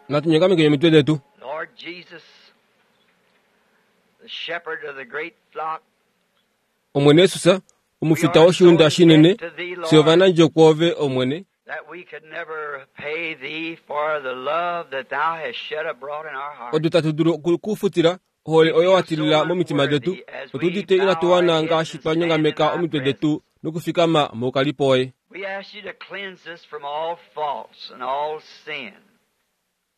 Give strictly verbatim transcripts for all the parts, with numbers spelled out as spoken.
Natu nyongameke omitwe detu. Lord Jesus, the shepherd of the great flock, Omwene Yesus, omufita woshiunda shinene, fye ovanandjo kwoove Omwene, that we could never pay thee for the love that thou hast shed abroad in our hearts. odu tatu dulu okukufutila ohole oyo wa tilila momitima detu, otu udite inatu wana ngaashi twa nyongameka omitwe detu nokufikama moukalipo woye. We ask you to cleanse us from all faults and all sin.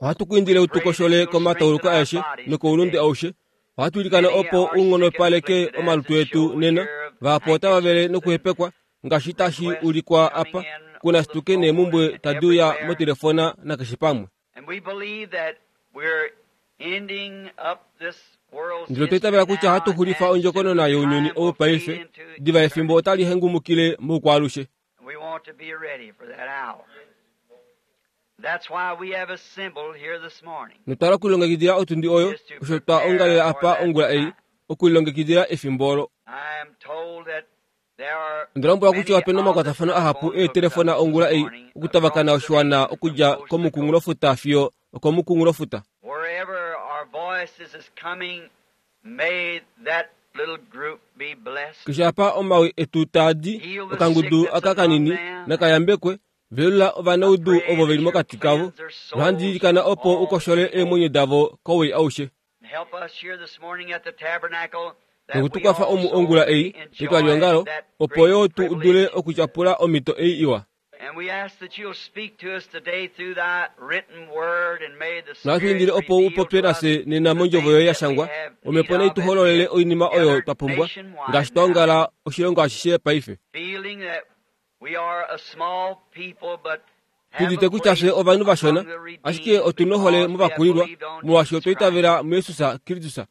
Ohatu ku indile u tu koshole komatauluko aeshe nokoulunde aushe. Ohatu ilikana opo u nghonopaleke omalutu etu nena, vahapu otava vele nokuhepekwa ngaashi tashi ulikwa apa, kuna situke neemumbwe tadi uya motelefona nakeshe pamwe. And we believe that we're ending up this world's Ndele otwa itavela kutya ohatu xulifa ondjokonona younyuni ou paife, diva efimbo otali hengumukile moukwaalushe. We want to be ready for that hour. That's why we have assembled here this morning. Notwala okulilongekidila otundi oyo, osho twa ongalela apa ongula ei, okulilongekidila efimbo olo. I am told that there are Onda lombwelwa kutya many opena on omakwatafano the ahapu telephone eetelefona hookup ongula this ei morning okutavakana across the oshiwana nation from okudja coast to komukunghulofuta fiyo okomukunghulofuta. Wherever our voices is coming, may that little group be blessed. Keshe apa omawi etu taa di, okangudu aka kanini nakayambekwe, velula ovanaudu ovo veli mokati kavo, nohandi ilikana opo u koshole eemwenyo davo kowii aushe. And help us here this morning at the tabernacle that Noku tu we kwafa omu also ongula ei may enjoy petwaliongalo, that opo great yo tu dule privilege. okutyapula omhito ei iwa. And we ask that you'll speak to us today through thy written word, and may the Nohatu Spirit indile opo u reveal popye to us nafye nena the mondjovo things yoye ya that we shangwa, have omhepo need nai of tu as we hololele have oinima oyo gathered twa pumbwa, nationwide ngaashi twa now, ongala oshilongo ashishe paife. feeling that we are a small people, but Tu have udite a kutya fye place ovanhu vashona, among the ashike redeemed otu nohole because we have movakulilwa, believed on molwaashi Jesus otwa Christ. itavela muJesus Kristus.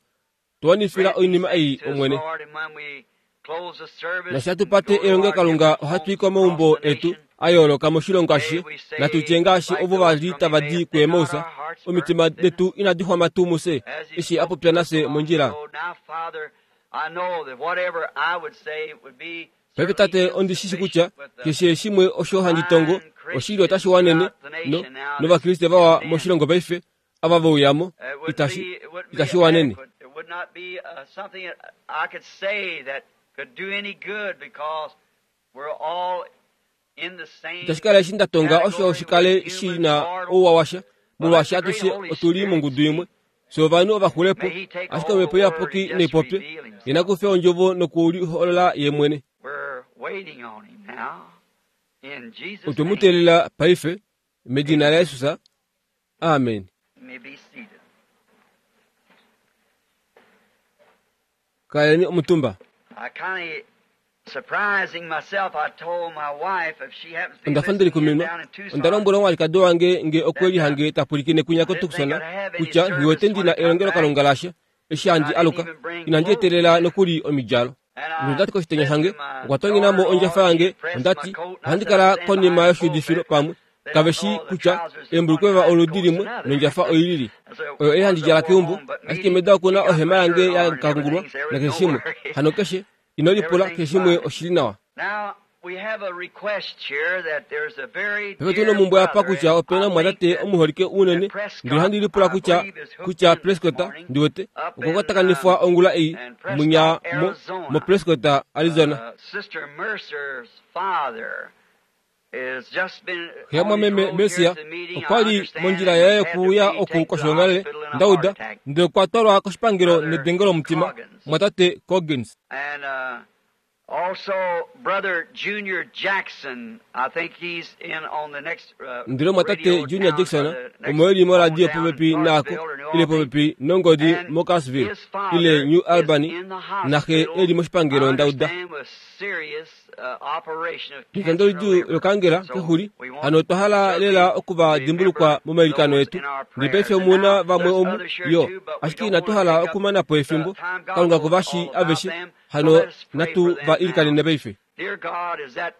Tu wanifila Grant these oinima things ei, to us, Omwene. Lord, and when we close the service Nashi hatu and pate go to our elongelokalunga different ohatu i homes komaumbo across the etu nation, a yooloka moshilongo may ashishe, we say, natu tye ngaashi like ovo those va li from tava di Emmaus, did not kuEmaus, our hearts burn omitima within us? detu inadi xwama tuu mufye, As he eshi a spoke popya to us nafye along the mondjila. road, now, Father, I know that whatever I would say would be Paife certainly tate ondi shi shi kutya insufficient with the keshe shimwe osho handi tongo fine oshili otashi Christians wanene throughout the no nation now that's novakriste vawa filled in. moshilongo paife ava veuyamo It wouldn't itashi be, it wouldn't be itashi wanene. adequate. It would not be uh, something that I could say that could do any good because we're all in the same Itashi kala eshi nda tonga osho category. shi We're kale shi human, na mortal. ouwa washa But let molwaashi the great atushe Holy otuli Spirit mongudu imwe speak. fye ovanhu ovaxulepo, May He take ashike all omhepo the word iyapuki and just neipopye reveal Himself. ye nakufe ondjovo nokuliholola ye mwene. We're waiting on Him now. In Jesus' Otwe mu name, teelela paife medina laJesus. Amen. you may be seated. Kaleni omutumba. I kind of surprising myself. I told my wife if she happens to be Onda fa ndeli listening in kuminwa, down in onda Tucson, lombwela omwalikadi wange nge okwe lihange ta pwilikine kwinya I didn't think koTucson I'd have any kutya nghiwete service when ndina I got back. elongelokalunga lasha eshi I handi didn't aluka even bring inandi clothes. etelela nokuli omidjalo. And I Nondati koshitenya said shange to my okwa tonginamo ondjafa daughter-in-law, she yange pressed my ondati coat, and I ohandi said, I kala stand konima behind the yoshuudifilo pulpit. pamwe They kave don't shi know the kutya trousers is one eembulukweva kind and oludi coat's limwe another. nondjafa oilili. I said, Oyo ei one's handi a djala wore keumbo, home, but ashike me, meda okuna he got ohema my yange shirt ya on and kangulwa everything. There was nakeshe no shimwe. worry. Hano keshe ino lipula keshe Everything's shimwe fine. oshili nawa. Now, we have a request here that there's a very Paife tuna dear omumbwe apa brother, kutya and opena I think omwatate that omuholike unene that ndele Prescott, ohandi lipula I kutya believe, is hooked kutya in this Prescott morning ndiwete up okwa in, kwatakanifwa um, ongula ei in Prescott, munya mo Arizona. mo Prescott Arizona. Uh, Sister Mercer's father has just been Xe ya on his mwameme road here Mesia to the meeting, I okwa li understand, mondjila and yaye he's had to okuuya be oku taken to the koshoongalele hospital in a heart ndauda attack. ndele okwa twalwa koshipangelo Brother nedengo lomutima Coggins. mwatate Coggins. And uh, also Brother Junior Jackson, I think he's in on the next uh, Ndele mwatate radio Junior down, or Jackson the next omo eli phone moradio down in popepi naako Clarksville or New ile Albany. popepi nongodi And moCarsville his ile father New is Albany in the naxe hospital, eli moshipangelo I ndauda. understand, with serious uh, operation of Etando cancer lidjuu of liver. lokangela So kexuli we want hano otwa hala certainly lela okuva dimbulukwa remember momailikano those etu in our ndele prayers. paife And omuna now vamwe there's omu others here yo too, but we ashike don't inatu want to hala take up okumana po the efimbo time. God kalunga knows kuvashi all about aveshe them. So hano let us pray natu for them va now. ilikanene paife. Dear God, is that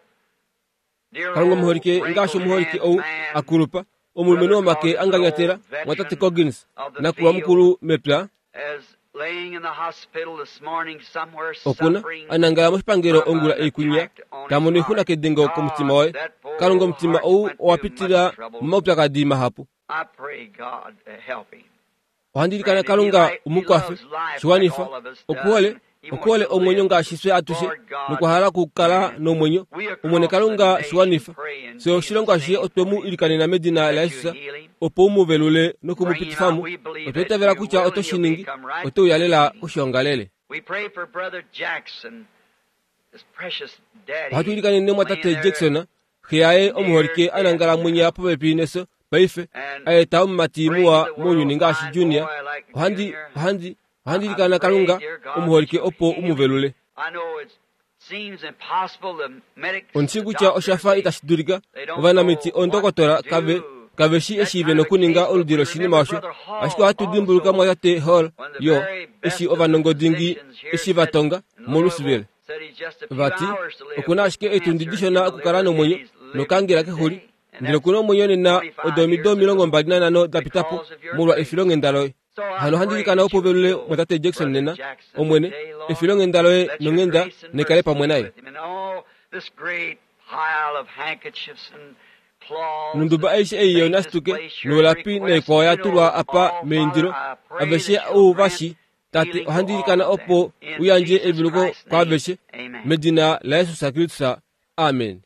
dear Kalunga old omuholike ngaashi wrinkled omuholike hand ou man, akulupa omulumenhu Brother womake Coggins, an anganyatela old mwatate veteran Coggins of the nakulwa field, mukulu mepya as laying in the hospital this morning somewhere okuna suffering anangala moshipangelo from ongula an ei kwinya attack on Ta mono oixuna kedengo komutima waye. Kalunga omutima ou owa pitila momaupyakadi mahapu. Ohandi ilikana Kalunga umukwafe, shiwanifa, okuhole, okuhole omwenyo ngaashi fye atushe, nokwa hala okukala nomwenyo. Omwene Kalunga shiwanifa, fye oshilongo ashishe otwe mu ilikanena medina laJesus, opo u mu velule noku mu pitifa mo. Otwa itavela kutya oto shi ningi, ote uya lela koshiongalele. Ohatu ilikanene mwatate Jackson, xe yaye omuholike a nangala mwinya popepi nefyo paife, a eta omumati muwa mounyuni ngaashi Junior. Ohandi ohandi ohandi ilikana Kalunga omuholike opo u mu velule. Ondi kutya osha fa itashi dulika, ovanamiti ondokotola kave kave shi eshiive nokuninga oludi loshinima osho. Ashike ohatu dimbuluka mwatate Hall yo eshi ovanongodingi eshi va tonga moLouisville. Vati okuna ashike eetundi dishona okukala nomwenyo nokangela kexuli, ndele okuna omwenyo nena odo omido omilongo mbali nanhano da pita po molwa efilonghenda loye. Hano ohandi ilikana opo velule mwatate Jackson nena, Omwene, efilonghenda loye nonghenda nekale pamwe naye. Nonduba aishe ei yonastuke nolapi naikwao ya tulwa apa meindilo, aveshe ou vashi Tate, ohandi ilikana opo u yandje eveluko kwaaveshe medina laJesus Kristus. Amen.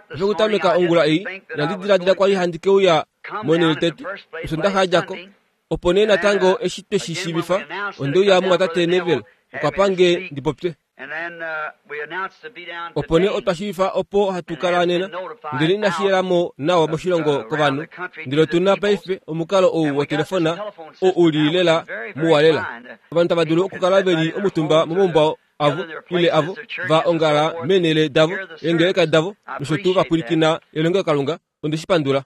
Pekutameka ongula ei, inandi diladila kwali handi ke uya monhele tete, Osondaxa ya dja ko. Opo nee natango eshi twe shi shiivifa, onde uya mumwatate Neville, okwa pa nge ndi popye. Opo nee otwa shiivifa opo hatu kala nena, ndele inashi yela mo nawa moshilongo kovanhu, ndele otu na paife omukalo ou wotelefona oo u li lela muwa lela. Ovanhu tava dulu okukala ve li omutumba momaumbo avo ile avo va ongala meenhele davo, eengeleka davo, nosho tuu va pwilikina elongelokalunga. Onde shi pandula.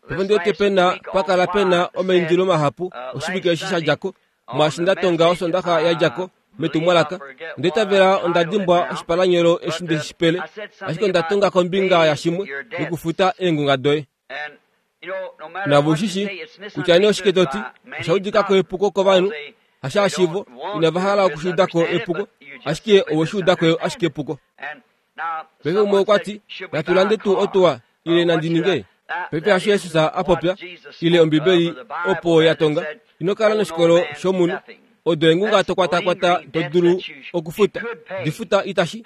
Paife wete pena pa kala pena omaindilo mahapu oshivike eshi sha dja ko, mwaashi nda tonga Osondaxa ya dja ko metumwalaka. Onda itavela onda dimbwa oshipalanyolo eshi nde shi pele, ashike onda tonga kombinga yashimwe yokufuta eengunga doye. Navo ushishi kutya nee oshike to ti, osha udika ko epuko kovanhu, hashaashivo inava hala okushiuda ko epuko, ashike owe shi uda ko ashike epuko. Paife umwe okwa ti, natu lande tuu otuwa, ile nandi ninge? Paife hasho Jesus a popya, ile Ombibeli opo ya tonga, ino kala noshikolo shomunhu, odo eengunga to kwatakwata to dulu okufuta, difuta itashi,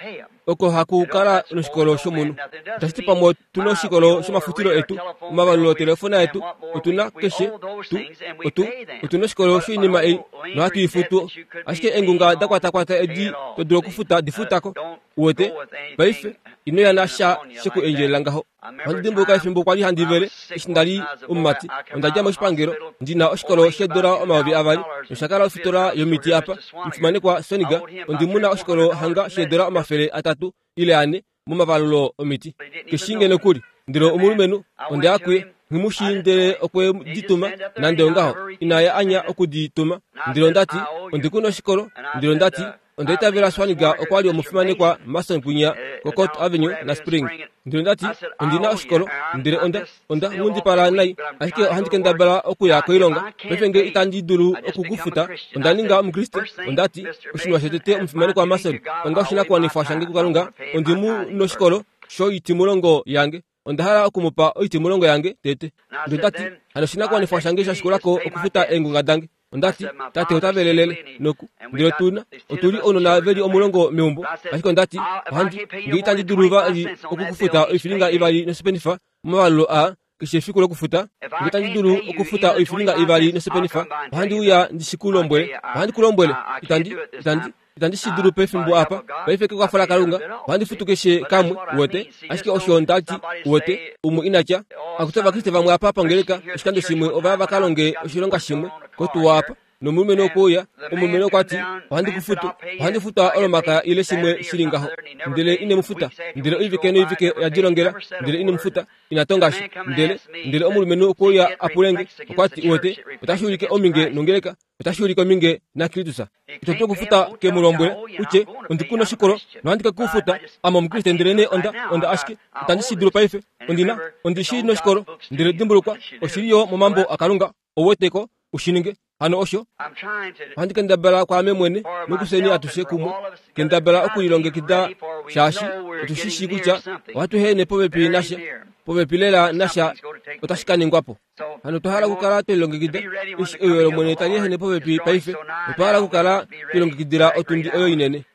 oko haku kala noshikolo shomunhu. Itashi ti pamwe otu na oshikolo shomafutilo etu, omavalulo otelefona yetu, otu na keshe tu, otu, otu na oshikolo shoinima ei, nohatu i futu, ashike eengunga da kwatakwata edi to dulu okufuta difutako. Uwete, paife ino ya nasha sheku endjelela ngaho. Ohandi dimbuluka efimbo kwali handi vele eshi nda li omumati, onda dja moshipangelo ndi na oshikolo sheedola omayovi avali nosha kala ofitola yomiti apa omufimanekwa Soniga, ondi muna oshikolo hanga sheedola omafele atatu ile ane momavalulo omiti. Keshinge nokuli, ndele omulumenhu onde ya kuye, nghimushi ndele okwe di tuma, nande ongaho inaya anya okudi tuma. Ndele onda ti, ondi kuna oshikolo, ndele onda ti, onda itavela Swaniga okwa li omufimanekwa Mason kwinya koCourt Avenue na Spring. Ndele onda ti, ondi na oshikolo, ndele onda onda nghundipala nai, ashike ohandi kendabala okuya koilonga. Paife nge itandi dulu okukufuta, onda ninga Omukriste. Onda ti, oshinima shotete omufimanekwa Mason, onga oshinakuwanifwa shange kuKalunga, ondi mu noshikolo shoitimulongo yange. Onda hala okumupa oitimulongo yange tete. Ndele onda ti, hano oshinakuwanifwa shange sha shikulako okufuta eengunga dange. Onda ti, tate ota velelele noku, ndele otuna otuli ounona veli omulongo meumbo, ashike onda ti, ohandi nge itandi dulu vali okukufuta oifilinga ivali nosipenifa momavalulo aa keshe efiku lokufuta, nge itandi dulu okufuta oifilinga ivali nosipenifa, ohandi uya ndi shi ku lombwele, ohandi ku lombwele, itandi itandi itandi shi dulu pefimbo apa, paife kekwafo laKalunga, ohandi futu keshe kamwe, uwete, ashike osho nda ti, uwete, umwe ina tya, akuti Ovakriste vamwe apa pongeleka, oshikando shimwe ova va ka longe oshilonga shimwe kotuwa apa, nomulumenhu okwe uya, omulumenhu okwa ti, ohandi ku futu, ohandi futwa olomakaya ile shimwe shili ngaho, ndele ine mu futa, ndele oivike noivike oya dilongela, ndele ine mu futa, ina tonga sha, ndele ndele omulumenhu okwe uya a pule nge, okwa ti, uwete, otashi ulike ominge nongeleka, otashi ulike ominge naKristus. Ito dulu okufuta ke mu lombwele, utye, ondi ku noshikolo, nohandi ke ku futa, ame Omukriste, ndele nee onda, onda ashike, itandi shi dulu paife, ondi na, ondi shi noshikolo, ndele dimbulukwa, oshili yo momambo aKalunga, ou weteko, u shi ninge. Hano osho ohandi kendabala kwaame mwene nokuseni atushe kumwe kendabala okulilongekida shaashi otu shi shii kutya ohatu hene popepi nasha popepi lela nasha otashi ka ningwa po. Hano otwa hala okukala twelilongekida eshi euyo lOmwene tali ehene popepi paife. Otwa hala okukala twelilongekidila otundi oyo inene.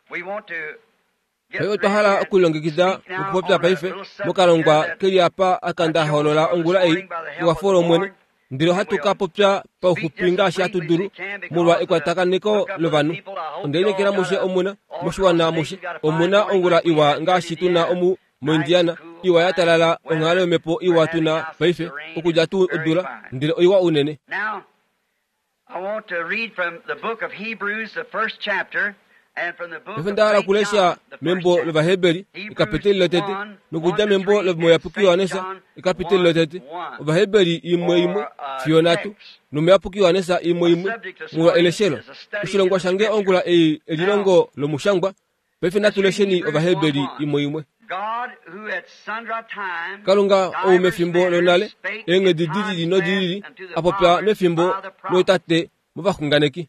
Paife otwa hala okulilongekida nokupopya paife mokalongwa keli apa aka nda hoolola ongula ei kekwafo lOmwene. Ndele ohatu ka popya pauxupi ngaashi hatu dulu molwa ekwatakaneko lovanhu. Onde lineekela mushe omuna moshiwana mushe omuna ongula iwa ngaashi tuna omu moIndiana iwa ya talala onghalo yomhepo iwa tuna paife okudja tuu odula ndele oiwa unene. Paife nda hala okulesha membo lOvaheberi ekapiteli lotete nokudja membo lomuyapuki Johannes ekapiteli lotete. Ovaheberi imwe imwe fiyo nhatu nomuyapuki Johannes imwe imwe molwa eleshelo. Oshilongwa shange ongula ei elilongo lomushangwa. Paife natu lesheni Ovaheberi imwe imwe. Kalunga ou mefimbo lonale eenghedi di lili nodi lili a popya mefimbo lootate movaxunganeki.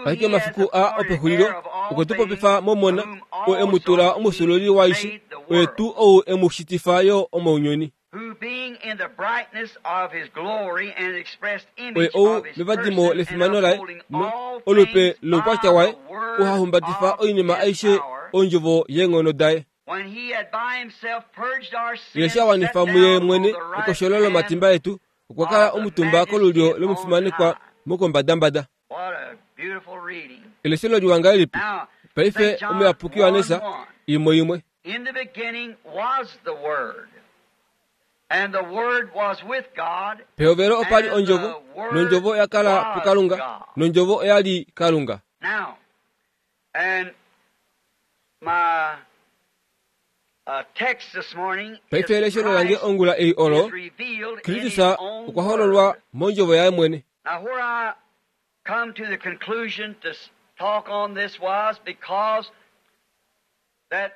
Ashike mafiku a opexulilo okwe tu popifa mOmona oo e mu tula omufyuululi waaishe, oye tuu ou e mu shitifa yo omounyuni. Oye ou mevadimo lefimano laye no olupe loukwatya waye ou ha humbatifa oinima aishe ondjovo yeenghono daye. Ye eshi a wanifa muye mwene ekosholo lomatimba etu, okwa kala omutumba kolulyo lomufimanekwa mokombadambada. Eleshelo liwa ngahelipi? Paife omuyapuki Johannes imwe imwe. Pehovelo opa li ondjovo, nondjovo oya kala puKalunga, nondjovo oya li Kalunga. Paife eleshelo lange ongula ei olo Kristus okwa hololwa mondjovo yaye mwene.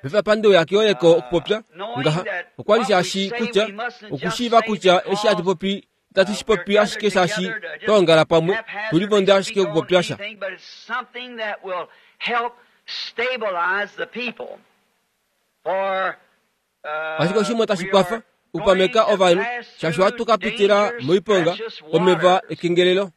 Paife apa ndeuya keoleko okupopya ngaha okwa li shaashi kutya okushiiva kutya eshi hatu popi itatu shi popi ashike shaashi twa ongala pamwe tulivonde ashike okupopya sha. Ashike oshimwe tashi kwafa okupameka ovanhu shaashi ohatu ka pitila moiponga omeva ekengelelo.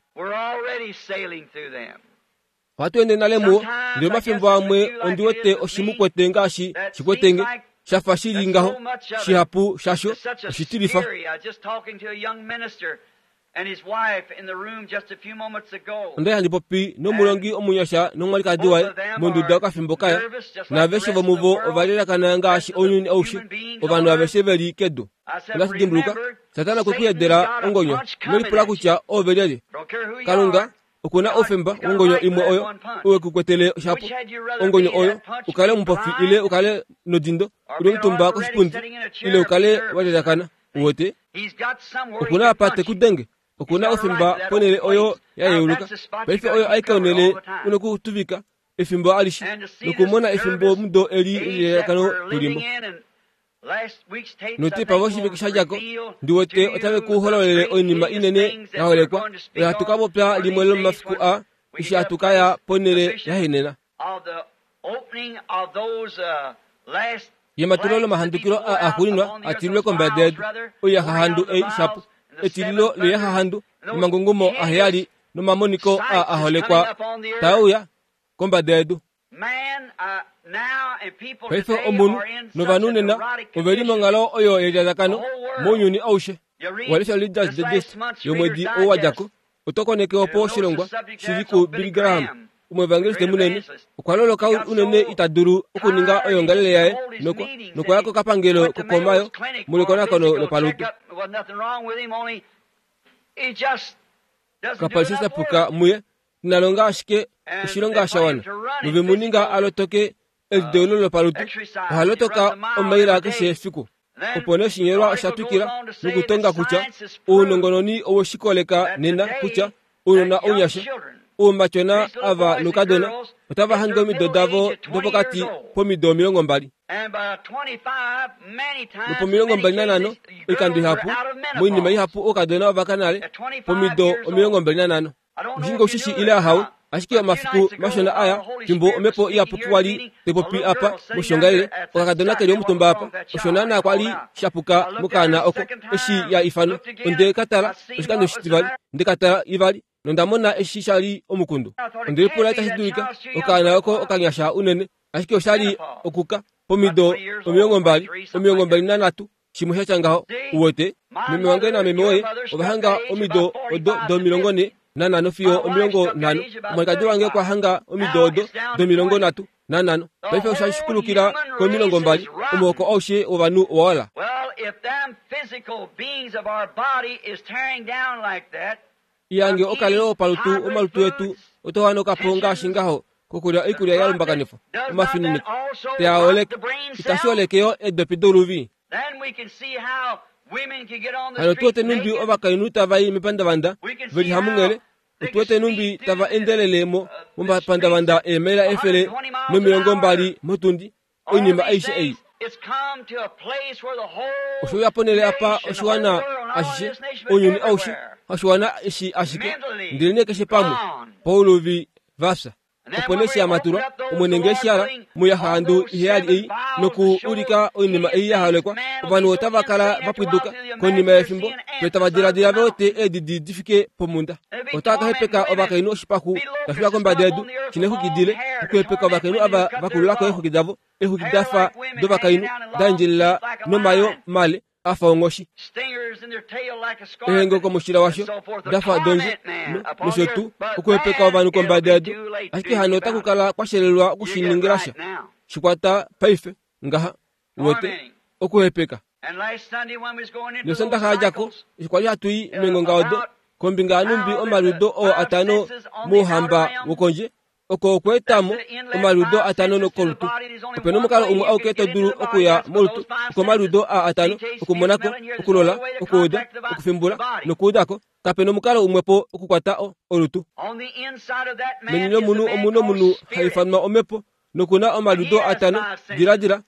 Ohatu ende nale muwo, ndele omafimbo amwe ondi wete oshimukwete ngaashi shikwetenge shafa shili ngaho shihapu shasho oshitilifa. Onda li handi popi nomulongi omunyasha nomwalikadi waye monduda okafimbo kaya, naaveshe vomuvo ova lelakana ngaashi ounyuni aushe, ovanhu aveshe veli kedu. Onda dimbuluka, Satana okwe ku yedela ongonyo, nolipula kutya oove lyelye. Kalunga okuna oufemba wongonyo imwe oyo owe ku kwetele shapo. Ongonyo oyo ukale omupofi ile ukale nodindo uli omutumba koshipundi ile ukale wa lelakana. Uwete okuna apa te ku denge, okuna oufemba ponhele oyo ya yeuluka. Paife oyo aike onhele una okutuvika efimbo alishe nokumona efimbo mudo eli lelelakano tulimo. Notepa voshivike sha djako ndi wete otave ku hololele oinima inene ya holekwa oyo hatu ka popya limwe lomomafiku a eshi hatu ka ya ponhele ya henena. Yematulo lomahandukilo a axuuninwa a tililwe kombada yedu, oiyahahandu ei shapo, etililo loiyahahandu nomangungumo aheyali nomamoniko a a holekwa taeuya kombada yedu. Paife omunhu novanhu nena oveli monghalo oyo yelilalakano mounyuni aushe. Walesha Reader's Digest yomwedi ou wa djako, oto koneke opo oshilongwa shili ku Billy Graham, omuevangeliste munene, okwa loloka unene ita dulu okuninga oyoongalele yaye nokwa nokwaya kokapangelo kokomayo molwekonakono lopalutu. Kapa li sha sapuka muye, ina longa ashike oshilonga sha wana, nove mu ninga a lotoke elideulo lopalutu. Oha lotoka omaila keshe efiku. Opo nee oshinyolwa osha twikila nokutonga kutya ounongononi owe shi koleka nena kutya ounona ounyasha Oumatyona ava noukadona otava hange omido davo dopokati pomido omilongo mbali. Nopomilongo mbali nanhano, oikando ihapu, moinima ihapu oukadona ovakanale pomido omilongo mbali nanhano. Oshinge oshishi ile ahawe, ashike omafiku mashona aya fimbo omhepo iyapuki kwali taipopi apa moshongalele, okakadona keli omutumba apa, osho naana kwali shapuka mokaana oko eshi ya ifanwa. Onde ka tala oshikando oshitivali, nde ka tala ivali, nonda mona eshi shali omukundu. Onde lipula itashi dulika okaana oko okanyasha unene, ashike oshali okuka pomido omilongo mbali, omilongo mbali nanhatu, shimwe shatya ngaho. Uwete, meme wange nameme woye ovahanga omido odo domilongo ne nanhano fiyo omilongo nhano. Omwalikadi wange okwa hanga omido odo domilongo nhatu nanhano. Paife osha shikulukila komilongo mbali. Omuhoko aushe wovanhu owaola. Iyange okalelo opalutu omalutu etu otohanoka po ngaashi ngaho kokulya oikulya ya lumbakanifwa omafininiko teaoleke itashi oleke yo edopi doluvi. Hano tuwete numbi ovakainhu tava i mepandavanda veli hamunghele, otuwete numbi tava endelele mo momapandavanda eemaila efele nomilongo mbali motundi. Oinima aishe ei osho uya ponele apa oshiwana ashishe, ounyuni aushe, oshiwana eshi ashike, ndele nee keshe pamwe pauluvi vafya. Opo nee shamatulwa Omwene ngee shala muyahandu iheyali ei noku ulika oinima ei ya halekwa, ovanhu otava kala vapwiduka konima yefimbo ve tava diladila vewete eedidi di fike pomunda. Otava ka hepeka ovakainhu oshipaxu tashi uya kombada yedu shina eexwiki dile, okuhepeka ovakainhu ava vakululako eexwiki davo, eexwiki dafa dovakainhu da endjelela nomayo male afa onghoshi, ehengo komushila washo dafa dondje nosho tuu, okuhepeka ovanhu kombada yedu. Ashike hano otaku kala kwashelelwa okushiningila sha shikwata paife ngaha uwete okuhepeka. Nosondaxa yadjako eshi kwali hatu i meengonga odo kombinga yanumbi omaliudo oo atano mouhamba wokondje, oko okweetamo omaliudo atano kolutu. Opena omukalo umwe auke to dulu okuya molutu, okomaliudo aa atano, okumonako, okulola, okuuda, okufimbula nokuudako. Kapena omukalo umwe po okukwata olutu. Meni lomunhu omuna omunhu ha ifanwa omhepo, nokuna omaliudo atano, diladila,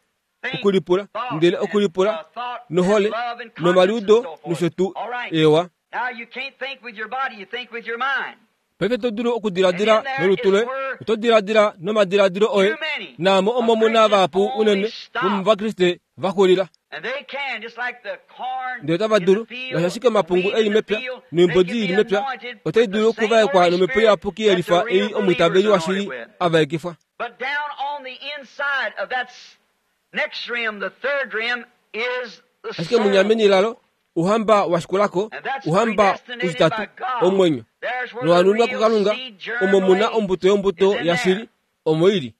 okulipula, ndele okulipula nohole nomaliudo nosho tuu. Ewa. Paife to dulu okudiladila nolutu loye, oto diladila nomadiladilo oye, naamo omo muna vahapu unene vomuvakriste vaxulila. Ndele otava dulu, ngaashi ashike omapungu eli mepya noimbodi ili mepya, otai dulu okuvaekwa nomhepo iyapuki yelifa ei omwiitaveli washili a vaekifwa. Ashike munyameni lalo, ouhamba washikulako, ouhamba utitatu, omwenyo nowanunwa kuKalunga, omo muna ombuto yombuto yashili, omo ili.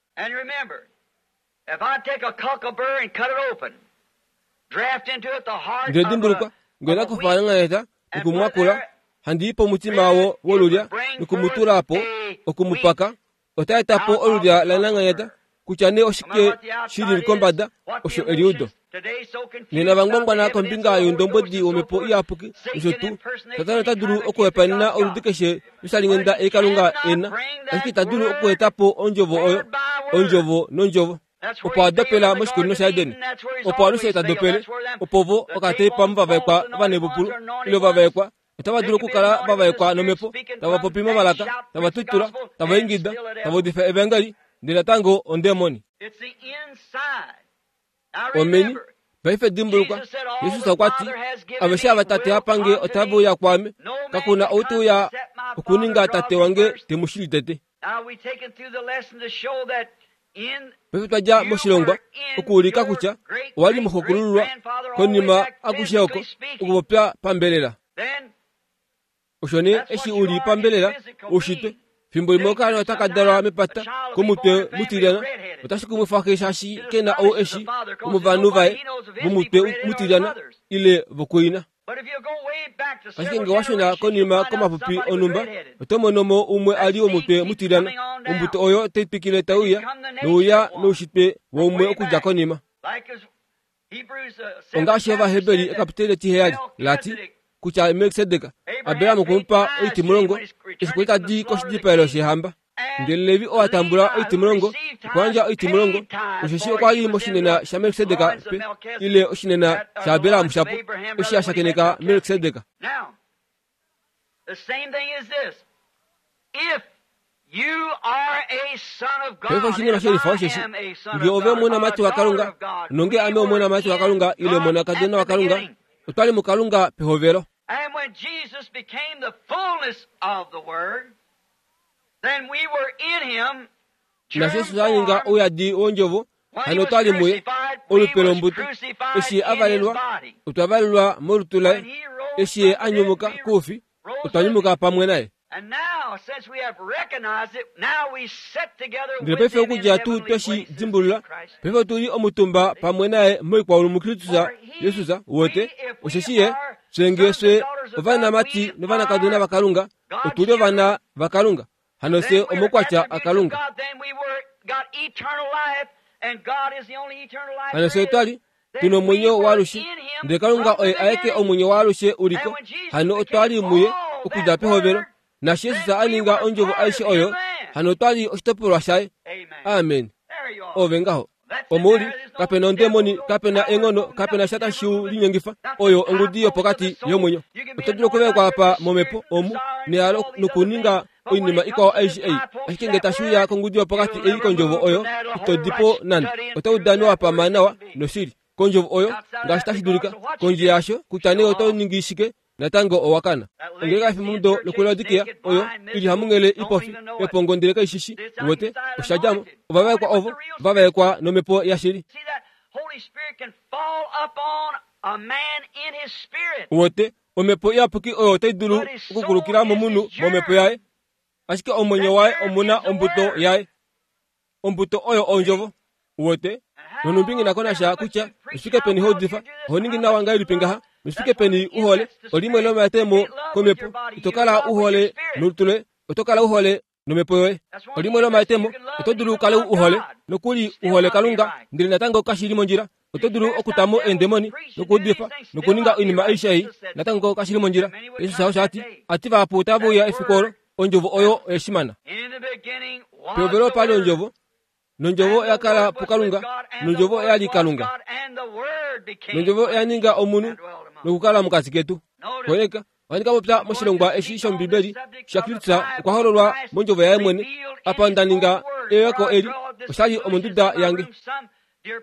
Ndele dimbulukwa, ngee ndakufa nanganeta nokumwakula, handi i pomutima wo wolulya nokumutula po, okumupaka, ota eta po olulya lananganyeta, kutya nee oshike shili kombada, osho eliudo. Nena vangwangwana kombinga youndombwedi womhepo iyapuki nosho tuu, Satana ota dulu okuhepanena oludi keshe loshalinghenda ei Kalunga ena, ashike ita dulu okueta po ondjovo oyo, ondjovo nondjovo. Opo a dopela moshikunino shaEden, opo alushe ta dopele, opo vo okateipa muvavaekwa ovanepupulu ile ovavaekwa otava dulu okukala vavaekwa nomhepo, tava popi momalaka, tava tutula, tava ingida, tava udifa evangeli, ndele natango ondemoni. Omeni. Paife dimbulukwa, Jesus okwa ti, aveshe ava Tate a pange otave uya kwaame, kakuna ou te uya okuninga Tate wange te mu shili tete. Paife twa dja moshilongwa okuulika kutya owa li moxokulululwa konima akushe oko okupopya pambelela. Osho nee eshi u li pambelela oushitwe, fimbo limwe okaana otaka dalwa mepata komutwe mutilyana, otashi kumwifa xe shaashi ke na ou eshi womovanhu vaye vomutwe mutilyana ile vokuina. Ashike ngee washuna konima komapupi onhumba, oto mono mo umwe a li womutwe mutilyana, ombuto oyo tai twikile tai uya nouya noushitwe waumwe okudja konima. Ongaashi Ovaheberi ekapiteli etiheyali lati, kutya Melkisedek Abraham okwe mu pa oitimulongo eshi kwali tadi koshidipaelo shehamba. Ndele Levi oo a tambula oitimulongo okwa yandja oitimulongo, osheshi okwa li moshinena shaMelkisedek pe ile oshinena shaAbraham shapo eshi a shakeneka Melkisedek. The same thing is this. If you are a son of God, Paife oshinima shelifa osheshi ngee ove omonamati waKalunga nonge ame omonamati waKalunga ile omonakadona waKalunga, otwa li muKalunga pehovelo. And when Jesus became the fullness of the Word, then we were in him. Nashi Jesus a ninga ouyadi wondjovo, hano otwa li muye, olupe lombuto. Eshi ye a valelwa, otwa valelwa molutu laye. Eshi ye a nyumuka koufi, otwa nyumuka pamwe naye. And now, since we have recognized it, now we sit together Ndele with paife him in okudja tuu heavenly tweshi places dimbulula, in Christ. paife otu li omutumba pamwe naye moikwaulu muKristus Jesus wote, osheshi ye fye ngee fye ovanamati novanakadona vaKalunga, otu li ovana vaKalunga. Hano fye Then we're omokwatya attributes of aKalunga. God. Then we were got eternal life, and God is the only eternal life Hano fye there otwa is. li tuna omwenyo waalushe, ndele Kalunga oye aeke omwenyo waalushe uliko. Hano otwa li muye okudja pehovelo. Nashi Jesus a ninga ondjovo aishe oyo, hano otwa li oshitopolwa shaye. Amen. Amen. There you are. Ove ngaho. Omo uli, kapena ondemoni, kapena enghono, kapena sha tashi u linyengifa. Oyo ongudi yopokati yomwenyo. Oto dulu okuwekwa apa momhepo omu nehalo nokuninga oinima ikwao aishe ei. Ashike ngee tashi uya kongudi yopokati ei kondjovo oyo, ito di po nande. Oto udana wa pama nawa noshili kondjovo oyo ngaashi tashi dulika. Kondje yasho, kutya nee oto ningi shike, natango owa kana. Ongeleka yefimbomudo lokuLaodikia oyo ili hamunghele ipofi epongo ndele kaishishi wote osha djamo. Ovavaekwa ovo vavaekwa nomhepo yashili. See that Holy Spirit can fall upon a man in his spirit. Wote omhepo iyapuki oyo otai dulu okukulukila momunhu momhepo yaye, ashike omwenyo waye omuna ombuto yaye. Ombuto oyo ondjovo. Wote nonumbi nghi nako nasha kutya oshike peni houdifa, oho ningi nawa ngahelipi ngaha, noshike peni uhole, olimwe lomatemo komhepo. Ito kala uhole nolutu loye, oto kala uhole nomhepo yoye. Olimwe lomatemo, oto dulu ukale uhole, nokuli uhole Kalunga, ndele natango kashi li mondjila. Oto dulu okutamo eendemoni, nokuudifa, nokuninga oinima aishe ei, natango kashi li mondjila. Jesus osho ati, ati vahapu otava uya efiku olo, ondjovo oyo oyeshimana. In the beginning was Pehovelo the pali Word. ondjovo, nondjovo oya kala puKalunga, nondjovo oya li Kalunga. Nondjovo oya ninga omunhu nokukala mokati ketu. Koneka, ohandi ka popya moshilongwa eshi shOmbibeli shaKristus okwa hololwa mondjovo yaye mwene. Apa nda ninga eyeko eli, osha li omonduda yange.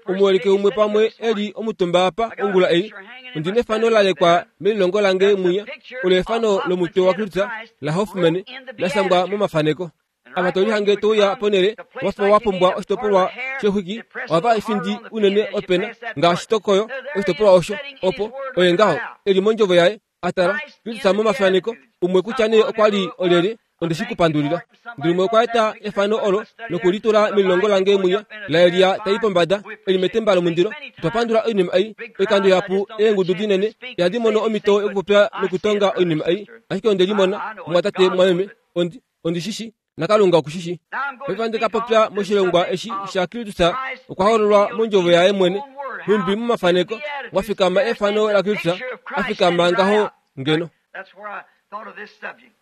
Omuholike umwe pamwe eli omutumba apa ongula ei, ondi nefano la lekwa melilongo lange mwinya, olo efano lomutwe waKristus la Hoffman la shangwa momafaneko. Apa to lihange touya ponele wafa wa pumbwa oshitopolwa shexwiki, ohava efindi unene opena ngaashi tokoyo oshitopolwa osho, opo oye ngaho eli mondjovo yaye atala Kristus momafaneko. Umwe kutya nee okwa li olyelye, onde shi kupandulila. Ndele umwe okwa eta efano olo nokulitula melilongo lange mwinya laElia tai pombada eli metemba lomundilo. Otwa pandula oinima ei oikando ihapu, eengudu dinene ihadi mono omhito yokupopya nokutonga oinima ei, ashike onde limona, mumwatate mumwameme, ondi ondi shishi naKalunga oku shishi. Paife ohandi ka popya moshilongwa eshi shaKristus okwa hololwa mondjovo yaye mwene, nhumbi momafaneko mwa fikama efano laKristus a fikama ngaho ngeno. That's where I thought of this subject.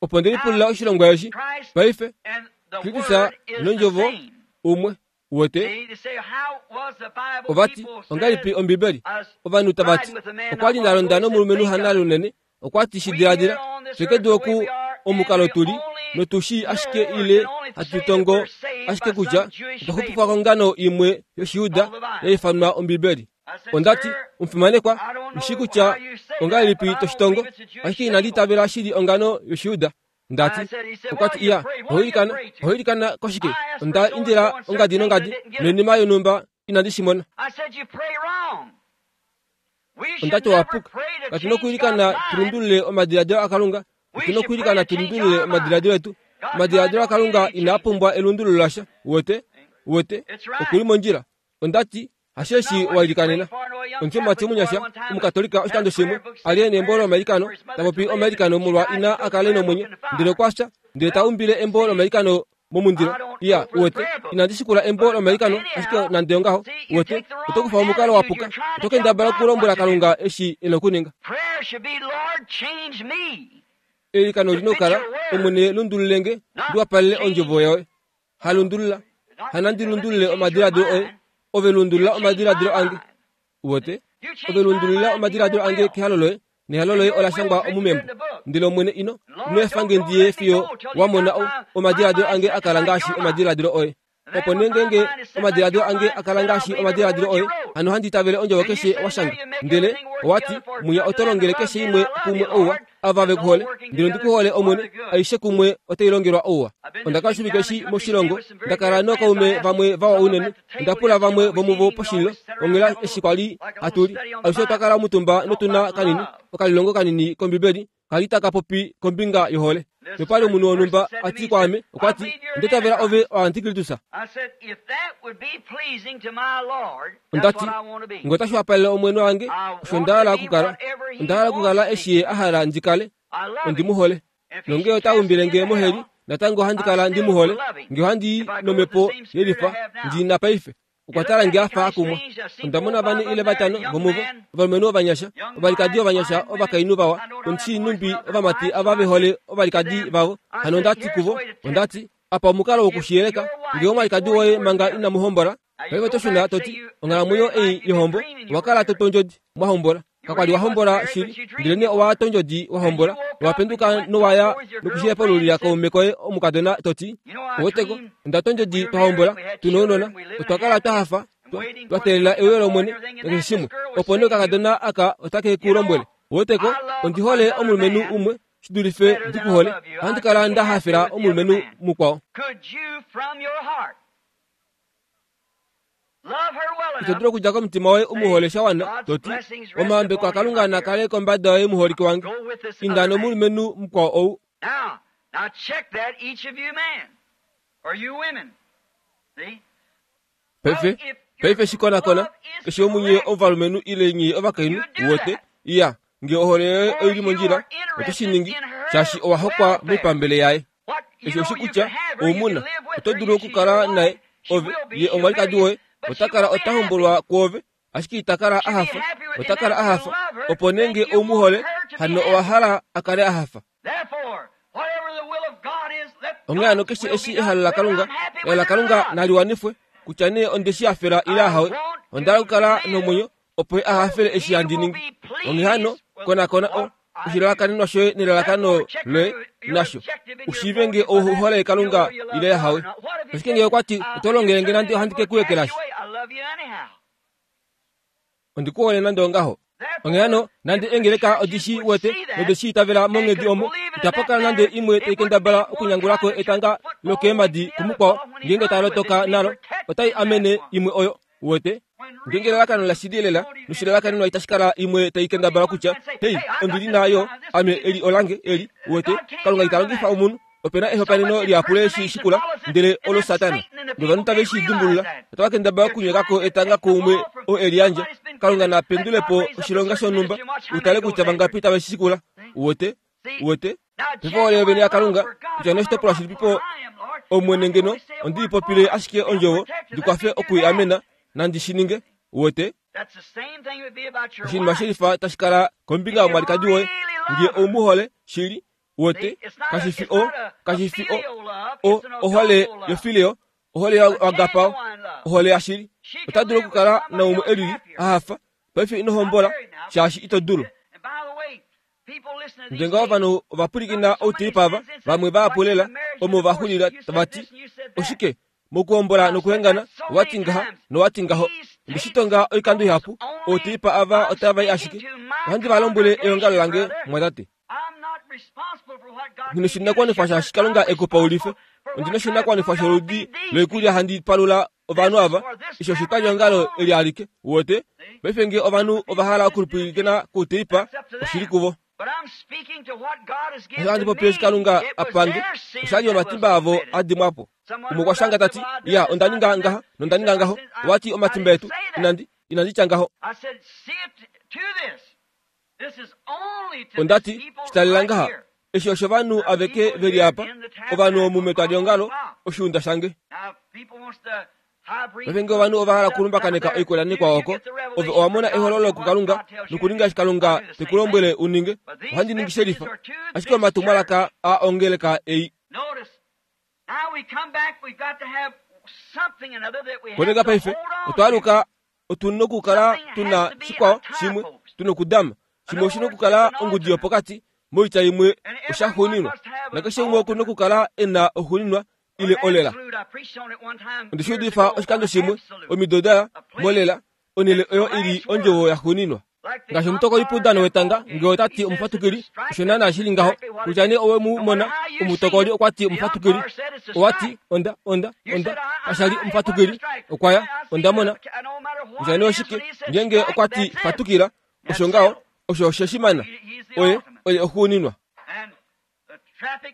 Opo nde lipulila oshilongwa eshi. Paife And the Kristus Word is the nondjovo same. umwe wote See, they say, how was the Bible? ovati People ongahelipi said, Ombibeli? us Ovanhu tava ti riding with a man okwa li not nda long londa ago, he said, nomulumenhu think of hana it. lunene, okwa ti shi We diladila here on this fye kedu earth the way oku we are, omukalo and we tuli only notu shii ashike know ile and only hatu say that tongo we're saved ashike by kutya some Jewish otwa xupifwa fable. kongano imwe yOshiyuda Called the Bible. ya ifanwa Ombibeli. I said, Ondati sir, omufimanekwa, I don't ushi know kutya how you say that, ongahelipi but I don't toshitongo, believe it's a Jewish ashike inandi fable. itavela shili ongano yOshiyuda. Ndati I said, he said, okwa ti well, you iya, pray. What do you ohoilikana, pray to? ohoilikana koshike? I asked for Onda so and indila so and certain ongadi things, I nongadi didn't get it. noinima yonhumba inandi shi mona. I said, you pray wrong. We should Ondati never owa puka. pray to Katu na change God's okuilikana mind. tulundulule omadiladilo aKalunga. We Otu na should pray okuilikana to change tulundulule our omadiladilo mind. etu. God's mind Omadiladilo don't need aKalunga any inaa change. pumbwa elundululo lasha. Wote, wote, It's right. okuli mondjila. Ondati hasheshi Not what you wa ilikanena. prayed for. I know a young Omutima Catholic ti boy omunyasha one time was omukatolika had a oshikando shimwe prayer book ali saying ena embo prayers lomailikano for his mother ta popi to live, omailikano and she molwa died ina and threw the akale prayer book nomwenyo in the ndele fire. okwa fya ndele ta Well, umbile embo see, lomailikano momundilo. Iya, uwete, inandi shikula embo lomailikano, ashike nande ongaho, uwete, oto kufa omukalo wa puka, oto kendabala okulombwela Kalunga eshi e na okuninga. Prayer should be, Lord, change me. Eilikano olina okukala, Omwene lundululenge, ndi wapalele ondjovo yoye. Halundulula, hanandi lundulule omadiladilo oye, ove lundulula omadiladilo ange. Uwete, ove lundulula omadiladilo ange kehalo loye, nehalo loye ola shangwa omu membo. Ndele Omwene ino, ino efa nge ndiye fiyo wa mona o-, omadiladilo ange a kala ngaashi omadiladilo oye. Opo nee ngeenge omadiladilo ange a kala ngaashi omadiladilo oye, hano handi itavele ondjovo keshe wa shanga. Ndele owati, mwiya oto longele keshe imwe kumwe ouwa, ava ve ku hole. Ndele ondi ku hole Omwene, aishe kumwe otai longelwa ouwa. Onda kala oshivike eshi moshilongo, nda kala nookaume vamwe vawa unene, onda pula vamwe vomuvo poshililo, onghela eshi kwali hatu li. Alushe otwa kala omutumba notuna kanini, okalilongo kanini kOmbibeli, kali taka popi kombinga yohole. Nopali omunhu wonhumba a ti kwaame, okwa ti, Onda itavela ove oantikristus. I said, if that would be pleasing to my Lord, Onda that's ti, what I want to be. Ngee otashi wapalele Omwene wange, osho nda hala okukala. Onda hala okukala eshi ye a hala ndi kale. I love Ondi him. mu hole. If he Nongee should ota cast me umbile nge into moheli, hell, natango ohandi kala ndi mu hole. Ngee ohandi i nomhepo yelifa, ndi na paife. Okwa tala nge a fa a kumwa. Onda mona vane ile vatano vomuvo, ovalumenhu ovanyasha, ovalikadi ovanyasha, ovakainhu vawa, ondi numbi ovamati ava ve hole ovalikadi vavo. Hano onda ti kuvo, onda ti, apa omukalo wokushiyeleka, ngee omwalikadi woye manga inamu hombola, paife oto shuna to ti, onghalamwenyo ei yohombo, owa kala to tondjodi, mwa hombola. Kakwali wa hombola shili, ndele nee owa tondjodi wa hombola, owa penduka nowaya nokushihepululila kaume koye omukadona to ti, oweteko, onda tondjodi twa hombola, tuna ounona, otwa kala twa hafa, twa, twa teelela euyo lOmwene, nakeshe shimwe. Opo nee okakadona aka otake ku lombwele, oweteko, ondi hole omulumenhu umwe, shi dulife ndi ku hole, ohandi kala nda hafela omulumenhu mukwao. Could you from your heart love her well Ito enough? dulu okudja komutima woye u mu hole sha wana, to ti, omahambeko aKalunga na kale kombada yoye muholike wange. Go with this Inda other man. nomulumenhu mukwao ou. Now, now check that, each of you men, or you women. See? Paife, paife shikonakona, keshe omunye ovalumenhu ile nye ovakainhu, uwete, iya, ngee ohole yoye oili mondjila, oto shi ningi, shaashi owa hokwa moipambele yaye. What you Eshi oshi know you kutya, can have her, you oumuna, can live with oto her, dulu you she's okukala your naye, wife, she ove, will be, ye she'll omwalikadi marry you, woye, but ota she kala won't be ota happy. hombolwa kwoove, ashike ita kala a She'll be hafa, happy with, ota and kala if a you hafa. love her, Opo nee then ngee you ou mu want hole, her to be hano owa happy. hala a kale a hafa. Therefore, whatever the will of God is, let Onghee hano God's keshe will eshi be done. ehalo Whether laKalunga, I'm happy ehalo with it or laKalunga not. nali wanifwe, kutya nee onde shi hafela ile ahawe, onda hala okukala nomwenyo, opo ye a hafele eshi He handi will ningi. be Onghee hano, pleased with konakona o what I do. oshilalakanenwa shoye nelalakano Therefore, check loye your, your nasho, objective and your ushiive ngee motive by ou that. hole You know Kalunga whether you love ile God or ahawe. not. What if he Ashike said, ngee okwa ti, uh, oto longele you nge nande certainly ohandi ke will ku cast ekelashi. you away. I love you anyhow. Ondi ku hole nande ongaho. Onghee hano, nande Therefore, if the eengeleka odi churches shi would wete see that node shi itavela and monghedi could omo, believe it in itapa that kala nande manner, imwe tai it wouldn't kendabala be one okunyangulako trying to jerk etanga the football away lokeemadi from the other kumukwao, ball when he's ngeenge running tala with it. lotoka It'd be nalo, otai protecting that amene one. imwe oyo, uwete. When Ngeenge real elalakano la shili lela, motive and noshilalakanenwa itashi kala imwe tai there'll be kendabala one kutya, trying to say, hei, hey, I got ondili this, nayo, uh, this ame this eli olange, eli, uwete, God can't Kalunga use ita longifa that. omunhu, opena So ehopaneno much lihapu le shi impersonation shikula, follows it, ndele and olo that's Satana. Satan, and the Novanhu people tave can't shi realize dimbulula, that. otava kendabala They're okunyekako trying to etanga take the kuumwe ball from oo e liyandja. somebody's been Kalunga given. na Let pendule God po raise up a oshilonga certain shonhumba, ministry and watch how many utale goes kutya after vangapi it. tave shi shikula. See? Uwete, See? uwete, Now, paife ohole yovene genuine love yaKalunga, for God, kutya no matter noshitopolwa what shilipipo poor I am, Lord, if Omwene I can ngeno, only say a ondi word ipopile for it, ashike I'm ondjovo, protected. ndi Let kwafe me do that. okuiamena, nandi shi ninge. Uwete, That's the same thing it would be about your oshinima wife. shelifa tashi kala kombinga If you yomwalikadi woye, really ngee love her, ou mu hole shili, see, uwete, it's not a kashi fi it's o, not a, a kashi fi o, filial love, o it's an ohole agapo love, yofileo, ohole a yagapao, genuine love. ohole yashili. She Ota can dulu live with okukala somebody naumwe else elili happier. a hafa, paife ino Not hombola, married now. shaashi ito dulu. And by the way, people listen to Ndele these ngaho tapes. ovanhu ovapwilikina Some so many outilipa ava, sins and said, vamwe like in the vahapulela, marriage and omo divorce, vaxulila you tava said ti, this and you said that. oshike mokuhombola I've said nokuhengana, that so owati many ngaha times. nowati ngaho. These tapes Ndishitonga oikando goes ihapu, only, outilipa ava I'm otava i speaking ashike. to my Ohandi va lombwele eongalo congregation, lange, brother. mwatate. I'm not responsible for what God Ndina gave you to oshinakuwanifwa shepherd. shaashi Kalunga I'm e ku pa ulife. responsible for Ondina what kind of oshinakuwanifwa food I sholudi feed these loikulya people. handi palula ovanhu This is ava, for this eshi oshitwalyeongalo tabernacle eli only. alike, uwete. See? Paife ngee ovanhu The ova people hala listen to the okupwilikina tape. kouteipa, That's up to oshili them. kuvo. But I'm speaking to what God has given Ohandi to popile eshi me. Kalunga It a was pange, their sins oshali that was omatimba avo committed. a dimwa po. Someone Umwe wrote okwa shanga out and said, tati, Well, I did iya, this, onda I ninga did ngaha, that. You nonda said ninga my ngaho, sins. I, wati I omatimba didn't etu, say that. inandi, inandi tya ngaho. I said, see it to this. This is only to this Ondati, people shitalela right ngaha, here. eshi osho ovanhu The aveke people veli here apa, in the ovanhu tabernacle omumetwalyeongalo, on the rock. oshiunda shange. Paife ngee ovanhu ova hala okulumbakaneka oikwelani oko, ove owa mona ehololo kuKalunga nokuninga eshi Kalunga te ku lombwele u ninge, ohandi ningi shelifa. Ashike omatumwalaka a ongeleka ei. Koneka paife, otwa aluka otu nokukala tuna shikwao shimwe, tu nokudama. Shimwe oshi nokukala ongudi yopokati, moitya imwe oshaxuuninwa. Nakeshe umwe oku nokukala e na oxuuninwa ile olela. Onde shi udifa oshikando shimwe, omido daya, molela, onhele oyo ili ondjovo yaxuuninwa. Ngaashi omutokoli poudano wetanga, ngee ota ti omufatukili, osho naana shili ngaho, kutya nee owe mu mona, omutokoli okwa ti omufatukili, owa ti, onda, onda, onda, kasha li omufatukili, okwa ya, onda mona. Kutya nee oshike, ngeenge okwa ti fatukila, osho ngaho, osho osheshimana, oye, oye oxuuninwa.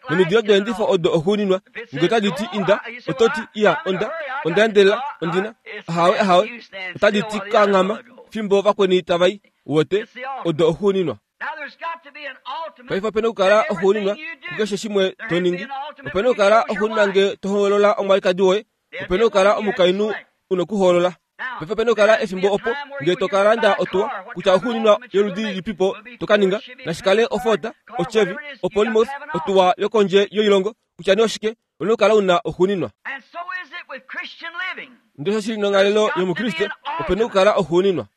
Nomidilo deendifo odo oxuuninwa, ngee otadi ti inda, oto ti iya, onda, onda endelela, ondina, ahawe, ahawe, otadi ti kanghama, fimbo vakweni tavai, wote, odo oxuuninwa. Paife opena okukala oxuuninwa kukeshe shimwe to ningi. Opena okukala oxuuninwa ngee to hoolola omwalikadi woye, opena okukala omukainhu una okuhoolola. Paife opena okukala efimbo opo ngee to ka landa otuwa, kutya oxuuninwa yoludi lilipipo to ka ninga, nashi kale oFord, oChevy, oPlymouth, otuwa yokondje yoilongo, kutya nee oshike, una okukala una oxuuninwa. Ndele osho shili nonghalelo yomukriste, opena okukala oxuuninwa.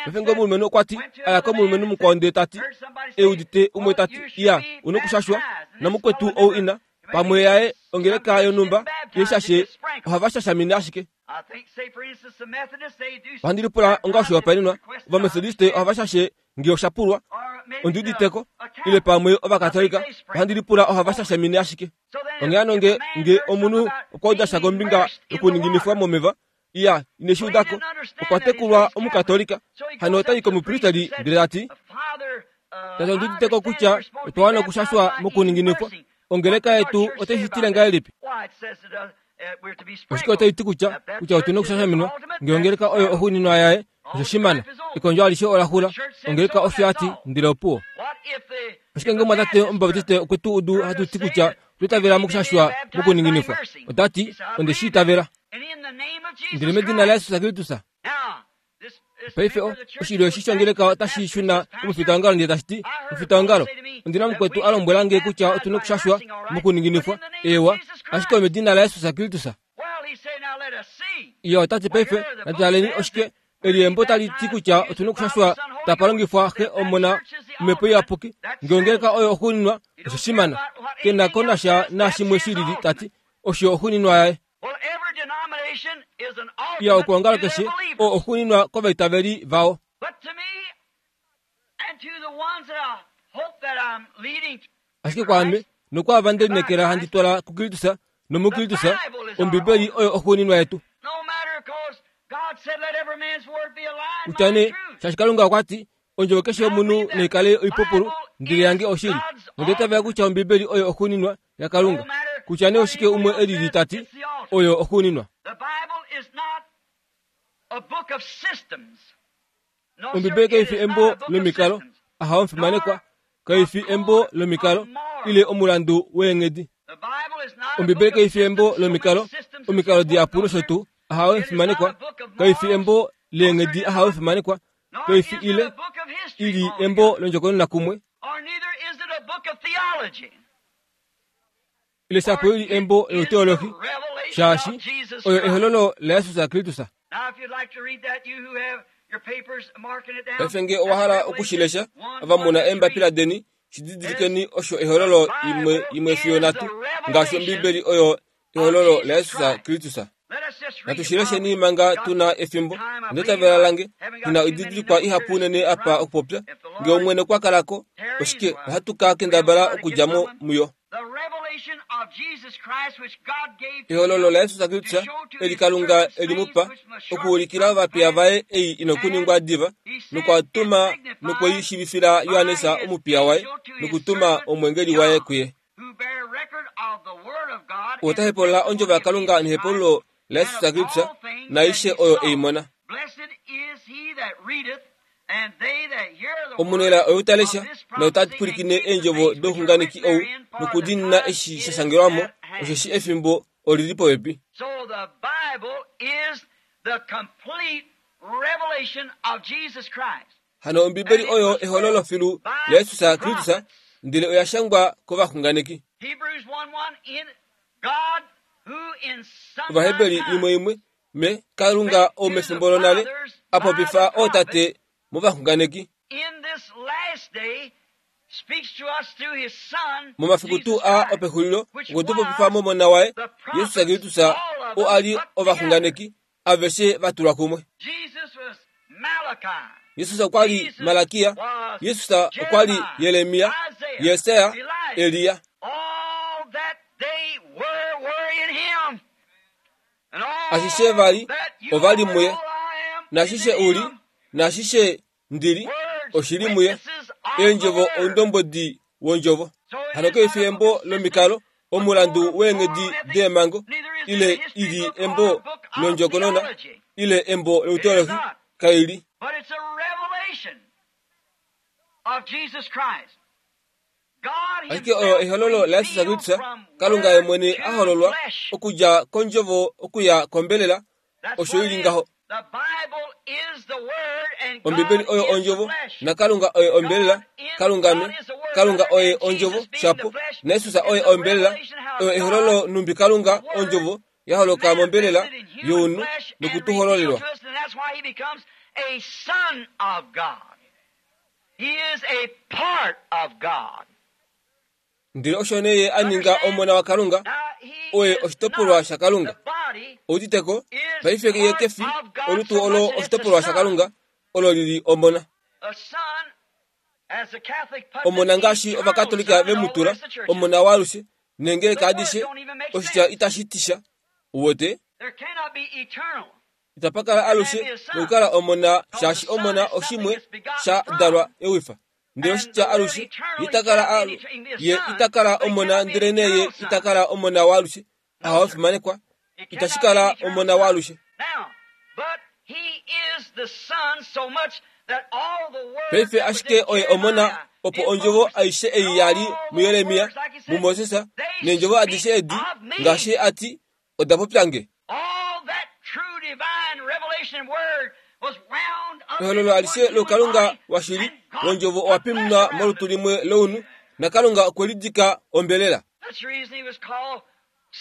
Paife ngee omulumenhu okwa ti, aya komulumenhu mukwao ndee ta ti, e udite umwe ta ti, iya, una okushashwa, namukwetu ou ina, pamwe yaye ongeleka yonhumba, ye shashe ohava shashamine ashike. Ohandi lipula onga oshihopaenenwa, Ovamethodiste ohava shashe ngee osha pulwa, ondi uditeko, ile pamwe Ovakatolika, ohandi lipula ohava shashamine ashike. Onghee hano nge, nge omunhu okwa uda sha kombinga yokuninginifwa momeva, iya, ine shi udako, okwa tekulwa Omukatolika, hano otai komupristeli ndele ta ti, tate ondi uditeko kutya otwa wana okushashwa mokuninginifwa, ongeleka yetu otai shi tile ngahelipi? Oshike otai ti kutya, kutya otu na okushashaminwa, ngee ongeleka oyo oxuuninwa yaye, osho shimana, ekondjo alishe ola xula, ongeleka osho ya ti, ndele opuwo. Ashike ngee omwatate Omubaptiste okwe tu udu hatu ti kutya otwa itavela mokushashwa mokuninginifwa, ota ti, onde shi itavela. Ndele medina laJesus Kristus. Paife oshilyo eshi shongeleka otashi shuna komufitaongalo ndele tashi ti, mufitaongalo, ondina mukwetu a lombwela nge kutya otu na okushashwa mokuninginifwa, ewa, ashike omedina laJesus Kristus. Ye ota ti paife, natu oshike, eliembo tali ti kutya otu na okushashwa tapa longifwa Xe, Omona, Omhepo Iyapuki, ngee ongeleka oyo oxuuninwa, osho shimana. Ke na ko nasha nashimwe shilili ta ti, osho oxuuninwa yaye. Iya okuongalo keshe oo oxuuninwa kovaitaveli vao. Ashike kwaame, nokwaava nde lineekela handi twala kuKristus nomuKristus, Ombibeli oyo oxuuninwa yetu. Kutya nee, shaashi Kalunga okwa ti, ondjovo keshe yomunhu naikale oipupulu, ndele yange oshili. Nonde itavela kutya Ombibeli oyo oxuuninwa yaKalunga. Kutya nee oshike umwe elili ta ti, oyo oxuuninwa. Ombibeli kai fi embo lomikalo, ahawe omufimanekwa, kai fi embo lomikalo, ile omulandu weenghedi. Ombibeli kai fi embo lomikalo, omikalo dihapu nosho tuu, ahawe omufimanekwa, kai fi embo leenghedi, ahawe omufimanekwa, kai fi ile ili embo londjokonona kumwe, ile shapo ili embo louteolohi, shaashi oyo ehololo laJesus Kristus. Paife ngee owa hala okushilesha, ava muna eembapila deni, shididilikeni osho ehololo imwe imwe fiyo nhatu, ngaashi Ombibeli oyo ehololo laJesus Kristus. Natu shilesheni manga tuna efimbo, onde itavela lange, tuna oididilikwa ihapu unene apa okupopya, ngee Omwene okwa kalako, oshike ohatu ka kendabala okudja mo muyo. Ehololo laJesus Kristus eli Kalunga eli mu pa, okuulikila ovapiya vaye ei inokuningwa diva, nokwa tuma nokweishivifila Johannes omupiya waye, nokutuma omwengeli waye kuye. Ota hepolola ondjovo yaKalunga nehepolulo laJesus Kristus, naaishe oyo ei mona. Omunela oyo ta lesha nota pwilikine eendjovo douxunganeki ou nokudiinina eshi sha shangelwa mo, osheshi efimbo Oli li popepi. So the Bible is the complete revelation of Jesus Christ. Hano Ombibeli oyo ehololo filu laJesus Kristus, ndele oya shangwa kovaxunganeki. Hebrews one one, in God who in some Ovaheberi imwe imwe me Kalunga ou mefimbo lonale a popifa ootate movaxunganeki. In this last day speaks to us through his son, Momafiku tuu a opexulilo okwe tu popifa momona waye Jesus Kristus, oo a li ovaxunganeki aveshe va tulwa kumwe. Jesus was Malachi. Jesus okwa li Malakia, Jesus okwa li Jeremia, Jesaja, Elia. All that they were were in him. And all Ashishe vali that you ova li are, muye. all I am Nashishe is in uli, him. nashishe ndili, Words, oshili muye. witnesses of the Eendjovo word. oundombodi wondjovo. Hano keifi embo lomikalo, omulandu weenghedi deemhango, ile ili embo londjokonona, ile embo louteolohi, kaili. But it's a revelation of Jesus Christ. God Ashike oyo ehololo laJesus himself Kristus, from Kalunga word ye mwene to a hololwa flesh. okudja kondjovo okuya kombelela, That's osho what ili it is. ngaho. The Bible is the word and Ombibeli God oyo is the ondjovo, flesh. naKalunga oye ombelela, Kalunga me, Kalunga oye ondjovo, shapo, naJesus oye ombelela, oyo ehololo numbi Kalunga ondjovo ya holoka mombelela younhu nokutuhololelwa. And that's why he becomes a son of God. He is a part of God. Ndele osho nee ye a ninga omona waKalunga, Now, he oye is oshitopolwa not shaKalunga. the body Outiteko, is paife ye part kefi of God olutu so olo much that it's a oshitopolwa son. shaKalunga, olo lili omona. A son, as the Catholic puts Omona it, ngaashi eternal Ovakatolika son ve and mu all the tula, rest of the churches. omona waalushe, neengeleka The word adishe, don't even make oshitya sense. itashi ti sha. Uwete, There cannot be eternal. itapa kala alushe nokukala omona shaashi omona oshimwe sha dalwa ewifa. Ndele oshitya alushe itakala alu, ye itakala omona ndele nee ye itakala omona waalushe, aha wafimanekwa, It itashi cannot be kala eternal omona son. waalushe. Now, but he is the son so much that all the words Paife that was ashike in oye omona Jeremiah, opo in ondjovo Moses, aishe ei ya li all those muJeremia, words, like he said, muMoses, they neendjovo adishe speak edi, of me. ngaashi a ti, oda popya nge. All that true divine revelation word was wound up Ehololo into alishe one human lokalunga body, washili and God londjovo owa put flesh pimunwa around molutu it. limwe lounhu, naKalunga okwe lidika ombelela. That's the reason he was called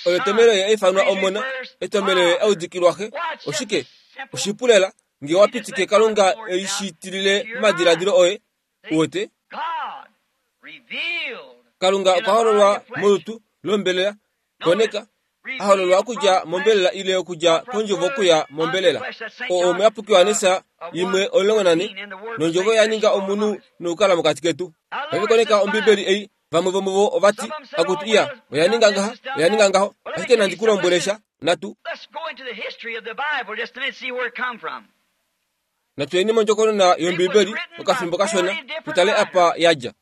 Oyo son. etomelo ye aifanwa The reason he omona, wears etomelo ye father. audikilwa xe. Why, it's just Oshike, simple. oshipulela nge wa pitike Kalunga eishitilile momadiladilo oye, uwete, God revealed Kalunga in a okwa body hololwa of flesh. molutu lombelela, koneka, a hololwa okudja mombelela ile okudja kondjovo okuya mombelela. Oo omuyapuki Johannes imwe omulongo nane, nondjovo ya ninga omunhu nokukala mokati ketu. Paife koneka Ombibeli ei, vamwe vomuvo ova ti, akutu iya, oya ninga ngaha, oya ninga ngaho, ashike nandi ku lombwele sha, natu. Let's go into the history of the Bible just a minute, see where it come from. Natuyeni mondjokonona yOmbibeli okafimbo kashona, tutale apa ya dja.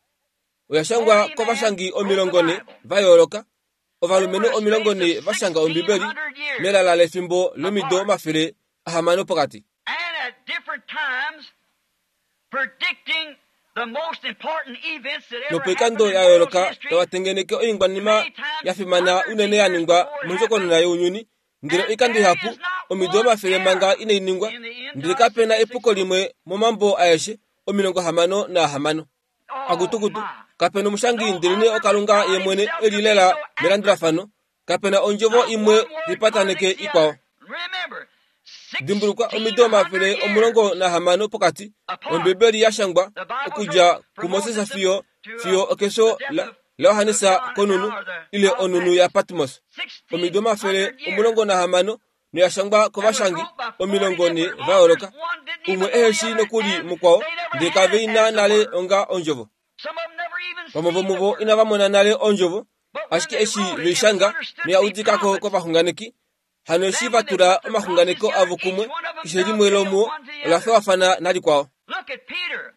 Oya shangwa kovashangi omilongo ne va yooloka, ovalumenhu omilongo ne va shanga Ombibeli melala lefimbo lomido omafele ahamano pokati. And at different times, predicting the most important events that ever Nopoikando happened in ya world yooloka history, tava tengeneke oingwanima ya fimana unene ya ningwa mondjokonona younyuni, ndele oikando ihapu omido omafele manga inai ningwa, ndele kapena epuko limwe momambo aeshe omilongo hamano naahamano. oh Akutukutu, my. kapena omushangi ndele nee oKalunga ye mwene eli lela melandulafano, kapena ondjovo imwe lipataneke ikwao. Remember, Dimbulukwa omido omafele omulongo nahamano pokati, Ombibeli ya shangwa okudja kuMoses fiyo fiyo okefyo la laJohannes konunu ile onunu yaPatmos. Omido omafele omulongo nahamano noya shangwa kovashangi omilongo ne va yooloka, umwe eheshi nokuli mukwao, ndele kave ina nale onga ondjovo. Vamwe vomuvo inava mona nale ondjovo, ashike eshi veishanga noya udikako kovaxunganeki, hano eshi va tula omaxunganeko avo kumwe, keshe limwe lomuo ola faafana nalikwao. Look at Peter,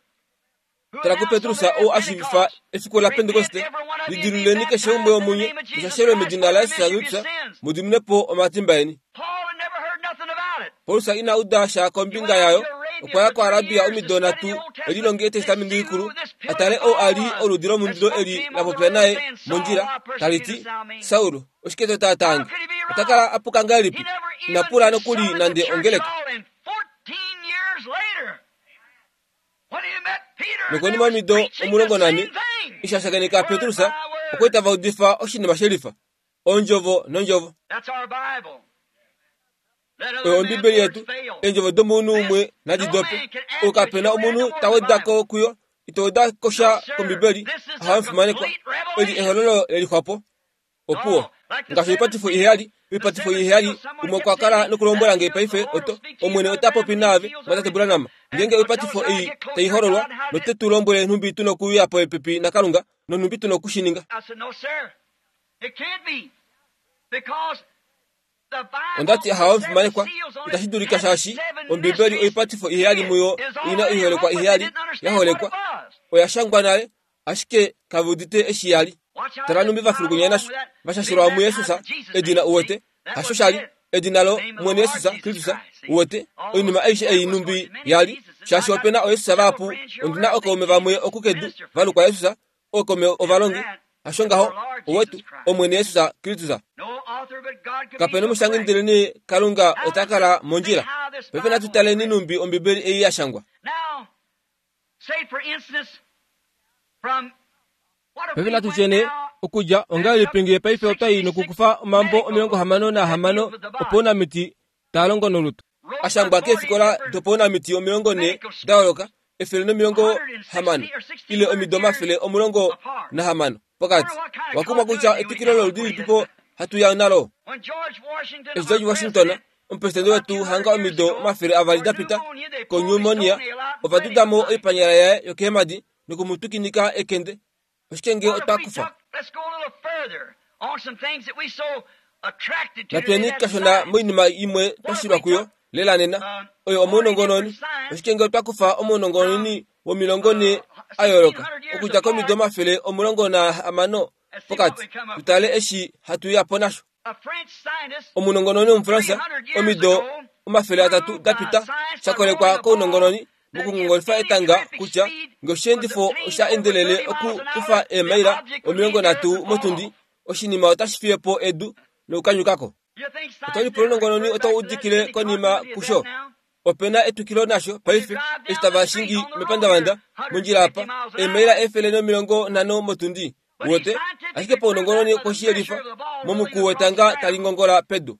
who Tala kuPetrus ou a shiivifa efiku laPentekoste, lidiluleni keshe umwe womunye, mushashelwe medina laJesus Kristus, mudimine po omatimba eni. Paul had never heard nothing about it. Paulus ina uda sha kombinga yayo, okwa ya kuArabia omido nhatu elilonge Etestamenti Likulu, a tale ou a li oludi lomundilo eli la popya naye mondjila, tali ti, Saul, oshike to taataa nge? Ota kala a puka ngahelipi? Ina pula nokuli nande ongeleka. Nokonima yomido omulongo nane, eshi a shakeneka Petrus, okwa li tava udifa oshinima shelifa, ondjovo nondjovo. Oyo Ombibeli yetu, eendjovo domunhu umwe nadi dope. Ou kapena omunhu ta weda ko kuyo, ito weda ko sha kOmbibeli, aha omufimanekwa. Eli ehololo lelixwapo. Opuwo. Ngaashi oipatifo iheyali, oipatifo iheyali, umwe okwa kala nokulombwela nge paife oto, Omwene ota popi naave, mwatate Branham. Ngeenge oipatifo ei tai hololwa, note tu lombwele nhumbi tu nokuuya popepi naKalunga, nonhumbi tu nokushininga. Onda ti aha omufimanekwa, itashi dulika shaashi Ombibeli oipatifo iheyali muyo ina oiholekwa iheyali ya holekwa, oya shangwa nale, ashike kave udite eshi ya li. Tala nhumbi va fulukunya nasho, va shashelwa muJesus, edina uwete, hasho shali, edina lo Mwene Jesus Kristus uwete, oinima aishe ei nhumbi ya li, shaashi opena ooJesus vahapu, ondina okaume vamwe okukedu valukwa Jesus, ookaume ovalongi, hasho ngaho, owetu, Omwene Jesus Kristus. Kapena omushangi ndelene Kalunga ota kala mondjila. Paife natu taleni nhumbi Ombibeli ei ya shangwa. Paife natu tyene okudja ongahelipi ngee paife otai nokukufa omambo omilongo hamano nahamano opounamiti taa longo nolutu. Ashangwa keefikola dopounamiti omilongo ne da yooloka, efele nomilongo hamano ile omido omafele omulongo nahamano pokati. Wakumwa kutya etwikilo loludi lilipipo hatu ya nalo. Eshi George Washington, omupresidente wetu hanga omido omafele avali da pita konyumonia, ova dudamo oipanyala yaye yokeemadi nokumutukinika ekende. Oshike ngee otwa kufa? Natweni kashona moinima imwe twashilwa kuyo lela nena, oyo omounongononi. Oshike ngee otwa kufa omounongononi womilongo ne a yooloka okudja komido omafele omulongo nahamano pokati, tutale eshi hatu ya po nasho. Omunongononi womuFransa omido omafele atatu da pita sha kolekwa kounongononi mokungongolifa etanga kutya ngee osheendifo osha endelele okukufa eemaila omilongo nhatu motundi, oshinima otashi fiye po edu nokukanyukako. Otali ounongononi otau udikile konima kusho. Opena etwikilo nasho paife eshi tava shingi mepandavanda mondjila apa eemaila efele nomilongo nhano motundi wote, ashike paunongononi koshiyelifa momuku wetanga tali ngongola pedu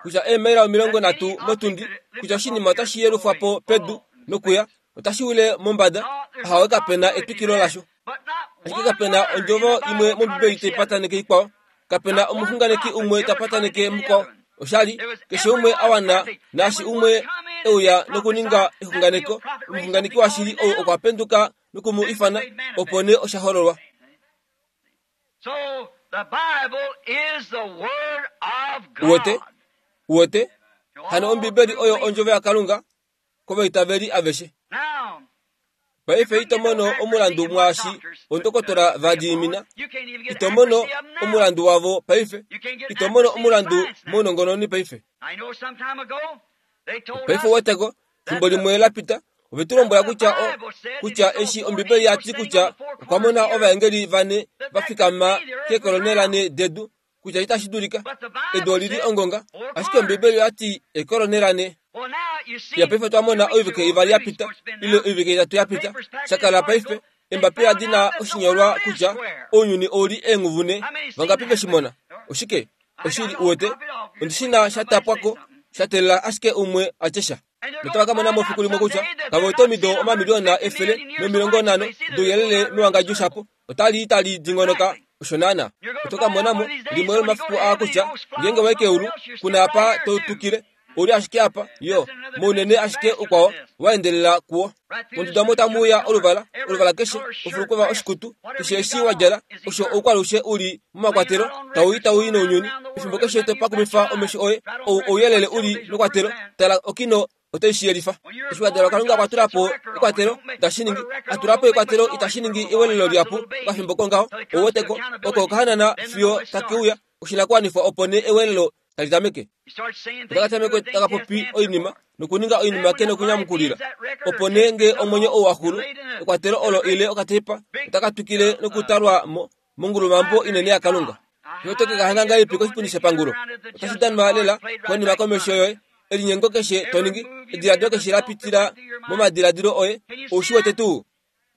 kutya eemaila omilongo nhatu motundi kutya oshinima otashi yelufwa po pedu nokuya otashi wile mombada. Ahawe kapena etwikilo lasho, ashike kapena ondjovo imwe mOmbibeli tai pataneke ikwao, kapena omuxunganeki umwe ta pataneke mukwao. Oshali keshe umwe a wana naashi umwe euya nokuninga exunganeko, omuxunganeki washili ou okwa penduka nokumu ifana, opo nee osha hololwa. Uwete, uwete, hano Ombibeli oyo ondjovo yaKalunga kovaitaveli aveshe. Paife ito mono omulandu mwaashi ondokotola va diinina, ito mono omulandu wavo paife, ito mono omulandu mounongononi paife. Paife uweteko, fimbo limwe la pita, ove tu lombwela kutya o, kutya eshi Ombibeli ya ti kutya okwa mona ovaengeli vane va fikama keekolonela ne dedu, kutya itashi dulika, edu olili ongonga, ashike Ombibeli oya ti eekolonela ne. Ya paife twa mona oivike ivali ya pita, ile oivike itatu ya pita, shakala paife, embapila dina oshinyolwa kutya ounyuni ouli eenghuvu ne, vangapi veshi mona? Oshike? Oshili uwete, ondishina sha tapwako, sha teelela ashike umwe a tye sha. Notava ka mona mo fiku limwe kutya kave wete omido omamiliyona efele nomilongo nhano douyelele mewangadjo shapo, otali tali dingonoka osho naana. Oto ka mona mo limwe lomafiku aa kutya ngeenge wayi keulu, kuna apa to tukile, ouli ashike apa, yo, mounene ashike ukwao wa endelela kuwo. Monduda mo tamu uya oluvala, oluvala keshe, ofulukova oshikutu, keshe eshi wa djala, osho oukwalushe uli momakwatelo, tau i tau i nounyuni. Efimbo keshe to pakumifa omesho oye, ou ouyelele uli mekwatelo, tala okino otai shi yelifa. Eshi wa dalwa Kalunga okwa tula po ekwatelo, itashi ningi, a tula po ekwatelo itashi ningi ewelelo lihapu okafimbo kongaho, ouweteko, oko okahanana fiyo take uya, oshinakuwanifwa opo nee ewelelo tali tameke. Otaka tameke taka popi oinima nokuninga oinima ke nokunyamukulila. Opo nee ngee omwenyo ou wa xulu, ekwatelo olo ile okateipa otaka twikile nokutalwa mo mongulumambo inene yaKalunga. Oto ke ka hanga ngahelipi koshipundi shepangulo? Otashi danwa lela konima komesho yoye. Elinyengo keshe to ningi, ediladilo keshe la pitila momadiladilo oye, ou shi wete tuu?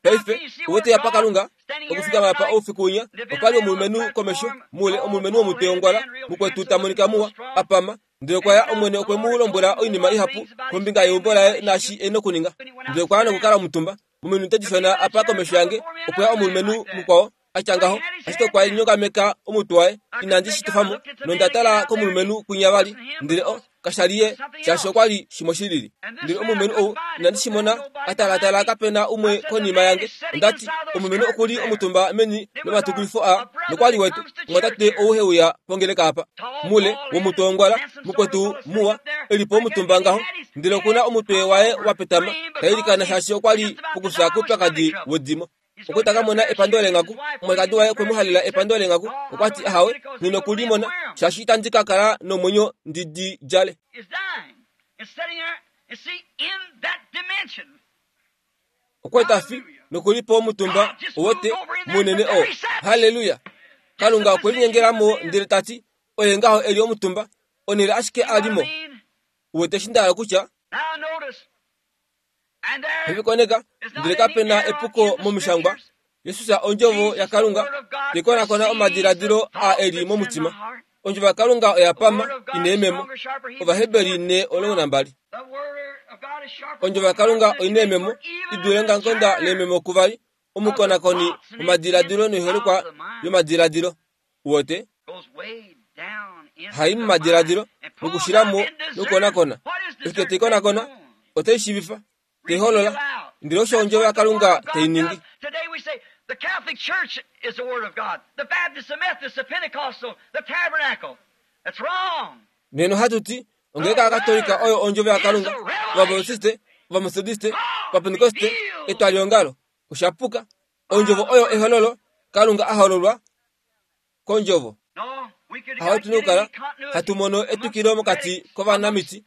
Paife, uwete apa Kalunga okufikama apa oufiku winya, opa li omulumenhu komesho mule, omulumenhu womutwe wongwala, mukwetu ta monika muwa, apama. Ndele okwa ya Omwene okwe mu lombwela oinima ihapu kombinga yeumbo laye naashi e nokuninga. Ndele okwa ya nokukala omutumba. Mominute dishona apa komesho yange okwe ya omulumenhu mukwao atya ngaho, ashike okwa nyongameka omutwe waye, inandi shi tofamo, nonda tala komulumenhu kwinya vali, ndele o kasha li ye, shaashi okwa li shimwe shilili. Ndele omulumenhu ou inandi shi mona, atalatala kapena umwe konima yange. Ondati omulumenhu okuli omutumba meni lomatukilifo a, nokwa li wete omwatate ou heuya pongeleka apa. Mule womutwe wongwala, mukwetu muwa, elipo omutumba ngaho, ndele okuna omutwe waye wapetama, tailikana shaashi okwa li pokufya koupyakadi wedimo. Okwe taka mona epando lenghaku, omwalikadi waye okwe mu halela epando lenghaku, okwa ti ahawe, nghi nokulimona, shaashi itandi ka kala nomwenyo ndi di djale. Okwe ta fi nokulipo omutumba wote munene oo. Haleluya! Kalunga okwe linyengelamo ndele ta ti, oye ngaho eli omutumba, onhele ashike a li mo. Uwete eshi nda hala kutya? Evikoneka, ndele kapena epuko momishangwa. Jesus ondjovo yaKalunga tekonakona omadiladilo a eli momutima. Ondjovo yaKalunga oya pama ina eememo. Ovaheberi ne omulongo nambali. Ondjovo yaKalunga oina eememo i dule ngangonda leememo kuvali, omukonakoni womadiladilo noiholekwa yomadiladilo. Uwete? Hai momadiladilo nokushilamo nokukonakona. Ashike teikonakona, otai shiivifa, teiholola. Ndele osho ondjovo yaKalunga tai ningi. Today we say the Catholic Church is the Word of God, the Baptist, the Methodist, the Pentecostal, the Tabernacle. That's wrong. Neno hatu ti ongeleka yaKatolika oyo ondjovo yaKalunga, Ovabautiste, Ovamethodiste, Ovapentekoste, etwaliongalo. Oshapuka. Ondjovo oyo ehololo, Kalunga a hololwa kondjovo. Haho tu nokukala hatu mono etukilo mokati kovanamiti,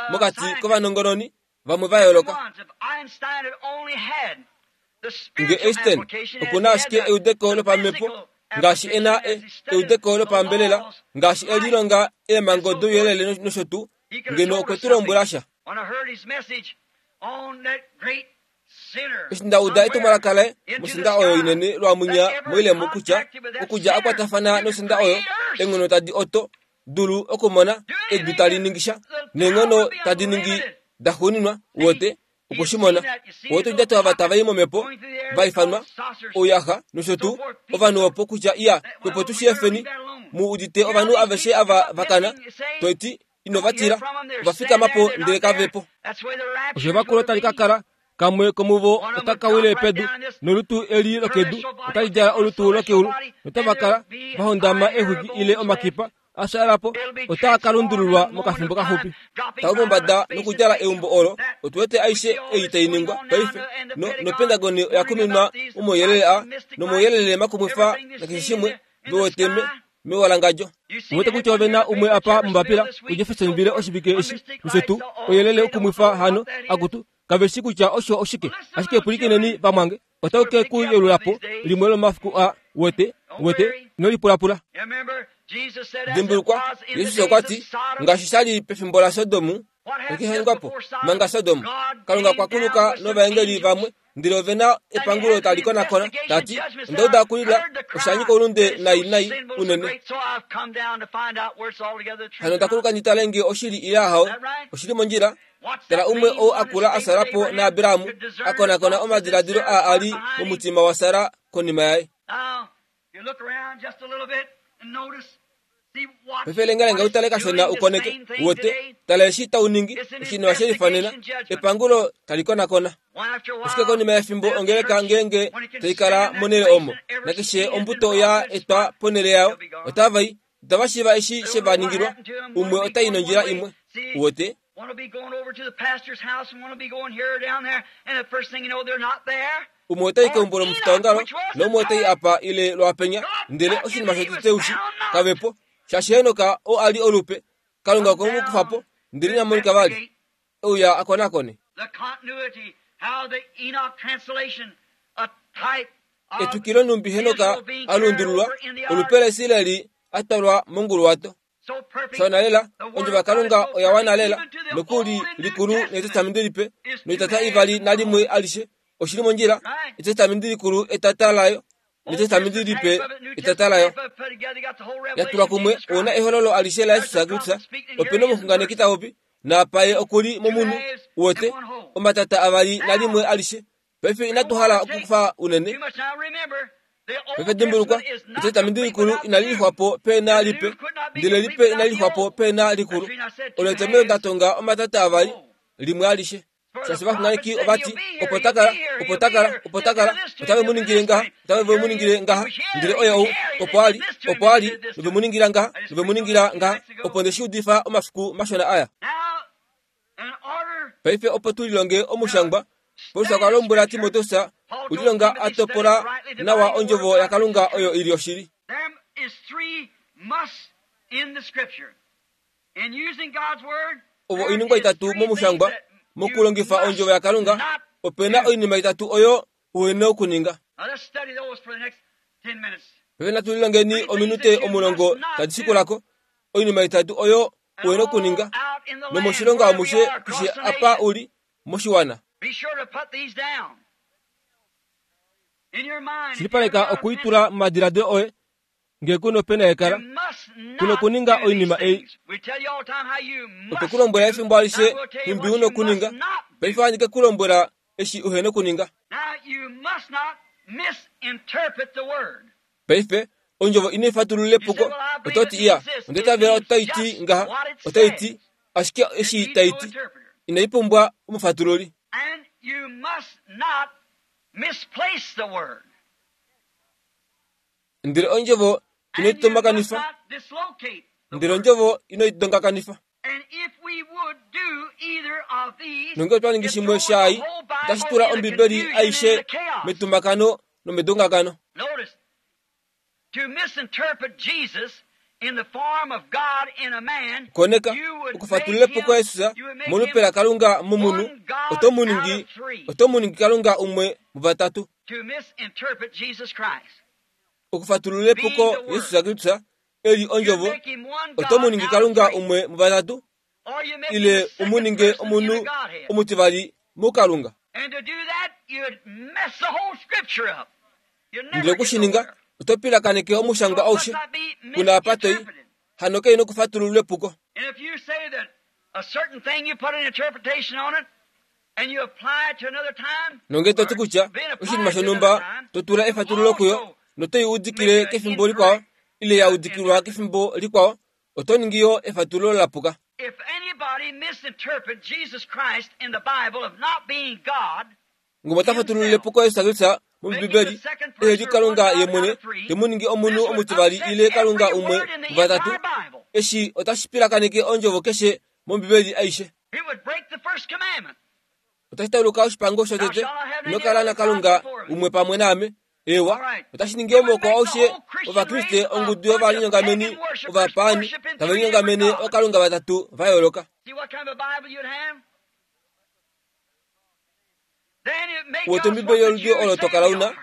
mokati kovanongononi vamwe va yooloka. Nge Einstein okuna ashike eudeko lopamhepo ngaashi e na eudeko lopambelela, ngaashi e lilonga eemhango douyelele nosho tuu, ngeno okwe tu lombwela sha. Eshi nda uda etumwalaka laye mosenda oyo inene lwamwinya moilemo kutya okudja a kwatafana nosenda oyo, eenghono tadi oto dulu okumona edu tali ningi sha, neenghono tadi ningi daxuuninwa, uwete okwe shi mona. Uwete oudjato ava tava i momhepo, va ifanwa ouyaxa nosho tuu, ovanhu opo kutya iya opo tu shiefeni mu udite ovanhu aveshe ava vakana, toiti ino va tila, ova fikama po ndele kave po. Osho evakulo tali ka kala, kamwe komuvo otaka wile pedu, nolutu eli lokedu otali djala olutu lokeulu, notava kala va hondama exwiki ile omakipa a fyaala po otaa ka lundululwa mokafimbo kaxupi. Tau mombada nokudjala eumbo olo, otu wete aishe ei tai ningwa paife, no nopentagoni oya kuminwa omauyelele a nomauyelele makumwifa nakeshe shimwe vewete mewalangadjo. Uwete kutya ove na umwe apa mombapila kuJeffersonville oshivike eshi nosho tuu, ouyelele ukumwifa hano akutu kave shi kutya osho oshike. Ashike pwilikineni vamwange, otau ke ku yeulula po limwe lomafiku a wete wete inolipulapula. Dimbulukwa, Jesus okwa ti, ngaashi sha li pefimbo laSodom, okihangwapo manga Sodom, Kalunga okwa kuluka novaengeli vamwe, ndele ove na epangulo tali konakona, tati onda uda okulila, osha nyika oulunde nai nai unene. Hano onda kuluka ndi tale ngee oshili ile ahawe, oshili mondjila. Tala umwe ou a kula a sala po naAbraham, a konakona omadiladilo aa a li momutima waSara konima yaye. Paife lengalenga u tale kashona u koneke, uwete, tala eshi tau ningi, oshinima she lifanena, epangulo tali konakona. Ashike konima yefimbo ongeleka ngeenge tai kala monhele omo, nakeshe ombuto ya etwa ponhele yayo, otava i, itava shiiva eshi she va ningilwa, umwe otai nondjila imwe, uwete. Umwe otai keumbo lomufitaongalo, naumwe otai apa ile lwapenya, ndele oshinima shotete ushi kave po, shaashi Henok oo a li olupe, Kalunga okwe mu kufa po, ndele ina monika vali, euya a konakone. Etwikilo nhumbi Henok a lundululwa, olupe laIsraeli a twalwa monguluwato. Shawana lela, ondjovo yaKalunga oya wana lela, nokuli likulu nEtestamenti lipe, noitata ivali nalimwe alishe. Oshili mondjila, Etestamenti likulu etata layo, nEtestamenti lipe etata layo. Yatulwa kumwe, ouna ehololo alishe laJesus Kristus. Opena omuxunganeki ta popi, naapaye okuli momunhu, uwete, omatata avali nalimwe alishe. Paife inatu hala okukufa unene. Paife dimbulukwa, Etestamenti likulu inali lixwapo peena lipe, ndele lipe inali lixwapo peena likulu. Olo etomhelo nda tonga omatata avali, limwe alishe. Shaashi ovaxunganeki ovati, opo ta kala, opo ta kala, opo ta kala, otave mu ningile ngaha, otave mu ningile ngaha, ndele oye ou, opo a li, opo a li, nove mu ningila ngaha, nove mu ningila ngaha, opo nde shi udifa omafiku mashona aya. Paife opo tu lilonge omushangwa, Paulus okwa lombwela Timoteus, ulilonga a topola nawa ondjovo yaKalunga oyo ili oshili. Ovo oiningwa itatu momushangwa, mokulongifa ondjovo yaKalunga, opena oinima itatu oyo uhena okuninga. Paife natu lilongeni ominute omulongo tadi shikulako, oinima itatu oyo uhena okuninga, nomoshilongo amushe keshe apa uli moshiwana. Shilipaleka okuitula momadiladilo oye, ngee kuna opena yekala, kuna okuninga oinima ei. Otwe ku lombwela efimbo alishe nhumbi una okuninga, paife ohandi ke ku lombwela eshi uhena okuninga. Paife, ondjovo inai fatulula epuko, oto ti iya, onda itavela otai ti ngaha, otai ti, ashike eshi tai ti, inai pumbwa omufatululi. Ndele ondjovo inoi tomakanifa, ndele ondjovo inoi dongakanifa. Nonge otwa ningi shimwe shaai, otashi tula Ombibeli aishe metumakano nomedongakano. Koneka, okufatulula epuko Jesus molupe laKalunga momunhu, oto mu ningi, oto mu ningi Kalunga umwe muvatatu. Okufatulula epuko Jesus Kristus eli ondjovo, oto mu ningi Kalunga umwe muvatatu, ile u ninge omunhu omutivali muKalunga. Ndele okushininga, oto pilakaneke omushangwa aushe, kuna apa toi, hano kei nokufatululwa epuko. Nonge to ti kutya oshinima shonhumba to tula efatululo kuyo, notoi udikile kefimbo likwao, ile ya udikilwa kefimbo likwao, oto ningi yo efatululo lapuka. Ngome ota fatulula epuko Jesus Kristus mOmbibeli, ehe li Kalunga ye mwene, te mu ningi omunhu omutivali ile Kalunga umwe muvatatu, eshi otashi pilakaneke ondjovo keshe mOmbibeli aishe. Otashi tauluka oshipango shotete, ino kala naKalunga umwe pamwe naame. Ewa, otashi ningi omoko aushe Ovakriste ongudu yovalinyongameni ovapaani tava linyongamene ookalunga vatatu va yooloka. Uwete Ombibeli yoludi olo to kala una,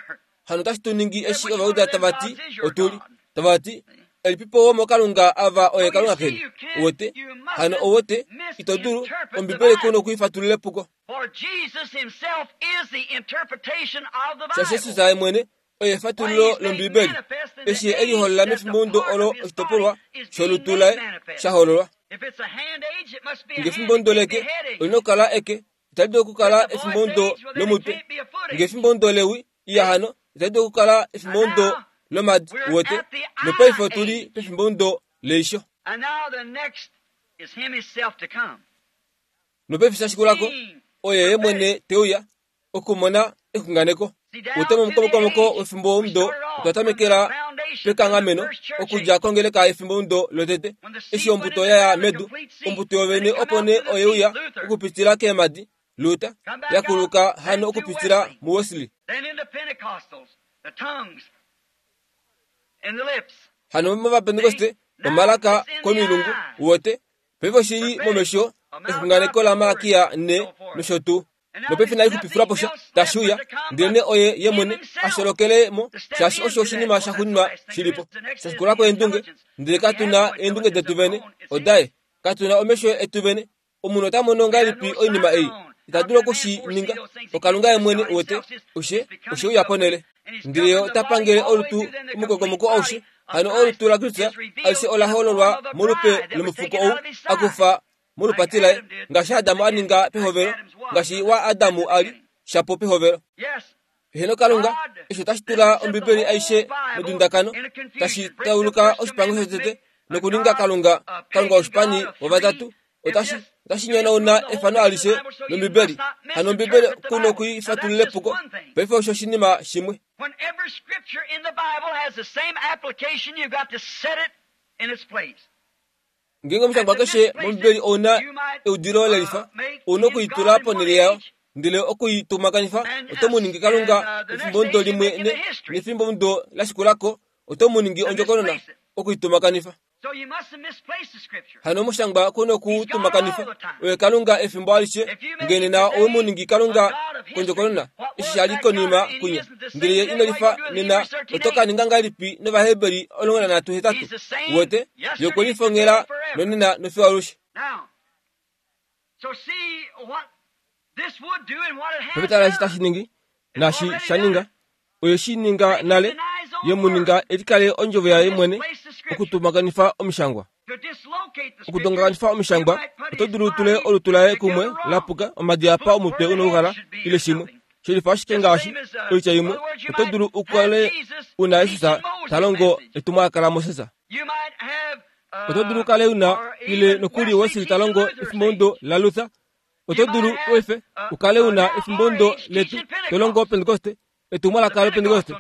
hano otashi tu ningi eshi Ovajuda tava ti otuli, tava ti, elipipo womookalunga ava oye Kalunga keni. Uwete, hano ouwete, ito dulu, Ombibeli ku nokuifatulula epuko. Shaashi Jesus ye mwene oye efatululo lOmbibeli, eshi e liholola mefimbomudo olo oshitopolwa sholutu laye sha hololwa. Nge efimbomudo leke, olina okukala eke, itali dulu okukala efimbomudo lomutwe. Nge efimbomudo lewi, iya hano, itali dulu okukala efimbomudo lomadi, uwete. Nopaife otuli pefimbomudo leisho. Nopaife shashikulako, oye ye mwene te uya okumona exunganeko. Uwete momukomokomoko wefimbomudo otwa tamekela pekanghameno okudja kongeleka yefimbomudo lotete, eshi ombuto yaya medu, ombuto yovene opo nee oye uya okupitila keemadi, Luther, yakuluka hano okupitila muWesley. Hano mOvapentekoste, omalaka komilungu, uwete, paife oshili momesho exunganeko laMalakia ne nosho tuu. Nopefe nali xupifula sha tashi uya, ndele oye ye mwene asholokele mo, shaashi osho oshinima sha xuninwa shilipo. Shashikula kweendunge, ndele katuna eendunge detu vene, odaye. Katuna omesho etu vene. Omunhu ota mono ngahelipi oinima ei? Ita dulu okushi ninga. Okalunga ye mwene wete, oshe oshe uya ponele. Ndele ye ota pangele olutu omukokomoko aushe. Hano olutu laKristus alishe ola hololwa molupe lomufuko ou akufa molupati laye, ngaashi Adamu a ninga pehovelo, ngaashi wa Adamu a li shapo pehovelo. Heno Kalunga, eshi otashi tula Ombibeli aishe medundakano, tashi tauluka oshipango shotete nokuninga Kalunga Kalunga oshipani wovatatu. Otashi otashi nyonauna efano alishe lOmbibeli. Hano Ombibeli kuno kuifatulile puko. Paife osho oshinima shimwe. When every scripture in the Bible has the same application, you've got to set it in its place. Ngeenge omushangwa keshe mOmbibeli ouna eudilo lelifa, ouna okuitula ponhele yayo, ndele okuitumakanifa oto mu ningi Kalunga efimbomudo limwe ne, nefimbomudo la shikulako oto mu ningi ondjokonona okuitumakanifa. So you mustn't misplace the scripture. Hano omushangwa kuno okutumakanifa oye Kalunga efimbo alishe, ngene na owe mu ningi Kalunga kondjokonona eshi shali konima kunya, ndele ye ino lifa nena oto ka ninga ngahelipi nOvaheberi omulongo nanhatu hetatu? Wete ye okwe lifongela nonena nofiyo alushe. Now, so see what this would do and what it has Pepetala eshi done. tashi ningi naashi sha ninga, oye shi ninga nale, ye mu ninga elikale ondjovo yaye mwene okutumakanifa omishangwa. To dislocate the scripture, Okutongakanifa omishangwa, you might put oto his dulu utule body olutu laye kumwe together wrong. lapuka omadi apa omutwe unoukala ile shimwe. Shelifa ashike ngaashi oitya imwe, oto dulu ukale una Jesus ta longo etumwalaka laMoses. You might have, uh, Oto dulu ukale una or ile even nokuli Wesley Wesley ta longo teaching Luther, efimbomudo laLuther. Oto dulu oife ukale una efimbomudo letu to longo Pentecoste, etumwalaka loPentecoste.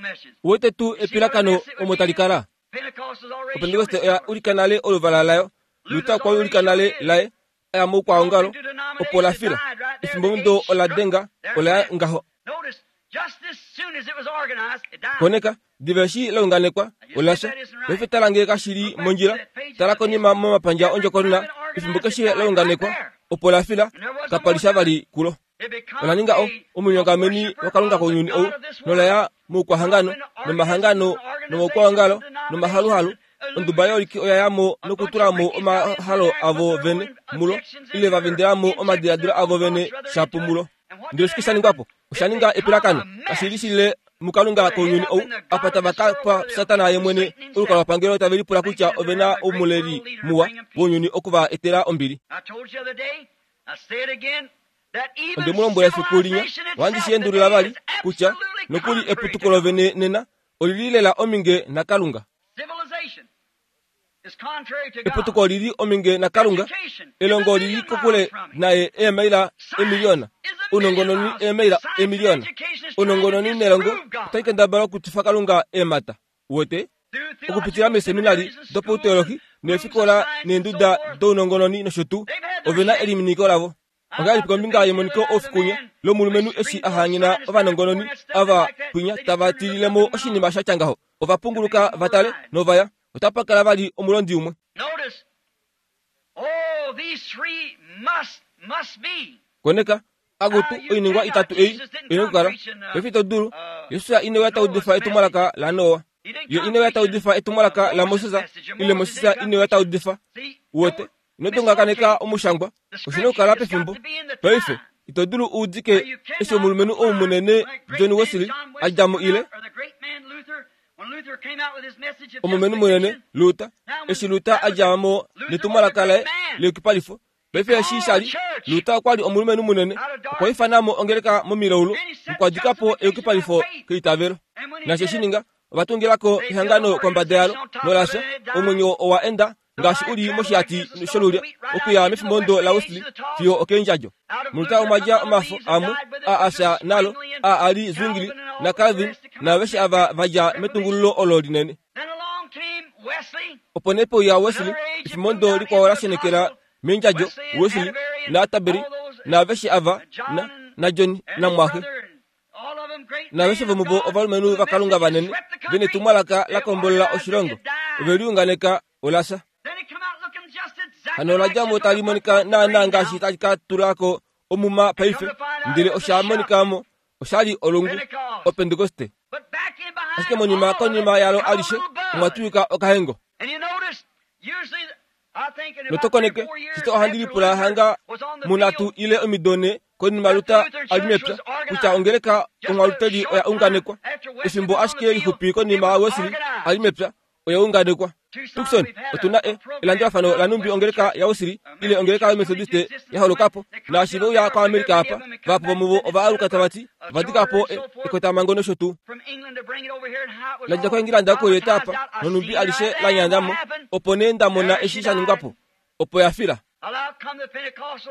Uwete tuu epilakano omo tali kala. Pentecost has already Opentecoste shown oya its ulika nale oluvala layo. Luther okwa ulika nale laye, aya moukwaongalo, opo la fila. Efimbomudo ola denga, ola ya ngaho. Notice, just as soon as it was organized, it died. Koneka, diva eshi la unganekwa, ola fya. Paife tala ngee kashili mondjila, tala konima momapandja ondjokonona, efimbo keshe la unganekwa, opo la fila, kapa li sha vali kulo. It becomes Ola ninga o a- omunyongameni waKalunga kounyuni ou, nola ya moukwahangano, nomahangano, nomaukwaongalo, nomahaluhalu. Onduba yooliki oya yamo nokutulamo omahalo avo vene mulo, ile va vendelamo omadiladilo avo vene shapo mulo. Ndele shike sha ningwapo? Osha ninga epilakano, kashi li shile muKalunga kounyuni ou, apa tava ka pa Satana ye mwene olukalwapangelo tave lipula kutya ove na omuleli muwa wounyuni oku va etela ombili. I told you the other day, I say it again, that even Onde mu lombwela efiku linya, civilization ohandi itself shi endulula today vali is kutya absolutely nokuli contrary eputuko to God. lovene nena olili lela ominge naKalunga. Civilization is contrary to God. Eputuko olili ominge naKalunga, Education is elongo a olili million kokule miles from it. naye eemaila emiliyona, ounongononi eemaila emiliyona. Ounongononi nelongo otai kendabala okutifa Kalunga eemhata. Uwete? Okupitila meeseminari dopauteolohi neefikola neenduda dounongononi nosho tuu, ove na eliminiko lavo. Ongahelipi kombinga yemoniko oufikunya lomulumenhu eshi a hanyena ovanongononi ava pwinya tava tililemo oshinima sha tya ngaho? Ova punguluka va tale novaya, otapa kala vali omulondi umwe. Notice, oh, these three must, must be. Koneka, akutu oiningwa itatu ei oina okukala. Paife ito dulu, Jesus ine uya taudifa etumwalaka laNoa. He didn't Ye come ine uya preaching taudifa etumwalaka laMoses, ile Moses ine uya taudifa. See, Uwete, don't ino tungakaneka mislocate. omushangwa, The oshina scripture okukala has got pefimbo. to be in the Paife, time. ito dulu uudike Now, you eshi cannot omulumenhu ou apply munene like great John man Wesley John a Wesley dja mo come ile out, or the great man Luther, when Luther came out with his message of omulumenhu munene justification. Luther, Now, when eshi Luther that a was dja mo Luther was a netumwalaka great laye man. leyukipalifo. Paife eshi sha li, Luther okwa li omulumenhu munene, okwa ifanamo ongeleka momilaulu nokwadikapo eyukipalifo keitavelo. And when he Naashi did eshi it, ninga, ova tungilako ehangano kombada yalo, nolafya, omwenyo owa enda ngaashi uli moshihati sholulya okuya mefimbomudo laWesley fiyo okeendjadjo. out of Muluta Luther omwa come dja other omafo leaves that amwe died with it, a which afya was nalo Zwingli and a ali Calvin Zwingli and all the naCalvin rest to come out naaveshe of ava va dja Reformation. metungululo olo linene. Then along came Wesley, Opo nee peuya Wesley, another age that efimbomudo moved out likwao into la the shenekela gospel. meendjadjo, Wesley and Wesley Atterbury and naAtterbury all those, naaveshe ava and John na and, naJohn and his namwaxe brother and all of them great naaveshe men of vomuvo God ovalumenhu with a vaKalunga message that vanene swept the vene country. etumwalaka la They kombolola organized it, oshilongo it died. ove liunganeka olafya. Then it come out looking just exactly Hano ola like dja mo it's tali gonna put monika forth the naana grain ngaashi now. tali ka tulako omuma And paife come to find Ndele osha monika mo oshali olungu opentekoste. Ashike monima konima yalo alishe omwa tuyuka okahengo. Notokoneke shito ohandi lipula hanga munatu ile omido konima Luther ali mepya kutya ongeleka onghwaluteli oya unganekwa. Efimbo ashike lixupi konima Wesley ali mepya oya unganekwa. Tucson otuna e elandulafano lanumbi ongeleka yaWesley ile ongeleka yoMethodiste yaholokapo naashi veuya kwaAmerica apa vahapu vomuvo ova aluka tava ti ovadikapo ekotamhango nosho tuu. Ladja koEngilanda okulieta apa nonumbi alishe lanyandamo opo nee nda mona eshi sha ningwapo opo ya fila.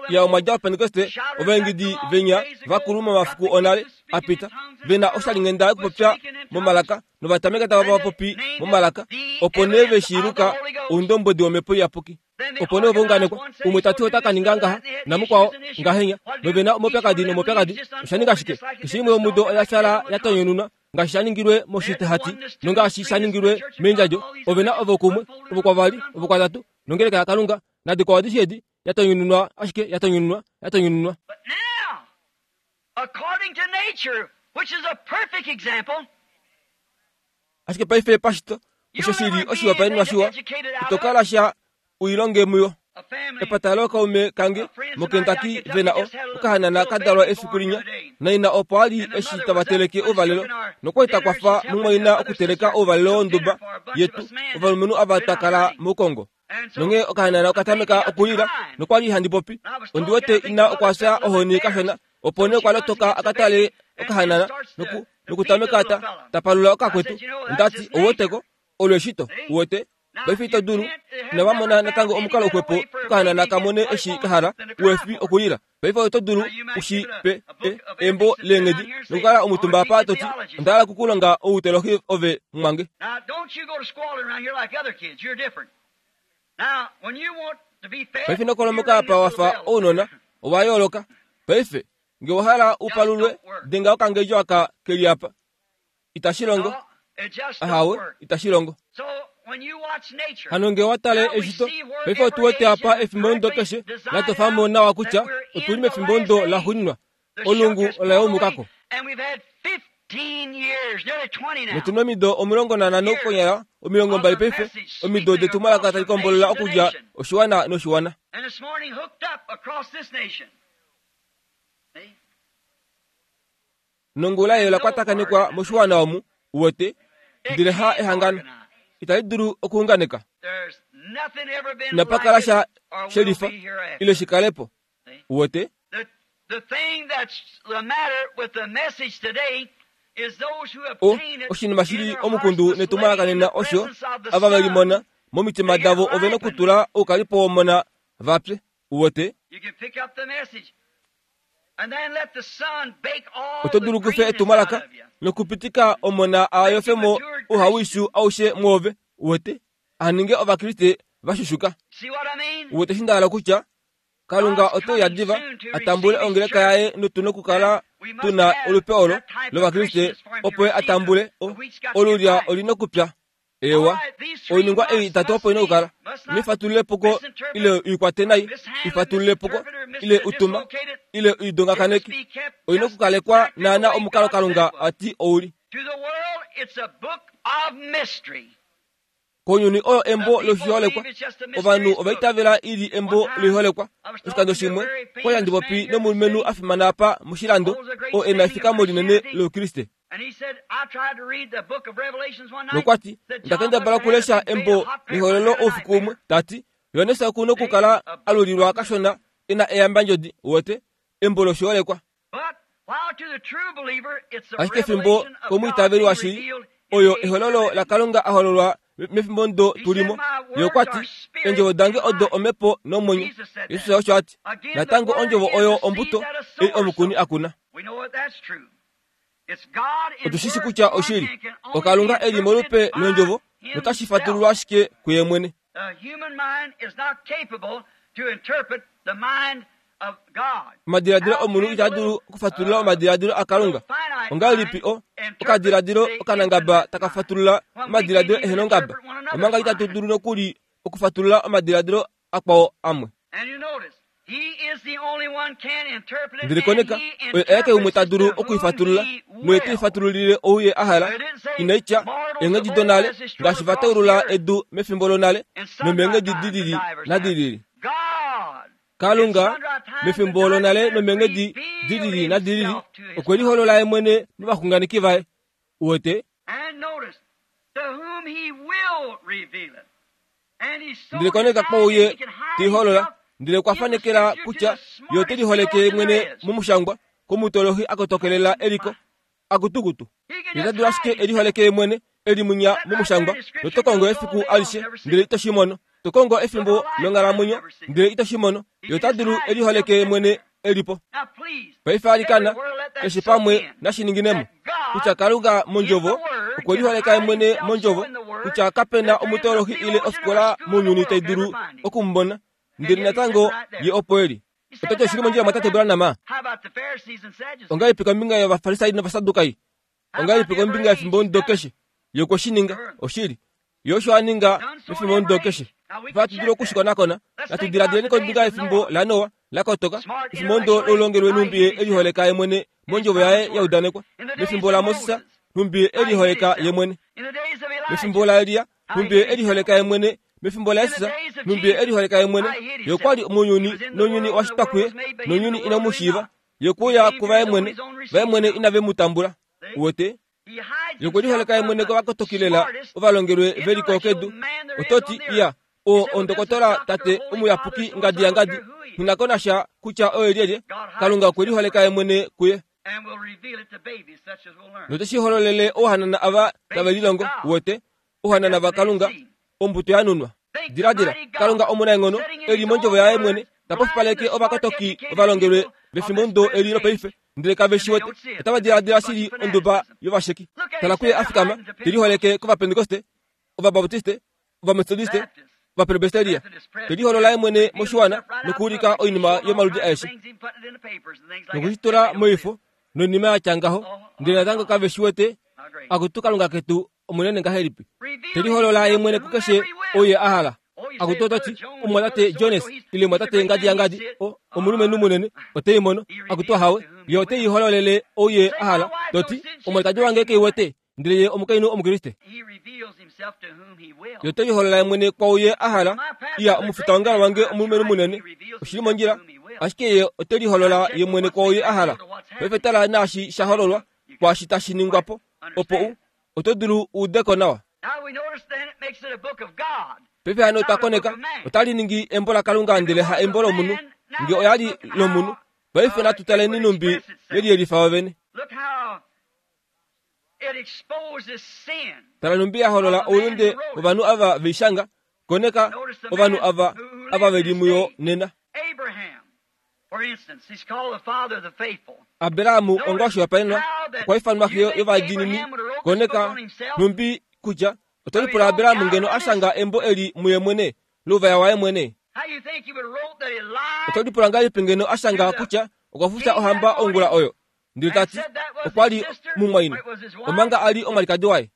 Ya omwa dja Opentekoste ovaengidi venya vakulu momafiku onale apita vena oshalinghenda yokupopya momalaka novatameka tava popi momalaka opo nee veshiiluka oundombwedi womhepo iyapuki. Opo nee ovaunganekwa umwe tati ota ka ninga ngaha namukwao ngahenya novena omaupyakadi nomaupyakadi. Osha ninga shike? Keshe imwe yomudo oya fyala ya tonyununwa ngaashi sha ningilwe moshitehati nongaashi sha ningilwe meendjadjo. Ovena ovokumwe ovokwavali ovokwatatu nongeleka yaKalunga nadikwao adishe edi yatonyununwa ashike yatonyununwa yatonyununwa. But now, according to nature, which is a perfect example, Ashike paife pashito osho shili oshihopaenenwa shiwa ito kala sha uilonge muyo. a family Epata lookaume kange moKentucky vena o okahanana ka dalwa efiku linya naina opo ali eshi tava teleke ouvalelo nokwali takwafa mumwaina okuteleka ouvalelo wonduba yetu ovalumenhu ava twa kala moukongo. Nonghee okahanana okatameka okulila nokwali handi popi ondi wete ina okwafya ohoni kashona opo nee okwa lotoka akatale okahanana noku nokutameka ta tapalula okakwetu. Ondati ouweteko olo eshito uwete paife ito dulu inava mona natango omukalo uxwepo okahanana kamone eshi kahala uefi okulila. Paife oto dulu ushi pe e, embo leenghedi nokukala omutumba apa toti onda hala okukulonga outelohi ove mwange. Now, don't you go to squalling around here like other kids. You're different. Now, when you want to be fed, Paife nokolomoka apa wafa ounona owa yooloka. Paife nge owahala upalulwe denga okangedjo aka keli apa. Itashi longo. No, it just don't Ahawe work. itashi longo. So, when you watch nature, Hano nge watale eshito paife otu wete apa efimbo ndo keshe latofamo nawa kutya otuli mefimbo ndo laxuuninwa the olungu shuck has ola yoomukako. blown away, and we've had fifteen years, nearly twenty now. Notuna omido omulongo nanhano konyala omilongo mbali paife omido detumwalaka tali kombolola okudja oshiwana noshiwana. And this morning hooked up across this nation. See? Nongula eyo lakwatakanekwa moshiwana omu uwete It ndele ha can't ehangano organize. itali dulu okuunganeka. There's nothing ever been Inapakala like it sha or will shelifa be hereafter. ile shikalepo See? uwete. The, the thing that's the matter with the message today is those who O obtain it oshinima in shili their omukundu hearts must netumwalaka lay in nena the osho presence of the ava Son. velimona momitima davo ove nokutula oukalipo womona vapye uwete. You can pick up the message and then let the Son bake all Oto the dulu kufe greenness out etumwalaka of you. nokupitika omona ayofemo ouhawishu aushe mwoove uwete aninge ovakriste vashushuka. See what I mean? Uwete eshi nda hala kutya Kalunga ote uya diva atambule ongeleka yaye notuna okukala tuna olupe olo lovakriste opo ye atambule o olulya olina okupya. Ewa oiningwa ei itatu opo ina okukala nifatululepo ile uikwate nai ifatululepo ile utuma ile uidongakaneki oina okukalekwa naana omukalo Kalunga ati ouli. To the world, it's a book of mystery. Kounyuni oyo embo loshiholekwa ovanhu ovaitavela ili embo loiholekwa. Oshikando shimwe okwali handi popi nomulumenhu a fimana apa moshilando oo ena efikamo linene loukriste. And he said, I tried to read the book of Revelations one night. Nokwati Said John onda kendabala must have okulesha had a big embo hot pepper lehololo and a oufiku umwe nightmare. tati Johannes okuna okukala alulilwa kashona ena eyambandjodi uwete embo loshiholekwa. But while to the true believer, it's the Ashike fimbo revelation of God komwiitaveli being washili revealed in oyo the age ehololo we're living. laKalunga ahololwa mefimbo ndo tulimo. Ye okwati eendjovo dange odo omhepo nomwenyo. Jesus osho ati natango ondjovo oyo ombuto ei omukuni akuna. We know that that's true. It's God in Otushishi word kutya form oshili and can only oKalunga be eli molupe interpreted by lwendjovo notashi fatululwa ashike kuye mwene. The human mind is not capable to interpret the mind of God. Omadiladilo omunhu itaa dulu okufatulula omadiladilo aKalunga. Ongahelipi o okadiladilo okanangaba taka fatulula omadiladilo ehena ongaba omanga itatu dulu nokuli okufatulula omadiladilo akwao amwe. And you notice, Ndele koneka oye aeke umwe ta dulu okuifatulula noye te ifatululile ou ye a hala. Inai tya eenghedi donale ngaashi va taulula edu mefimbo lonale nomeenghedi dilili nadilili. Kalunga mefimbo lonale nomeenghedi dilili nadilili okwe liholola ye mwene movaxunganeki vaye. Uwete? Ndele koneka kwouye te iholola ndele okwa fanekela kutya ye ote liholeke mwene momushangwa komutolohi akotokelela eliko akutukutu. Ye ota dulu ashike eliholeke mwene elimunya momushangwa noto kongo efiku alishe ndele ito shi mono. To kongo efimbo longhalamwenyo ndele ito shi mono. Ye ota dulu eliholeke mwene elipo. Paife alikana keshe pamwe nashininginemo kutya Kalunga mondjovo okwe liholeka mwene mondjovo kutya kapena omutolohi ile ofikola mounyuni tai dulu okumubona ndele natango ye opo eli. Ototi oshili mondjila mwatate Branham. Ongahelipi kombinga yOvafarisai nOvasadukai? Ongahelipi kombinga yefimbomudo keshe? Ye okwe shi ninga, oshili. Ye osho a ninga mefimbomudo keshe. Ohatu dulu okushikonakona. Natu diladileni kombinga yefimbo laNoa la kotoka, efimbomudo loulongelwe nhumbi ye eliholeka ye mwene mondjovo yaye ya udanekwa. Mefimbo laMoses, nhumbi ye eliholeka ye mwene. Mefimbo laElia, nhumbi ye eliholeka ye mwene. Mefimbo laJesus, nhumbi ye eliholeka ye mwene. Ye okwa li mounyuni, nounyuni owa shitwa kuye, nounyuni inamu mu shiiva. Ye okwe uya kuvaye mwene, vaye mwene inave mu tambula. Uwete? Ye okwe liholeka ye mwene kovakotokilela ovalongelwe ve li kedu. Ototi iya, o ondokotola tate omuyapuki ngadi yangadi, nghi ko nasha kutya oye lyelye. Kalunga okwe liholeka ye mwene kuye. Note shi hololele ouhanana ava tave lilongo. Uwete? Ouhanana vaKalunga, ombuto ya nunwa. Diladila, Kalunga omunaenghono eli mondjovo yaye mwene ta pofipaleke ovakotoki ovalongelwe vefimbomudo eli lopaife ndele kave shi wete. Otava diladila shili onduba yovasheki. Tala kuye a fikama te liholeke kOvapentekoste, Ovabaptiste, Ovametodiste, Ovapresbiteria, te liholola ye mwene moshiwana nokuulika oinima yomaludi aeshe nokushitula moifo noinima ya tya ngaho, ndele natango kave shi wete. Akutu Kalunga ketu omunene ngahelipi, te liholola ye mwene kukeshe ou ye a hala. Akutu ototi omumwatate Jones ile omumwatate ngadi yangadi, o omulumenhu munene ote i mono. Akutu ahawe, ye ote i hololele ou ye a hala. Toti omwalikadi wange ke i wete, ndele ye omukainhu Omukriste. Ye ote liholola ye mwene kwaou ye a hala. Iya, omufitaongalo wange omulumenhu munene, oshili mondjila, ashike ye ote liholola ye mwene kwaou ye a hala. Paife tala naashi sha hololwa kwaashi tashi ningwa po, opo u oto dulu u udeko nawa. Paife hano otwa koneka otali ningi embo laKalunga ndele ha embo lomunhu. Nge oya li lomunhu, paife natu taleni nhumbi yeliyelifa vovene. Tala nhumbi ya holola oulunde wovanhu ava veishanga. Koneka ovanhu ava ava veli muyo nena. Abraham onga oshihopaenenwa okwa ifanwa xe yovadiinini. Koneka nhumbi kutya oto lipula Abraham ngeno a shanga embo eli muye mwene louvaya waye mwene. Oto lipula ngahelipi ngeno a shanga kutya okwa fufya ohamba ongula oyo, ndele ta ti okwa li mumwaina, omanga a li omwalikadi waye.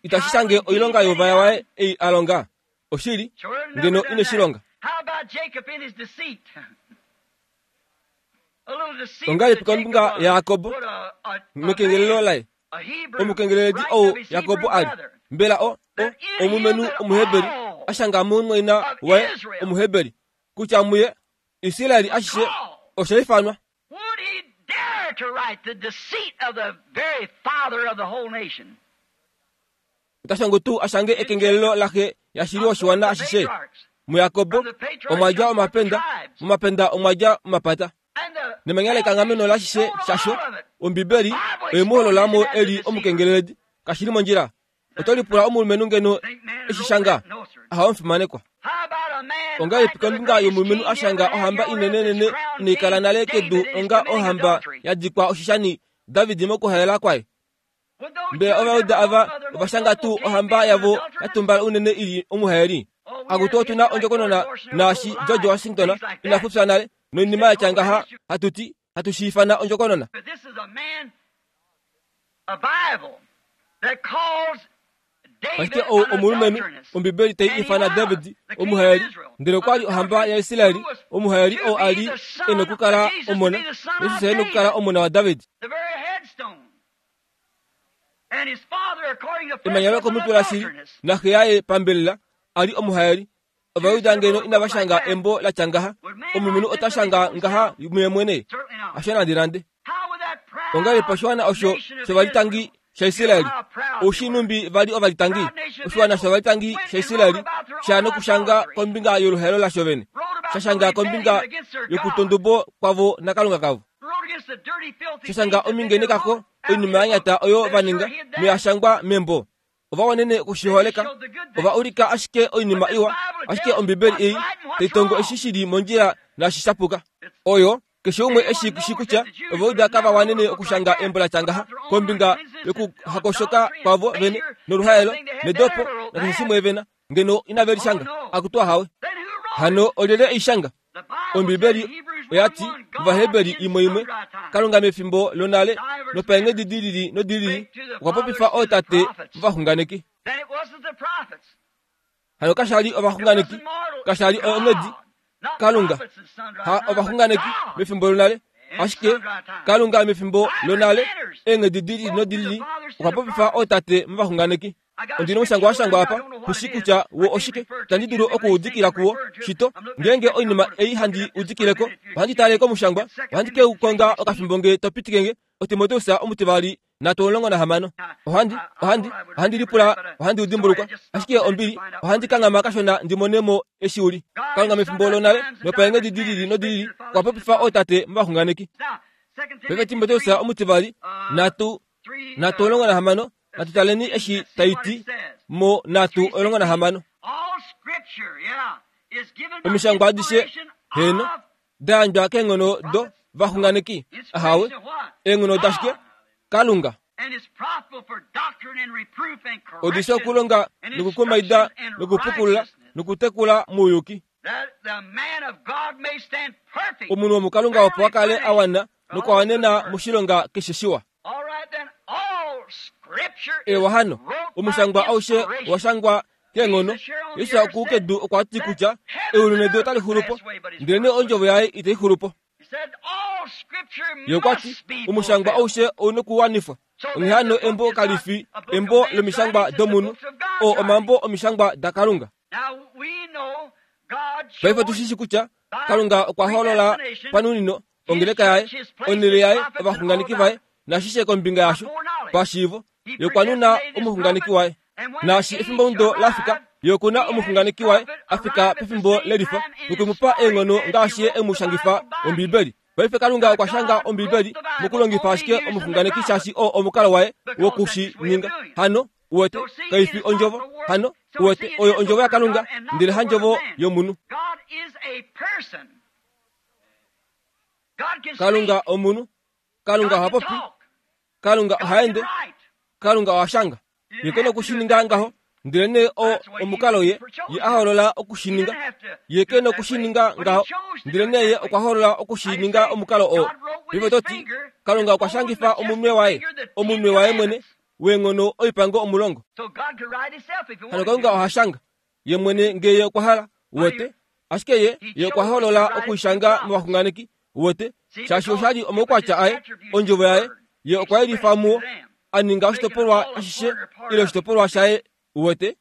Itashi shange oilonga youvaya waye ei a longa. Oshili, ngeno ine shi longa. Ongahelipi kombinga yaJakob mekengelelo laye? Omukengeleledi ou Jakob a li, mbela o, o omulumenhu Omuheberi a shanga mumwaina waye Omuheberi kutya muye Israel ashishe osha ifanwa. Ota shango tuu a shange ekengelelo laxe yashili woshiwana ashishe? MuJakob omwa dja omapenda, momapenda omwa dja omapata. Nemanya lekanghameno lashishe shasho, Ombibeli oye mu holola mo eli omukengeleledi. Kashi li mondjila. Oto lipula omulumenhu ngeno eshi shanga? Ahawe omufimanekwa. Ongahelipi kombinga yomulumenhu a shanga ohamba inenenene inai kala nale kedu onga ohamba ya dikwa oshishani David mokuhaela kwaye? Mbela Ovajuda ava ova shanga tuu ohamba yavo ya tumbala unene ili omuhaeli? Akutu otu na ondjokonona naashi George Washington ina fufya nale noinima ya tya ngaha hatu ti hatu shi ifana ondjokonona. Ashike ou omulumenhu Ombibeli tai ifana David omuhaeli, ndele okwa li ohamba yaIsraeli, omuhaeli oo a li e nokukala omona. Jesus e nokukala omona waDavid. Emanya lokomutwe lashili naxe yaye pambelela a li omuhaeli. Ovajuda ngeno inava shanga embo la tya ngaha, omulumenhu ota shanga ngaha muye mwene? Hasho nande nande. Ongahelipi oshiwana osho shovalitangi shaIsraeli, oushi numbi vali ovalitangi, oshiwana shovalitangi shaIsraeli sha nokushanga kombinga yoluhaelo lasho vene, sha shanga kombinga yokutondubo kwavo naKalunga kavo, sha shanga omingene kako oinima ya nyata oyo va ninga noya shangwa membo. Ova wanene okushiholeka, ova ulika ashike oinima iwa, ashike Ombibeli ei tai tongo eshi shili mondjila naashi sha puka. Oyo keshe umwe eshi shi kutya Ovajuda kava wanene okushanga embo la tya ngaha kombinga yokuhakoshoka kwavo vene noluhaelo nedopo nakeshe shimwe vena, ngeno inave li shanga. Akutu ahawe. Hano olyelye ei shanga? Ombibeli oya ti mOvaheberi imwe imwe, Kalunga mefimbo lonale nopaenghedi di lili nodi lili okwa popifa ootate movaxunganeki. Hano kasha li ovaxunganeki, kasha li onghedi Kalunga ha ovaxunganeki mefimbo lonale, ashike Kalunga mefimbo lonale eenghedi di lili nodi lili okwa popifa ootate movaxunganeki. Ondi nomushangwa wa shangwa apa, kushi kutya wo oshike, itandi dulu okuudikila kuwo shito. Ngeenge oinima ei handi udikileko, ohandi tale komushangwa, ohandi ke u konga okafimbo nge to pitikenge. OTimoteus omutivali nhatu omulongo nahamano. Ohandi ohandi ohandi lipula, ohandi udimbulukwa, ashike ombili, ohandi kanghama kashona ndi mone mo eshi uli. Kalunga mefimbo lonale nopaenghedi di lili nodi lili okwa popifa ootate movaxunganeki. Paife Timoteus omutivali nhatu nhatu omulongo nahamano, natu taleni eshi tai ti mo nhatu omulongo nahamano. Omishangwa adishe heno da yandjwa keenghono do vaxunganeki. Ahawe, eenghono dashike? Kalunga. Odi shi okulonga nokukumaida nokupukulula nokutekula mouyuki. Omunhu womuKalunga opo a kale a wana nokwa wanena moshilonga keshe shiwa. Ewa hano, omushangwa aushe owa shangwa keenghono. Jesus okukedu okwa ti kutya eulu nedu otali xulu po, ndelenee ondjovo yaye itai xulu po. Ye okwa ti omushangwa aushe ou nokuwanifwa. Onghee hano embo kali fi embo lomishangwa domunhu, oo omambo omishangwa daKalunga. Paife tu shi kutya Kalunga okwa holola panunino ongeleka yaye, onhele yaye, ovaxunganeki vaye, nashishe kombinga yasho pashiivo. Ye okwa nuna omuxunganeki waye. Naashi efimbo la fika, ye okuna omuxunganeki waye a fika pefimbo lelifa nokumupa eenghono ngaashi ye e mu shangifa Ombibeli. Paife Kalunga okwa shanga Ombibeli mokulongifa ashike omuxunganeki shaashi oo omukalo waye woku shi ninga. Hano uwete, kai fi ondjovo. Hano uwete, oyo ondjovo yaKalunga, ndele handjovo yomunhu. Kalunga omunhu. Kalunga oha popi. Kalunga oha ende. Kalunga oha shanga. Ye ke nokushininga ngaho, ndelenee oo omukalo ye ye a holola okushininga. Ye ke nokushininga ngaho, ndelenee ye okwa holola okushininga omukalo oo. Paife oto ti, Kalunga okwa shangifa omunwe waye, omunwe waye mwene weenghono oipango omulongo. Hano Kalunga oha shanga ye mwene ngee ye okwa hala, uwete. Ashike ye ye okwa holola okuishanga movaxunganeki, uwete, shaashi osha li omaukwatya aye, ondjovo yaye, ye okwa yelifa muwo, a ninga oshitopolwa ashishe ile oshitopolwa shaye, uwete.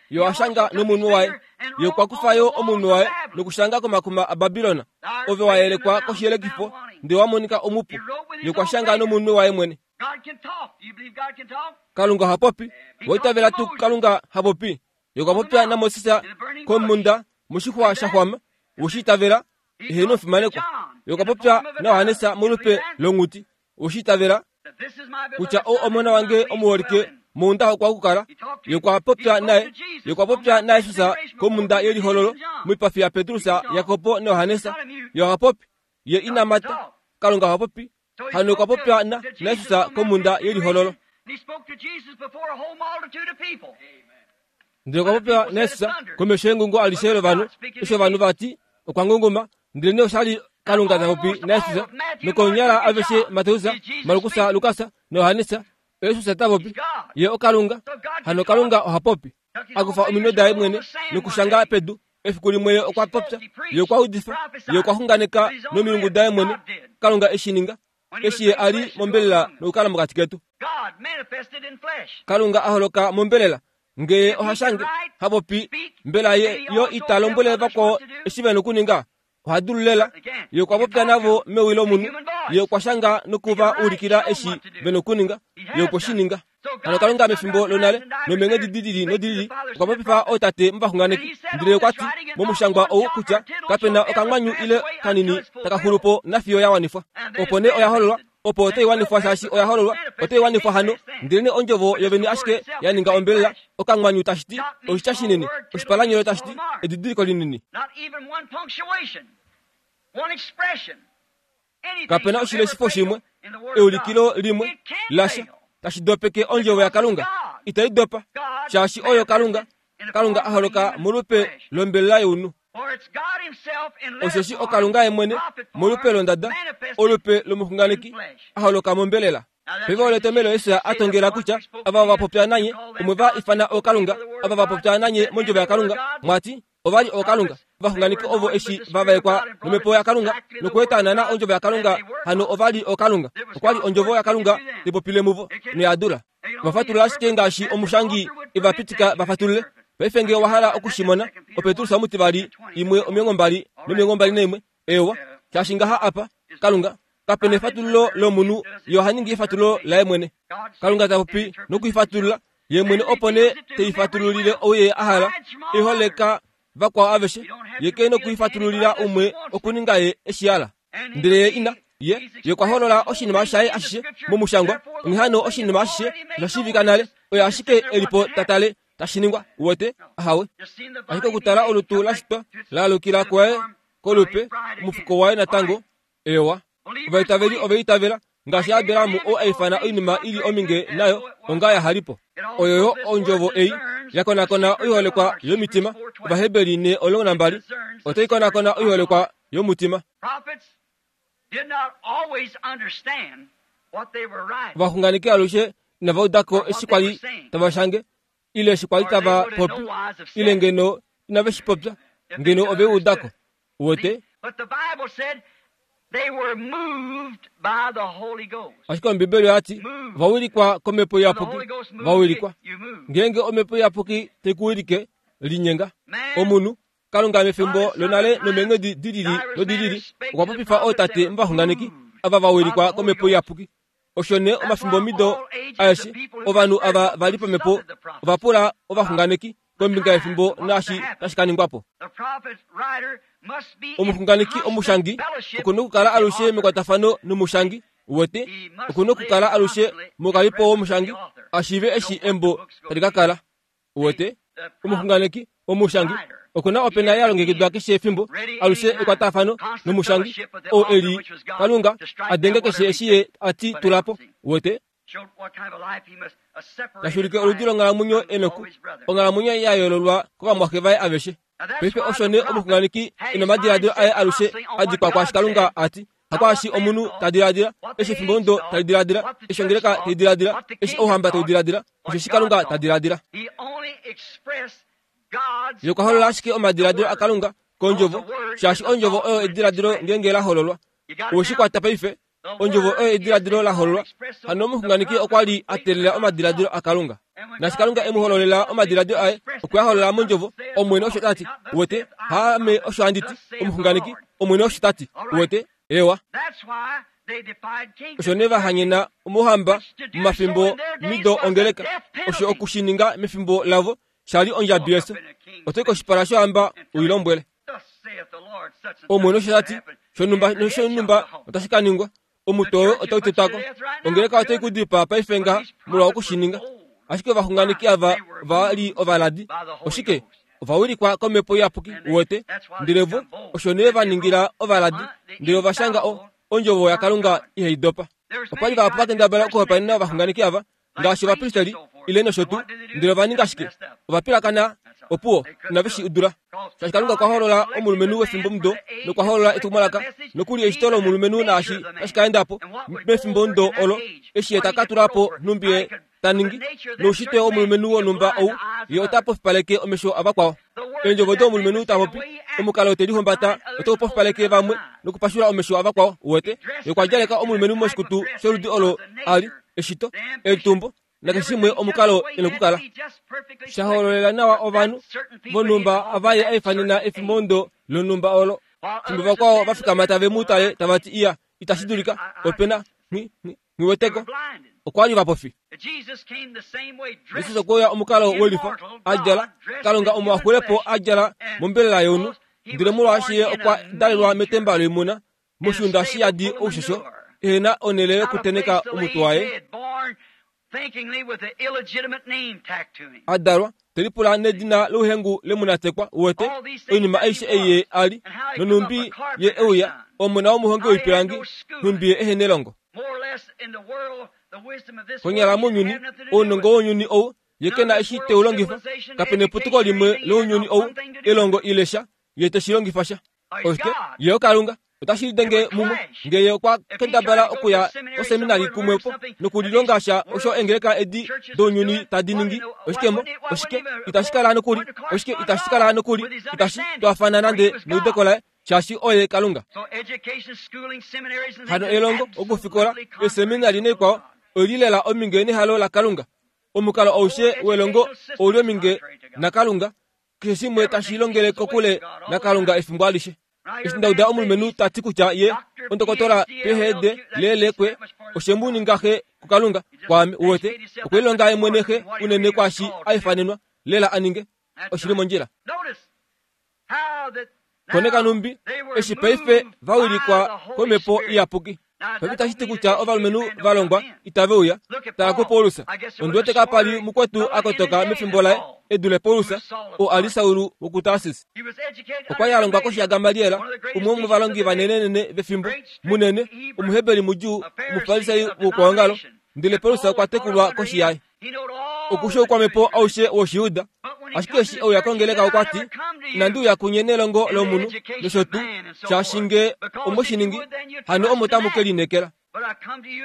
Ye oha shanga nomunwe waye. Ye okwa kufa yo omunwe waye nokushanga komakuma aBabilon. Ove wa yelekwa koshiyelekifo, ndele wa monika omupu. Ye okwa shanga nomunwe waye mwene. Kalunga oha popi. Owa itavela tuu Kalunga ha popi? Ye okwa popya naMoses komhunda moshixwa sha xwama. Owe shi itavela? Eheno fimanekwa. Ye okwa popya naJohannes molupe longhuti. Owe shi itavela? Kutya ou omona wange omuholike, mounda okwa okukala. Ye okwa popya naye. Ye okwa popya naJesus komhunda yelihololo moipafi yaPetrus, Jakob naJohannes. Ye oha popi. Ye ina mata. Kalunga oha popi. Hano okwa popya na naJesus komhunda yelihololo. Ndele okwa popya naJesus komesho yengungo alishe lovanhu, eshi ovanhu va ti okwa ngunguma, ndelenee osha li Kalunga ta popi naJesus. Nokonyala aveshe Mateus, Markus, Lukas naJohannes Yesus ta popi, ye oKalunga. Hano Kalunga oha popi. Akufa ominwe daye mwene nokushanga pedu. Efiku limwe ye okwa popya, ye okwa udifa, ye okwa xunganeka nomilungu daye mwene. Kalunga eshi ninga, eshi ye a li mombelela nokukala mokati ketu. Kalunga a holoka mombelela. Ngee oha shange, ha popi, mbela ye yo ita lombwele vakwao eshi ve na okuninga. Oha dulu lela. Ye okwa popya navo mewi lomunhu. Ye okwa shanga nokuva ulikila eshi ve na okuninga. Ye okwe shi ninga. Hano Kalunga mefimbo lonale nomeenghedi di lili nodi lili okwa popifa ootate movaxunganeki. Ndele okwa ti momushangwa ou kutya kapena okamwanyu ile kanini taka xulu po nafiyo ya wanifwa. Opo nee oya hololwa, opo otai wanifwa shaashi oya hololwa, otai wanifwa hano. Ndele nee ondjovo yovene ashike ya ninga ombelela, okamwanyu tashi ti oshitya shinini, oshipalanyole tashi ti edidiliko linini. Kapena oshileshifo shimwe, eulikilo limwe lasha tashi dopeke ondjovo yaKalunga. Itai dopa, shaashi oyo Kalunga. Kalunga a holoka molupe lombelela younhu. Osheshi oKalunga ye mwene molupe londada, olupe lomuxunganeki, a holoka mombelela. Paife olo etomhelo Jesus a tongela kutya ava va popya nanye omwe va ifana ookalunga, ava va popya nanye mondjovo yaKalunga, mwati ova li ookalunga. Ovaxunganeki ovo eshi va vaekwa nomhepo yaKalunga nokueta naana ondjovo yaKalunga, hano ova li ookalunga. Okwa li ondjovo yaKalunga tai popile muvo noya dula. Va fatulula ashike ngaashi omushangi e va pitika va fatulule. Paife ngee owa hala oku shi mona, oPetrus omutivali imwe omilongo mbali nomilongo mbali naimwe. Eewa, shaashi ngaha apa, Kalunga, kapena efatululo lomunhu, ye oha ningi efatululo laye mwene. Kalunga ta popi nokuifatulula ye mwene opo nee teifatululile ou ye a hala, e holeka vakwao aveshe, ye ke nokuifatululila umwe okuninga ye eshi hala. Ndele ye ina, ye, ye okwa holola oshinima shaye ashishe momushangwa, onghee hano oshinima ashishe osha shiivika nale, oye ashike e li po ta tale tashi ningwa. Uwete? Ahawe. Ashike okutala olutu la shitwa la alukila kwaye kolupe, omufuko waye natango. Ewa. Ovaitaveli ove itavela ngaashi Abraham oo a ifana oinima i li ominge nayo onga ya halipo. Oyo yo ondjovo ei ya konakona oiholekwa yomitima. Ovaheberi ne omulongo nambali otai konakona oiholekwa yomutima. Ovaxunganeki alushe inava uda ko eshi kwa li tava shange, ile eshi kwa li tava popi, ile ngeno inave shi popya, ngeno ove uda ko. Uwete? Ashike Ombibeli oya ti ova wilikwa komhepo iyapuki. Va wilikwa. Ngeenge omhepo iyapuki tai ku wilike, linyenga. Omunhu, Kalunga mefimbo lonale nomeenghedi di lili nodi lili okwa popifa ootate movaxunganeki ava va wilikwa komhepo iyapuki. Osho nee omafimbo mido aeshe ovanhu ava va li pamhepo ova pula ovaxunganeki kombinga yefimbo naashi tashi ka ningwa po. Omuxunganeki omushangi oku na okukala alushe mekwatafano nomushangi. Uwete, oku na okukala alushe mokalipo womushangi a shiive eshi embo tali ka kala. Uwete, omuxunganeki omushangi oku na opena ya longekidwa keshe efimbo, alushe ekwatafano nomushangi oo e li Kalunga a denge keshe eshi ye a ti tula po. Uwete, tashi ulike oludi longhalamwenyo enoku, onghalamwenyo ya yoololwa kovamwaxe vaye aveshe. Paife osho nee omuxunganeki e na omadiladilo aye alushe a dikwa kwaashi Kalunga a ti, hakwaashi omunhu ta diladila, eshi efimbo ondo tali diladila, eshi ongeleka tai diladila, eshi ouhamba tau diladila, osheshi Kalunga ta diladila. Ye okwa holola ashike omadiladilo aKalunga kondjovo, shaashi ondjovo oyo ediladilo ngeenge la hololwa. Owe shi kwata paife? Ondjovo oyo ediladilo la hololwa. Hano omuxunganeki okwa li a teelela omadiladilo aKalunga. Naashi Kalunga e mu hololela omadiladilo aye, okwe a holola mondjovo. Omwene osho ta ti. Uwete? Haame osho handi ti, omuxunganeki, Omwene osho ta ti. Uwete? Ewa. Osho nee va hanyena omouhamba momafimbo mido ongeleka, osho oku shi ninga mefimbo lavo sha li ondjabi yefyo. Oto i koshipala shohamba u i lombwele. Omwene osho ta ti, shonhumba noshonhumba otashi ka ningwa. Omutwe woye otau tetwa ko. Ongeleka otai ku dipaa paife ngaha molwa oku shi ninga. Ashike ovaxunganeki ava ova li ovaladi. Oshike? Ova wilikwa komhepo iyapuki, uwete. Ndele vo osho nee va ningila ovaladi, ndele ova shanga o, ondjovo yaKalunga ihai dopa. Opa li vahapu va kendabala okuhopaenena ovaxunganeki ava, ngaashi ovapristeli ile nosho tuu, ndele ova ninga shike? Ova pilakana, opuwo, inave shi dula. Shaashi Kalunga okwa holola omulumenhu wefimbomudo nokwa holola etumwalaka nokuli eshito lomulumenhu naashi tashi ka enda po mefimbomudo olo eshi ye taka tula po nhumbi ye ta ningi noushitwe womulumenhu wonhumba ou ye ota pofipaleke omesho avakwao. Eendjovo domulumenhu ta popi omukalo te lihumbata otau pofipaleke vamwe nokupashula omesho avakwao. Uwete ye okwa djaleka omulumenhu moshikutu sholudi olo ali eshito etumbo nakeshe shimwe omukalo e nokukala. Sha hololela nawa ovanhu vonhumba ava ye aifanena efimbomudo lonhumba olo. Fimbo vakwao va fikama tave mu tale tava ti iya itashi dulika opena nghiweteko okwa li vapofi. Jesus okwe uya omukalo welifa a djala Kalunga omo a xulepo a djala mombelela younhu ndele molwaashi ye okwa dalelwa metemba loimuna moshiunda shi yadi oushosho ehena onhele yokuteneka omutwe waye a dalwa te lipula nedina louhengu lemunatekwa. Uwete oinima aishe ei ye ali nonhumbi ye euya omona womuhongi woipilangi nhumbi ye ehena elongo. Konyala mounyuni ounongo wounyuni ou ye kena eshi teu longifa kapena eputuko limwe lounyuni ou elongo ile sha ye teshi longifa sha. Oshike ye oKalunga otashi lidenge mumwe ngee ye okwa kendabala okuya koseminari kumwepo nokulilonga sha osho eengeleka edi dounyuni tadi ningi. Oshikemo oshike itashi kala nokuli oshike itashi kala nokuli itashi twaafana nande neudeko laye shaashi oye Kalunga. Hano elongo okufikola eseminari naikwao oili lela ominge nehalo laKalunga. Omukalo aushe welongo ouli ominge naKalunga. Keshe shimwe tashi longele kokule naKalunga efimbo alishe. Eshi ndauda omulumenhu ta ti kutya ye ondokotola P H D lelekwe oshe mu ninga xe kuKalunga kwaame. Uwete okwe lilonga ye mwene xe unene kwaashi a ifanenwa lela a ninge. Oshili mondjila. Koneka numbi eshi paife va wilikwa komhepo iyapuki. Paife tashi ti kutya ovalumenhu va longwa itave uya. Tala kuPaulus. Ondi wete kapa li mukwetu a kotoka mefimbo laye e dule Paulus oo a li Saulu wokuTarsis. Okwa li a longwa koshi yaGamaliel, umwe womovalongi vanenenene vefimbo, munene, Omuheberi mudjuu, Omufarisai woukwaongalo, ndele Paulus okwa tekulwa koshi yaye. Okushe oukwamhepo aushe wOshijuda. Ashike eshi euya kongeleka okwa ti, inandi uya kunye nelongo lomunhu nosho tuu, shaashi ngee omwe shi ningi, hano omo tamu ke lineekela.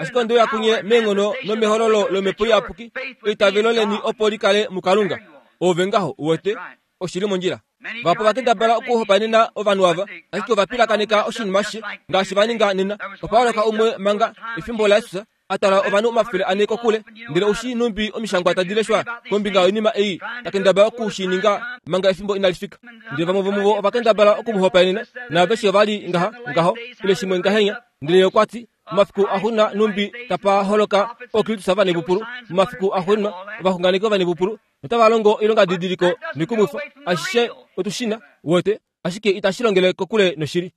Ashike onde uya kunye meenghono nomehololo lomhepo iyapuki, eitavelo leni opo li kale muKalunga. Oove ngaho, uwete, oshili mondjila. Vahapu ova kendabala okuhopaenena ovanhu ava, ashike ova pilakaneka oshinima ashishe ngaashi va ninga nena. Opa holoka umwe manga efimbo laJesus a twala ovanhu omafele ane kokule, ndele oushi nhumbi omishangwa tadi leshwa kombinga yoinima ei ta kendabala oku shi ninga manga efimbo inali fika. Ndele vamwe vomuvo ova kendabala okumuhopaenena, naaveshe ova li ngaha ngaho ile shimwe ngahenya. Ndele ye okwa ti momafiku axuuninwa nhumbi tapa holoka ookristus ovanepupulu, momafiku axuuninwa ovaxunganeki ovanepupulu notava longo oilongadidiliko noikumwifa. Ashishe otu shi na, uwete, ashike itashi longele kokule noshili.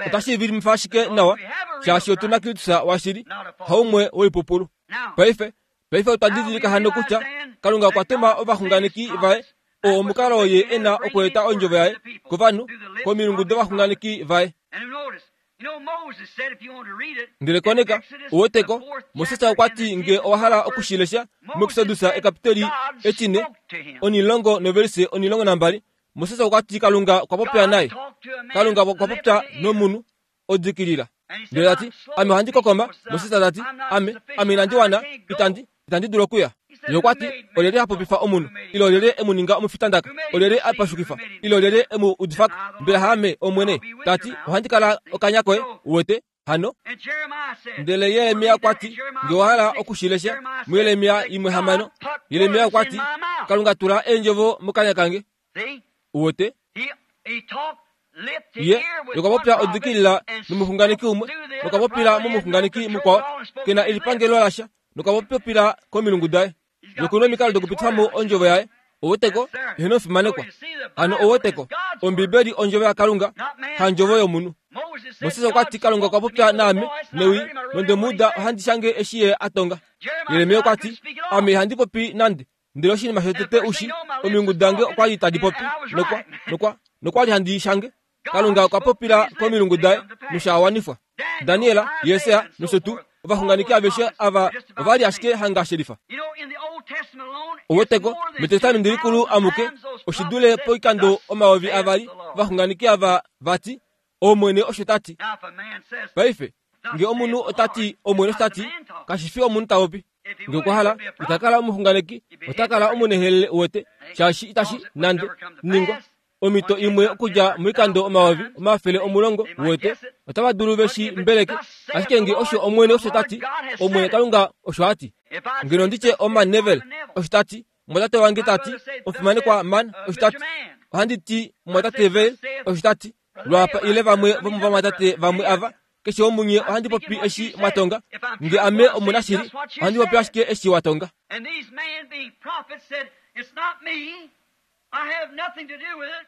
Otashi vilimifa ashike nawa shaashi otu na Kristus washili, haumwe woipupulu. Paife paife otwa didilika hano kutya Kalunga okwa tuma ovaxunganeki vaye, oo omukalo ye e na okweeta ondjovo yaye kovanhu komilungu dovaxunganeki vaye. Ndele koneka, uweteko, Moses okwa ti ngee owa hala okushilesha muExodus ekapiteli etine onilongo novelise onilongo nambali, Moses okwa ti Kalunga okwa popya naye. Kalunga okwa popya nomunhu odikilila. Ndele ta ti, ame ohandi kokoma. Moses ta ti, ame, ame inandi wana, itandi, itandi dulu okuya. Ye okwa ti, olyelye ha popifa omunhu, ile olyelye e mu ninga omufitandaka, olyelye a pashukifa, ile olyelye e mu udifako? Mbela haame Omwene? Ta ti, ohandi kala okanya koye, uwete, hano. Ndele Jeremia okwa ti, ngee owa hala okushilesha muJeremia imwe hamano, Jeremia okwa ti, Kalunga tula eendjovo mokanya kange. Uwete? Ye okwa popya odikilila nomuxunganeki umwe, nokwa popila momuxunganeki mukwao, kena elipangelo lasha, nokwa popila komilungu daye. Nokuna omikalo dokupitifa mo ondjovo yaye. Ouweteko, eheno fimanekwa. Hano ouweteko, Ombibeli ondjovo yaKalunga, handjovo yomunhu. Moses okwa ti Kalunga okwa popya naame newi, nonde mu uda ohandi shange eshi ye a tonga. Jeremia okwa ti, ame ihandi popi nande, ndele oshinima shotete ushi, omilungu dange okwa li tadi popi, nokwa, nokwa, nokwa li handi shange. Kalunga okwa popila komilungu daye nosha wanifwa. Daniel, Jesaja nosho tuu Ovaxunganeki aveshe ava ova li ashike hanga shelifa. Ouweteko metestamenti likulu amuke oshidule poikando omayovi avali ovaxunganeki ava vati Omwene osho tati. Paife nge omunhu ota ti Omwene osho tati, kashi fi omunhu ta popi. Nge okwa hala ita kala omuxunganeki, ota kala omunehelele uwete, shaashi itashi nande ningwa. Omhito imwe okudja moikando omayovi omafele omulongo uwete, otava dulu veshi mbeleke, ashike nge osho Omwene osho tati, Omwene Kalunga osho a ti. Ngeno nditye Oman Neville osho tati, mwatate wange tati, omufimanekwa Man osho tati, ohandi ti mwatate Vale osho tati, lwapa ile vamwe vomovamwatate vamwe ava, keshe womunye ohandi popi eshi mwatonga. Nge ame omunashili, ohandi popi ashike eshi watonga.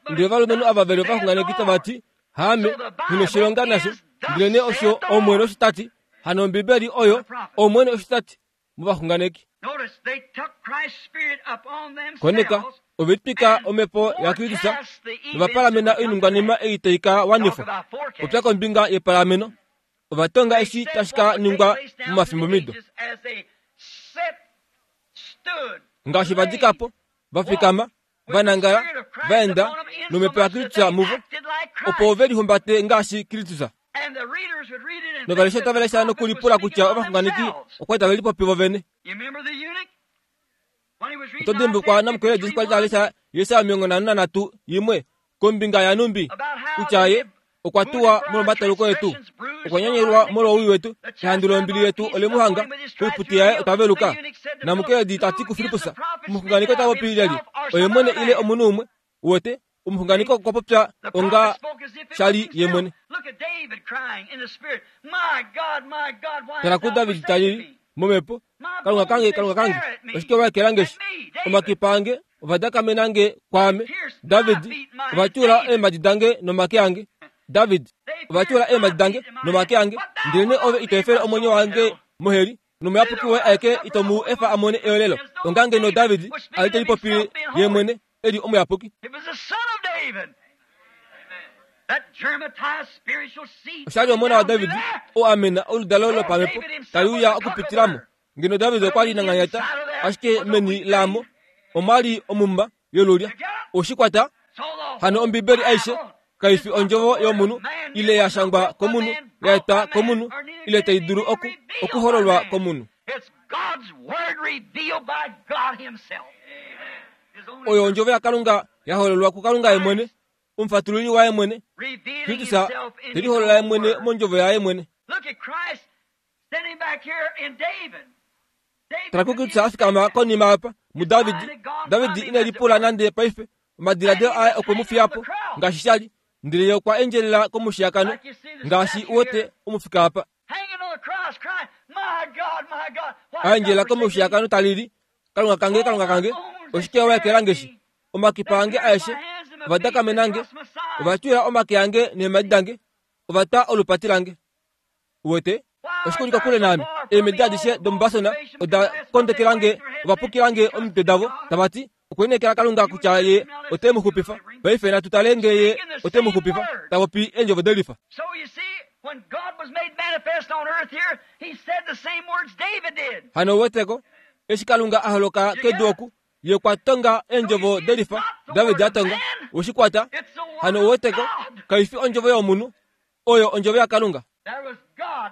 Ndele ovalumenhu ava veli ovaxunganeki tava ti, haame, nghi noshilonga nasho, ndelenee osho Omwene osho tati. Hano Ombibeli oyo Omwene osho tati movaxunganeki. Koneka, ove litwika omhepo yaKristus novapalamena oiningwanima ei tai ka wanifwa. Popya kombinga yepalameno, ova tonga eshi tashi ka ningwa momafimbomido. Ngaashi va dika po, va fikama, va nangala, va enda nomhepo yaKristus muvo, opo ve lihumbate ngaashi Kristus. Novaleshi otava lesha nokulipula kutya ovaxunganeki okwa tave lipopi vo vene. Oto dimbulukwa namukweledi eshi kwali ta lesha Jesaja omilongo nhano nanhatu imwe kombinga yanumbi kutya ye okwa tuwa molwomataluko etu, okwa nyanyelwa molwowii wetu, ehandu lombili yetu ole mu hanga, koiputi yaye otwa veluka. Namukweledi ta ti kuFilippus, omuxunganeki ota popi lyelye, oye mwene ile omunhu umwe? Uwete, omuxunganeki okwa popya onga shali ye mwene. Tala kuDavid ta lili momhepo, Kalunga kange, Kalunga kange, oshike wa ekela eshi? Omakipa ange ovadakamena nge kwaame. David, ova tyuula eemhadi dange nomake ange. David, ova tyuula eemhadi dange nomake ange, ndelenee ove ito efele omwenyo wange moheli, nomuyapuki woye aeke ito mu efa a mone eolelo. Onga ngeno David a li te lipopile ye mwene e li omuyapuki. Oshali omona waDavid oo a mena oludalo lopamhepo tali uya okupitilamo. Ngeno David okwa li nanganyata, ashike meni laamo omwa li omuma yolulya. Oshikwata hano Ombibeli aishe kai fi ondjovo yomunhu ile ya shangwa komunhu, ya etwa komunhu ile tai dulu oku okuhololwa komunhu. Oyo ondjovo yaKalunga ya hololwa kuKalunga ye mwene, omufatululi waye mwene, Kristus te liholola ye mwene mondjovo yaye mwene. Tala kuKristus a fikama konima apa muDavid. David ine lipula nande paife, omadiladilo aye okwe mu fiya po ngaashi sha li, ndele ye okwa endjelela komushiyakano ngaashi uwete omufika apa. A endjelela komushiyakano ta lili, Kalunga kange, Kalunga kange, oshike wa ekela nge eshi? Omakipa ange aeshe ovadakamena nge, ova tyuula omake ange neemhadi dange, ova twa olupati lange. Uwete, oshike uli kokule naame? Eemhedi adishe domuBasan oda kondekela nge, ova pukila nge omitwe davo, tava ti, okwe lineekela Kalunga kutya ye ote mu xupifa. Paife natu tale nge ye ote mu xupifa, ta popi eendjovo delifa. Hano uweteko, eshi Kalunga a holoka kedu oku, ye okwa tonga eendjovo delifa David a tonga. Weshikwata hano uweteko, kai fi ondjovo yomunhu, oyo ondjovo yaKalunga.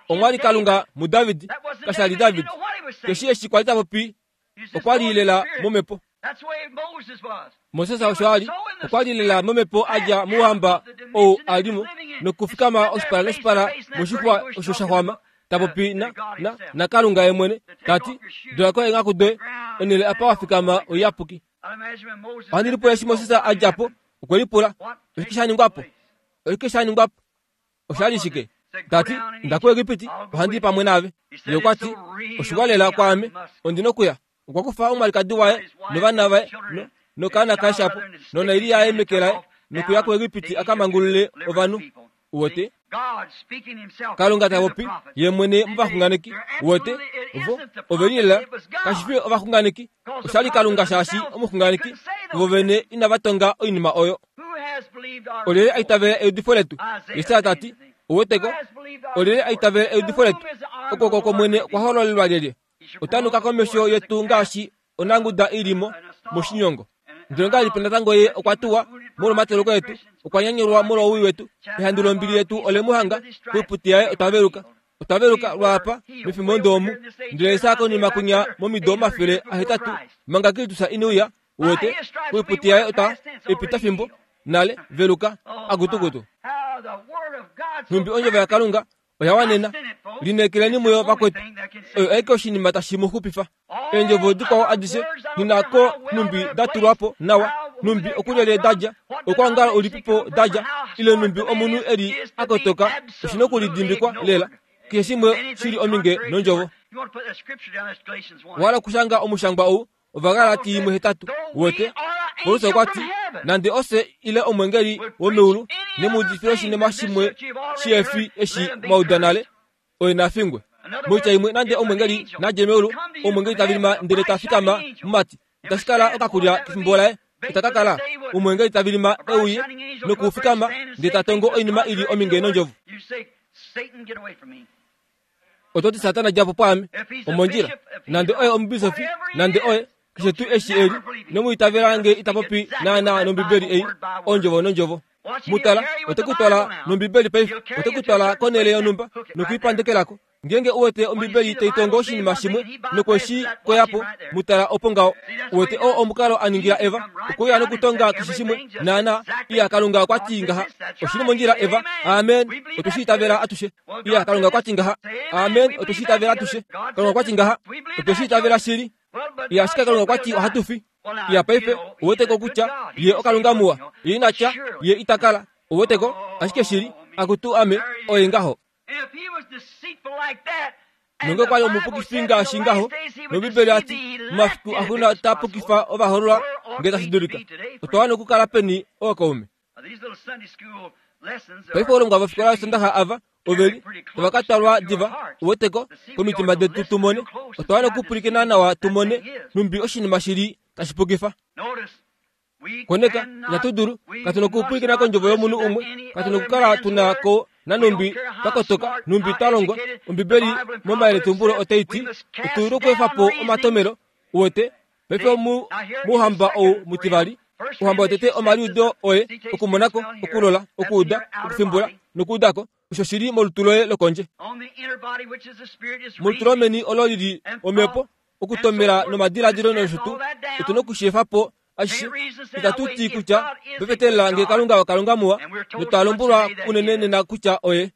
Omwa li Kalunga muDavid, kasha li David. Keshi eshi kwali ta popi, okwa li lela momhepo. Moses osho a li, okwa li lela momhepo a dja mouhamba ou a li mo, nokufikama oshipala noshipala moshixwa osho sha xwama, ta popi na, na, naKalunga ye mwene, ta ti, dula ko eenghaku doye, onhele apa wa fikama oiyapuki. Ohandi lipula eshi Moses a dja po, okwe lipula, oshike sha ningwa po? Oshike sha ningwa po? Osha li shike? Ta ti, inda kuEgipiti, ohandi i pamwe naave. Ye okwa ti, oshiwa lela kwaame, ondi nokuya. Okwa kufa omwalikadi waye novana vaye no, nokaana kaye shapo, nonaili yaye meke laye, nokuya kuEgipiti a ka mangulule ovanhu. Uwete? Kalunga ta popi ye mwene movaxunganeki. Uwete? Vo ove li lela, kashi fi ovaxunganeki, osha li Kalunga shaashi omuxunganeki vo vene inava tonga oinima oyo. Olyelye a itavela eudifo letu? Jesaja ta ti, uweteko, olyelye a itavela eudifo letu? Okwooko kwOmwene okwa hololelwa lyelye? Otanuka komesho yetu ngaashi onanguda ilimo moshinyongo. Ndele ongahelipi natango ye okwa tuwa molwomateleko etu, okwa nyanyulwa molwowii wetu, ehandu lombili yetu ole mu hanga, koiputi yaye otwa veluka. Otwa veluka lwaapa mefimbo ndoomu, ndele Isa konima kunya momido omafele ahetatu manga Kristus ine uya, uwete, koiputi yaye otwa epitafimbo nale veluka akutukutu. Nhumbi ondjovo yaKalunga oya wanena, lineekeleni muyo vakwetu, oyo aike oshinima tashi mu xupifa. Eendjovo dikwao adishe ninako nhumbi da tulwa po nawa, nhumbi okulyelye da dja, okwoongala ulipipo da dja, ile nhumbi omunhu eli a kotoka, oshi nokulidimbikwa lela. Keshe shimwe shili ominge nondjovo. Owa okushanga omushangwa ou, Ovagalati imwe hetatu, uwete. Paulus okwa ti, nande ofye ile omwengeli womeulu ne mu udifile oshinima shimwe shihefi eshi mwa uda nale, oye na fingwe. Moitya imwe, nande omwengeli nadje meulu, omwengeli ta vilima ndele ta fikama momati, itashi kala okakulya kefimbo laye, ita ka kala omwengeli ta vilima euye nokufikama ndele ta tongo oinima ili ominge nondjovo. Oto ti Satana dja po pwaame, omondjila, nande oye omubisofi, nande oye keshe tuu eshi eli, nomuitavela nge ita popi naana nOmbibeli ei, ondjovo nondjovo. Mutala, ote ku twala nOmbibeli paife, ote ku twala konhele yonhumba nokuipandekelako. Ngeenge uwete Ombibeli tai tongo oshinima shimwe nokweshi koyapo, mutala opo ngaho. Uwete oo omukalo a ningila Eva, okuya nokutonga keshe shimwe naana, iya Kalunga okwa ti ngaha. Oshili mondjila Eva, amen, otwe shi itavela atushe. Iya Kalunga okwa ti ngaha, amen, otwe shi itavela atushe. Kalunga okwa ti ngaha, otwe shi itavela shili. Iya ashike Kalunga okwa ti ohatu fi. Iya paife, uweteko kutya ye oKalunga muwa, ye ina tya, ye ita kala, uweteko, ashike shili, akutu ame, oye ngaho. Nonge okwa li omupukifi ngaashi ngaho, nOmbibeli ati, momafiku axuuninwa ota pukifa ovahoololwa nge tashi dulika. Otwa wana okukala peni ookaume? Paife ovalongwa vofikola yOsondaxa ava oveli tava ka twalwa diva, uweteko, komitima detu tu mone. Otwa wana okupwilikina nawa tu mone nhumbi oshinima shili tashi pukifa. Koneka, inatu dulu, katu nokupwilikina kondjovo yomunhu umwe, katu nokukala tuna ko nanhumbi twa kotoka, nhumbi twa longwa. Ombibeli momayeletumbulo otai ti, otu nokweefa po omatomelo, uwete, paife mouhamba ou mutivali. Ouhamba wotete omaliudo oye, okumonako, okulola, okuuda, okufimbula nokuudako, osho shili molutu loye lokondje. Molutu lomeni olo lili omhepo, okutomela nomadiladilo nosho tuu, otu nokushi efa po ashishe. Itatu ti kutya pefetelela nge Kalunga oKalunga muwa, notwa lombwelwa unene nena kutya oye.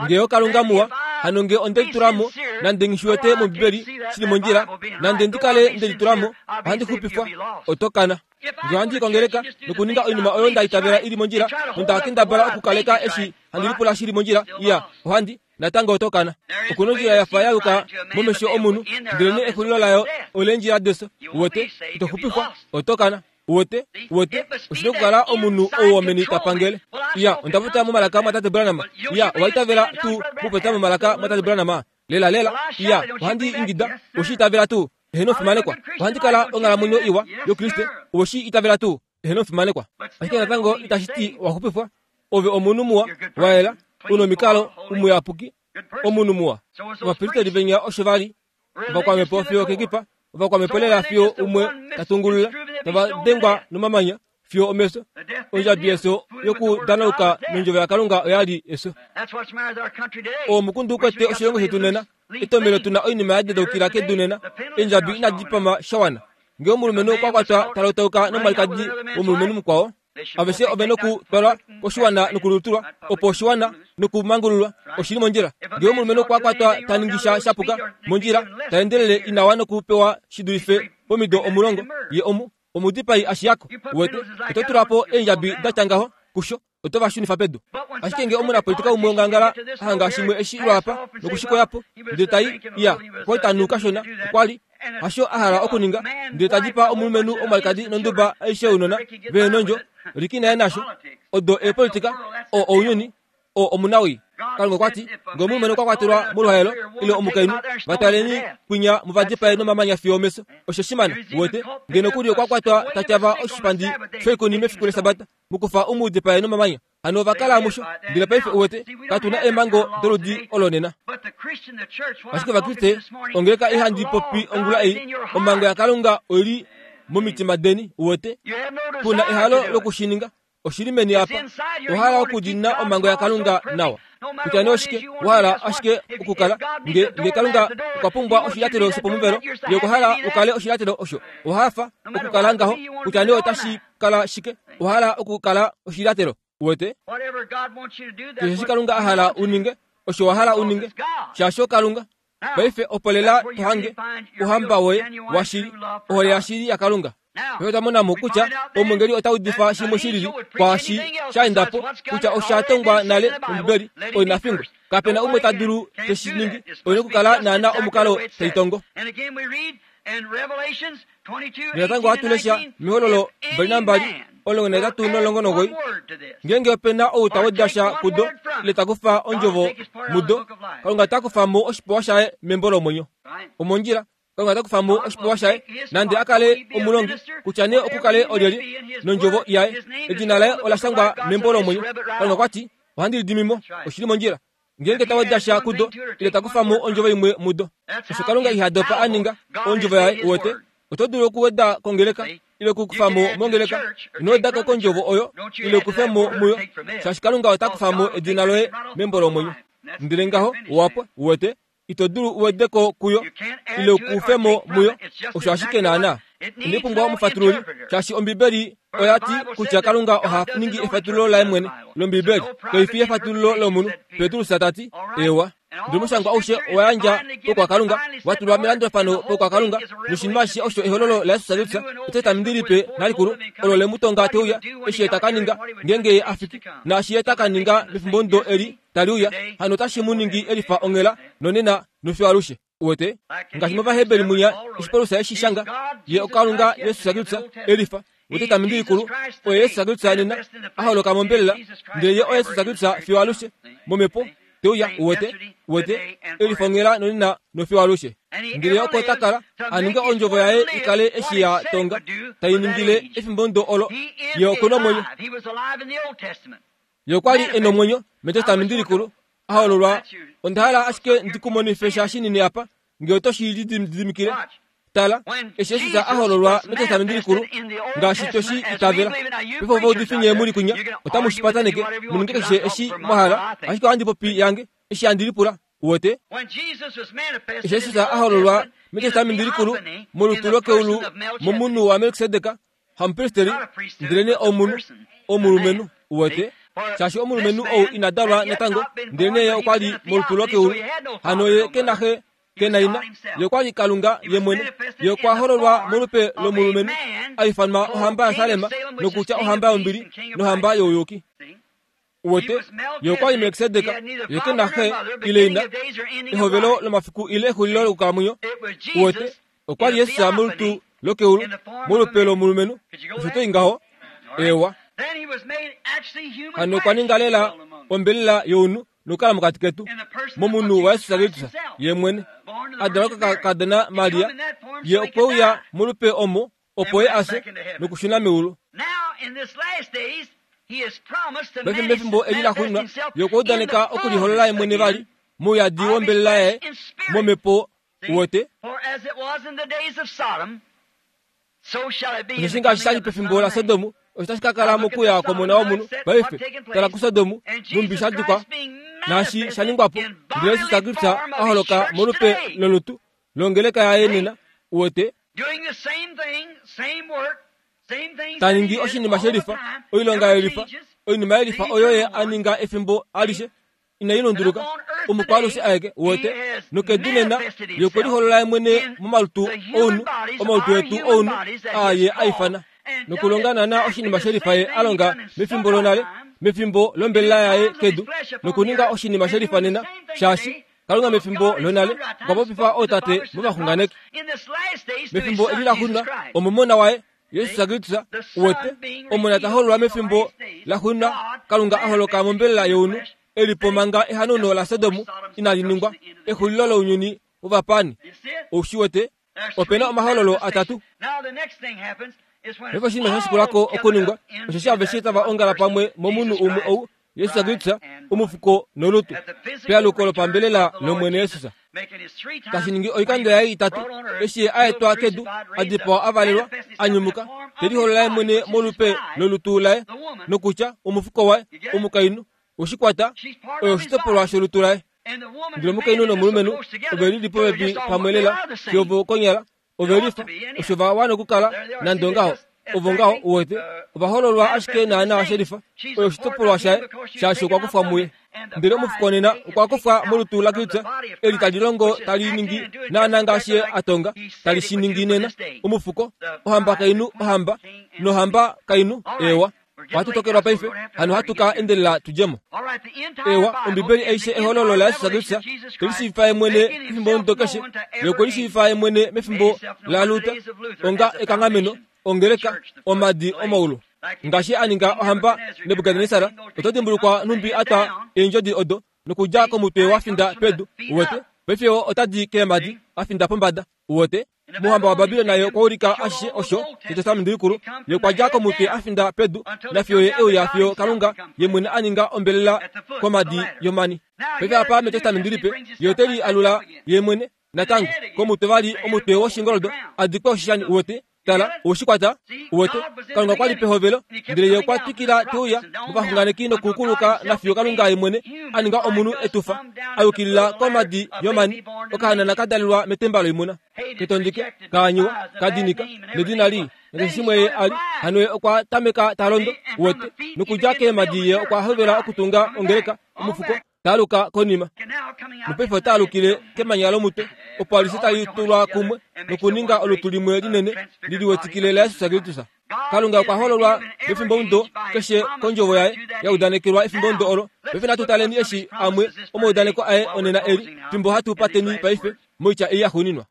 Nge oKalunga muwa, hano nge onde litulamo, nande nghishiwete mOmbibeli shili mondjila, nande ndi kale nde litulamo, ohandi xupifwa, oto kana. Nge ohandi i kongeleka nokuninga oinima oyo nda itavela ili mondjila, nonda kendabala okukaleka eshi handi lipula shili mondjila, iya, ohandi natango oto kana. Okuna ondjila ya fa ya yuka momesho omunhu, ndelenee exulilo layo oleendjila defyo. Uwete, ito xupifwa, oto kana. Uwete, uwete, oshi nokukala omunhu ou womeni ta pangele. Iya, onda popya momalaka mwatate Branham. Iya, owa itavela tuu mokupopya momalaka mwatate Branham? Lela lela, iya, ohandi ingida, oweshi itavela tuu? Eheno fimanekwa. Ohandi kala onghalamwenyo iwa yoKriste, oweshi itavela tuu? Eheno fimanekwa. Ashike natango itashi ti owa xupifwa. Ove omunhu muwa, wa yela, una omikalo, umuyapuki, omunhu muwa. Ovapristeli venya osho va li, ovakwamhepo fiyo kekipa, ovakwamhepo lela fiyo umwe ta tungulula, tava dengwa nomamanya fiyo omefyo. Ondjabi yefyo yokudanauka nondjovo yaKalunga oya li efyo. Omukundu ukwete oshilongo shetu nena, etomelo tuna oinima ya dedaukila kedu nena, eendjabi inadi pama sha wana. Nge omulumenhu okwa kwatwa ta lotauka nomwalikadi womulumenhu mukwao, aveshe ove nokutwalwa koshiwana nokulutulwa, opo oshiwana nokumangululwa. Oshili mondjila. Nge omulumenhu okwa kwatwa ta ningi sha shapuka mondjila, ta endelele ina wana okupewa shi dulife pomido omulongo, ye omu omudipai ashiyako. Uwete, oto tula po eendjabi da tya ngaho kusho, oto va shunifa pedu. Ashike nge omunapolitika umwe wongangala a hanga shimwe eshi lwaapa nokushikoyapo, ndele tai iya, okwa li ta nu kashona, okwa li hasho a hala okuninga, ndele ta dipaa omulumenhu omwalikadi nonduba aishe younona vehe nondjo, liki naye nasho. Odo eepolitika, oo ounyuni, oo omunawii. Kalunga okwa ti, ngee omulumenhu okwa kwatelwa moluhaelo ile omukainhu, vataleni kwinya muvadipae nomamanya fiyo omefyo. Osho shimana, uwete, ngee nokuli okwa kwatwa tatyava oshipandi shoikuni mefiku lesabata, mukufa u mu dipae nomamanya. Hano ova kala musho, ndele paife uwete, katu na eemhango doludi olo nena. Ashike Ovakriste, ongeleka ihandi popi ongula ei, omhango yaKalunga oili momitima deni, uwete, kuna ehalo lokushininga, oshili meni apa, owa hala okudiinina omhango yaKalunga nawa. Kutya nee oshike, wa hala ashike okukala, nge, nge Kalunga okwa pumbwa oshilyatelo shopomuvelo, ye okwa hala ukale oshilyatelo osho, owa hafa okukala ngaho, kutya nee otashi kala shike, owa hala okukala oshilyatelo, uwete. Keshe eshi Kalunga a hala u ninge, osho wa hala u ninge, shaashi oKalunga. Paife opo lela to hange ouhamba woye washili, ohole yashili yaKalunga. Paife otwa mona mo kutya omwengeli ota udifa shimwe shilili kwaashi sha enda po, kutya osha tongwa nale mOmbibeli, oi nafingwe. Kapena umwe ta dulu te shi ningi, oina okukala naana omukalo taitongo. Natango ohatu lesha mehololo mbali nambali omulongo nahetatu nomulongo nomugoyi, ngeenge ope na ou ta weda sha kudo ile ta kufa ondjovo mudo, Kalunga ota kufa mo oshipewa shaye membo lomwenyo. Omondjila, Kalunga ota kufa mo oshipewa shaye, nande a kale omulongi, kutya nee oku kale olyelye, nondjovo yaye, edina laye ola shangwa membo lomwenyo. Kalunga okwa ti, ohandi lidimi mo, oshili mondjila. Ngeenge ta weda sha kudo ile ta kufa mo ondjovo imwe mudo. Osho Kalunga iha dopa a ninga ondjovo yaye, uwete. Oto dulu okuweda kongeleka ile okukufa mo mongeleka, ino weda ko kondjovo oyo ile ukufe mo muyo, shaashi Kalunga ota kufa mo edina loye membo lomwenyo. Ndele ngaho owapwa, uwete, ito dulu uwede ko kuyo ile ukufe mo muyo, osho ashike naana. Inai pumbwa omufatululi, shaashi Ombibeli oya ti kutya Kalunga oha ningi efatululo laye mwene lOmbibeli, kaifi efatululo lomunhu. Petrus ta ti, ewa. Ndele omushangwa aushe owa yandja pokwakalunga, wa tulwa melandulafano pokwakalunga, noshinima ashishe osho ehololo laJesus Kristus, etestamenti lipe nalikulu, olo le mu tonga te uya, eshi ye ta ka ninga ngeenge ye a fiki, naashi ye ta ka ninga mefimbomudo eli tali uya, hano otashi mu ningi elifa onghela nonena nofiyo alushe. Uwete, ngaashi mOvaheberi mwinya eshi Paulus eshi shanga, ye oKalunga Jesus Kristus elifa, wetestamenti likulu, oye Jesus Kristus nena a holoka mombelela, ndele ye oye Jesus Kristus fiyo alushe momhepo te uya, uwete, uwete, elifa onghela nonena nofiyo alushe. Ndele oko ta kala a ninga ondjovo yaye i kale eshi ya tonga, tai ningile efimbomudo olo, ye oku nomwenyo. Ye okwa li e nomwenyo metestamenti likulu, a hololwa. Onda hala ashike ndi ku monife sha shinini apa, ngee oto shi lididimikile. Tala, eshi Jesus a hololwa metestamenti likulu, ngaashi to shi itavela. Paife ovaudifi nye muli kwinya, otamu shi pataneke, mu ninge keshe eshi mwa hala, ashike ohandi popi yange, eshi handi lipula, uwete. Eshi Jesus a hololwa metestamenti likulu, molutu lokeulu, momunhu waMelkisedek, hamupristeri, ndelenee omunhu, omulumenhu, uwete. Shaashi omulumenhu ou ina dalwa natango, ndelenee ye okwa li molutu lokeulu, hano ye ke na xe, ke na ina, ye okwa li Kalunga ye mwene. Ye okwa hololwa molupe lomulumenhu, a ifanwa ohamba yaSalem, nokutya ohamba yombili nohamba youyuki. Uwete, ye okwa li Melkisedek, ye ke na xe ile ina, ehovelo lomafiku ile exulilo lokukalamwenyo. Uwete, okwa li Jesus molutu lokeulu, molupe lomulumenhu. Osho toi ngaho, ewa. Hano okwa ninga lela ombelela younhu nokukala mokati ketu, momunhu waJesus Kristus ye mwene, a dalwa kokakadona Maria. Ye okwe uya molupe omo, opo ye a fye nokushuna meulu. Paife mefimbo eli la xuuninwa, ye okwa udaneka okuliholola ye mwene vali mouyadi wombelela yaye momhepo, uwete. Osheshi ngaashi sha li pefimbo laSodom, osho tashi ka kala mokuya kwOmona wOmunhu. Paife tala kuSodom, nhumbi sha dikwa, naashi sha ningwa po, ndele Jesus Kristus a holoka molupe lolutu longeleka yaye nena, uwete. Ta ningi oshinima shelifa, oilonga yelifa, oinima yelifa oyo ye a ninga efimbo alishe, inai lunduluka, omukwaalushe aeke, uwete. Nokedu nena, ye okwe liholola ye mwene momalutu ounhu, omalutu etu ounhu, aa ye a ifana. Nokulonga naana oshinima shelifa ye a longa mefimbo lonale, mefimbo lombelela yaye kedu, nokuninga oshinima shelifa nena, shaashi Kalunga mefimbo lonale okwa popifa ootate movaxunganeki. Mefimbo eli la xuuninwa, omomona waye Jesus Kristus, uwete, omona ta hololwa mefimbo la xuuninwa, Kalunga a holoka mombelela younhu, Eli po manga ehanauno laSodom inali ningwa, exulilo lounyuni wovapani. Ou shi wete? Ope na omahololo atatu. Paife oshinima sha shikulako okuningwa, osheshi aveshe tava ongala pamwe momunhu umwe ou, Jesus Kristus, omufuko nolutu, pealuko lopambelela lOmwene Jesus. Tashi ningi oikando yaye itatu, eshi ye a etwa kedu, a dipawa a valelwa, a nyumuka, te liholola ye mwene molupe lolutu laye, nokutya omufuko waye, omukainhu, oshikwata, oyo oshitopolwa sholutu laye. Ndele omukainhu nomulumenhu ove lili popepi pamwe lela, fiyo konyala ove lifa, osho va wana okukala nande ongaho. Ovo ngaho uwete, ovahololwa ashike naana shelifa, oyo oshitopolwa shaye, shaashi okwa kufwa muye. Ndele omufuko nena okwa kufwa molutu laKristus, eli tali longo tali ningi naana ngaashi ye a tonga, tali shi ningi nena. Omufuko, ohamba kainhu, ohamba, nohamba kainhu, ewa. Ohatu tokelwa paife, hano hatu ka endelela tudjemo. Ewa, Ombibeli aishe ehololo laYesus Kristus, telishiivifa ye mwene mefimbo omudo keshe, ye okwe lishiivifa ye mwene mefimbo laLuther, onga ekanghameno, ongeleka, omadi omaulu. Ngaashi a ninga ohamba Nebukadnesar, oto dimbulukwa nhumbi a twa eendjodi odo, nokudja komutwe wa finda pedu, uwete. Paife otadi keemadi, a finda pombada, uwete. Mohamba waBabilon naye okwa ulika ashishe osho shetestamenti likulu, ye okwa dja komutwe a finda pedu, nafiyo ye euya fiyo Kalunga ye mwene a ninga ombelela komadi yomani. Paife apa metestamenti lipe, ye ote li alula ye mwene natango komutwe vali omutwe woshingoldo a dikwa oshishani, uwete. Tala, oshikwata, uwete. Kalunga okwa li pehovelo, ndele ye okwa twikila teuya movaxunganeki nokukuluka nafiyo Kalunga ye mwene a ninga omunhu etufa, a yukilila komadi yomani, okahanana ka dalelwa metemba loimuna, ketondike, kaanyiwa, kadinika, nedina lii, nakeshe shimwe ye a li. Hano ye okwa tameka ta londo, uwete, nokudja keemadi ye okwa hovela okutunga ongeleka, omufuko, taaluka konima. Nopaife ota alukile kemanya lomutwe, opo alishe tali tulwa kumwe nokuninga olutu limwe linene liliwetikile laYesus Kristus. Kalunga okwa hololwa mefimbo omudo keshe kondjovo yaye ya udanekelwa efimbo omudo olo. Paife natu taleni eshi amwe omaudaneko aye onena eli, fimbo hatu pateni paife moitya ei ya xuuninwa.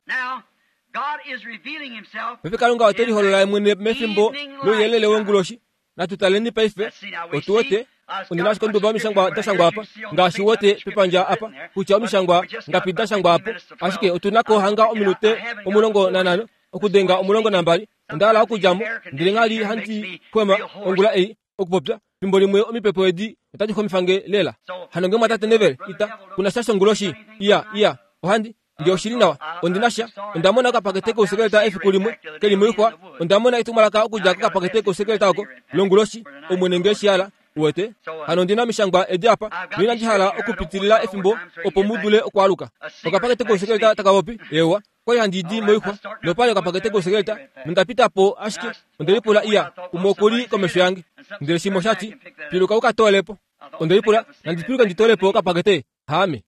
Paife Kalunga ote liholola ye mwene mefimbo louyelele wonguloshi. Natu taleni paife, otu wete ondina ashike onduba omishangwa da shangwa apa, ngaashi wete pepandja apa, kutya omishangwa ngapi da shangwa apo. Ashike otu nako hanga ominute omulongo nanhano, okudenga omulongo nambali. Onda hala okudja mo, ndele nghali handi kwema ongula ei okupopya. Fimbo limwe omipepo edi otadi xomifange lela. Hano nge mwatate Neville, ita kuna sha shonguloshi. Iya, iya, ohandi nge oshili nawa, ondina sha. Onda mona okapakete kousekeleta efiku limwe keli moixwa. Onda mona etumwalaka okudja kokapakete kousekeleta oko longuloshi, Omwene nge shi hala, uwete. Hano ondina omishangwa edi apa, noinandi hala okupitilila efimbo opo mu dule okwaaluka. Okapakete kousekeleta taka popi, ewa, kwali handi di moixwa, nopali okapakete kousekeleta, nonda pita po ashike, onde lipula iya, umwe okuli komesho yange. Ndele shimwe osha ti, piluka uka toole po. Onde lipula, nandi piluke ndi toole po okapakete, haame.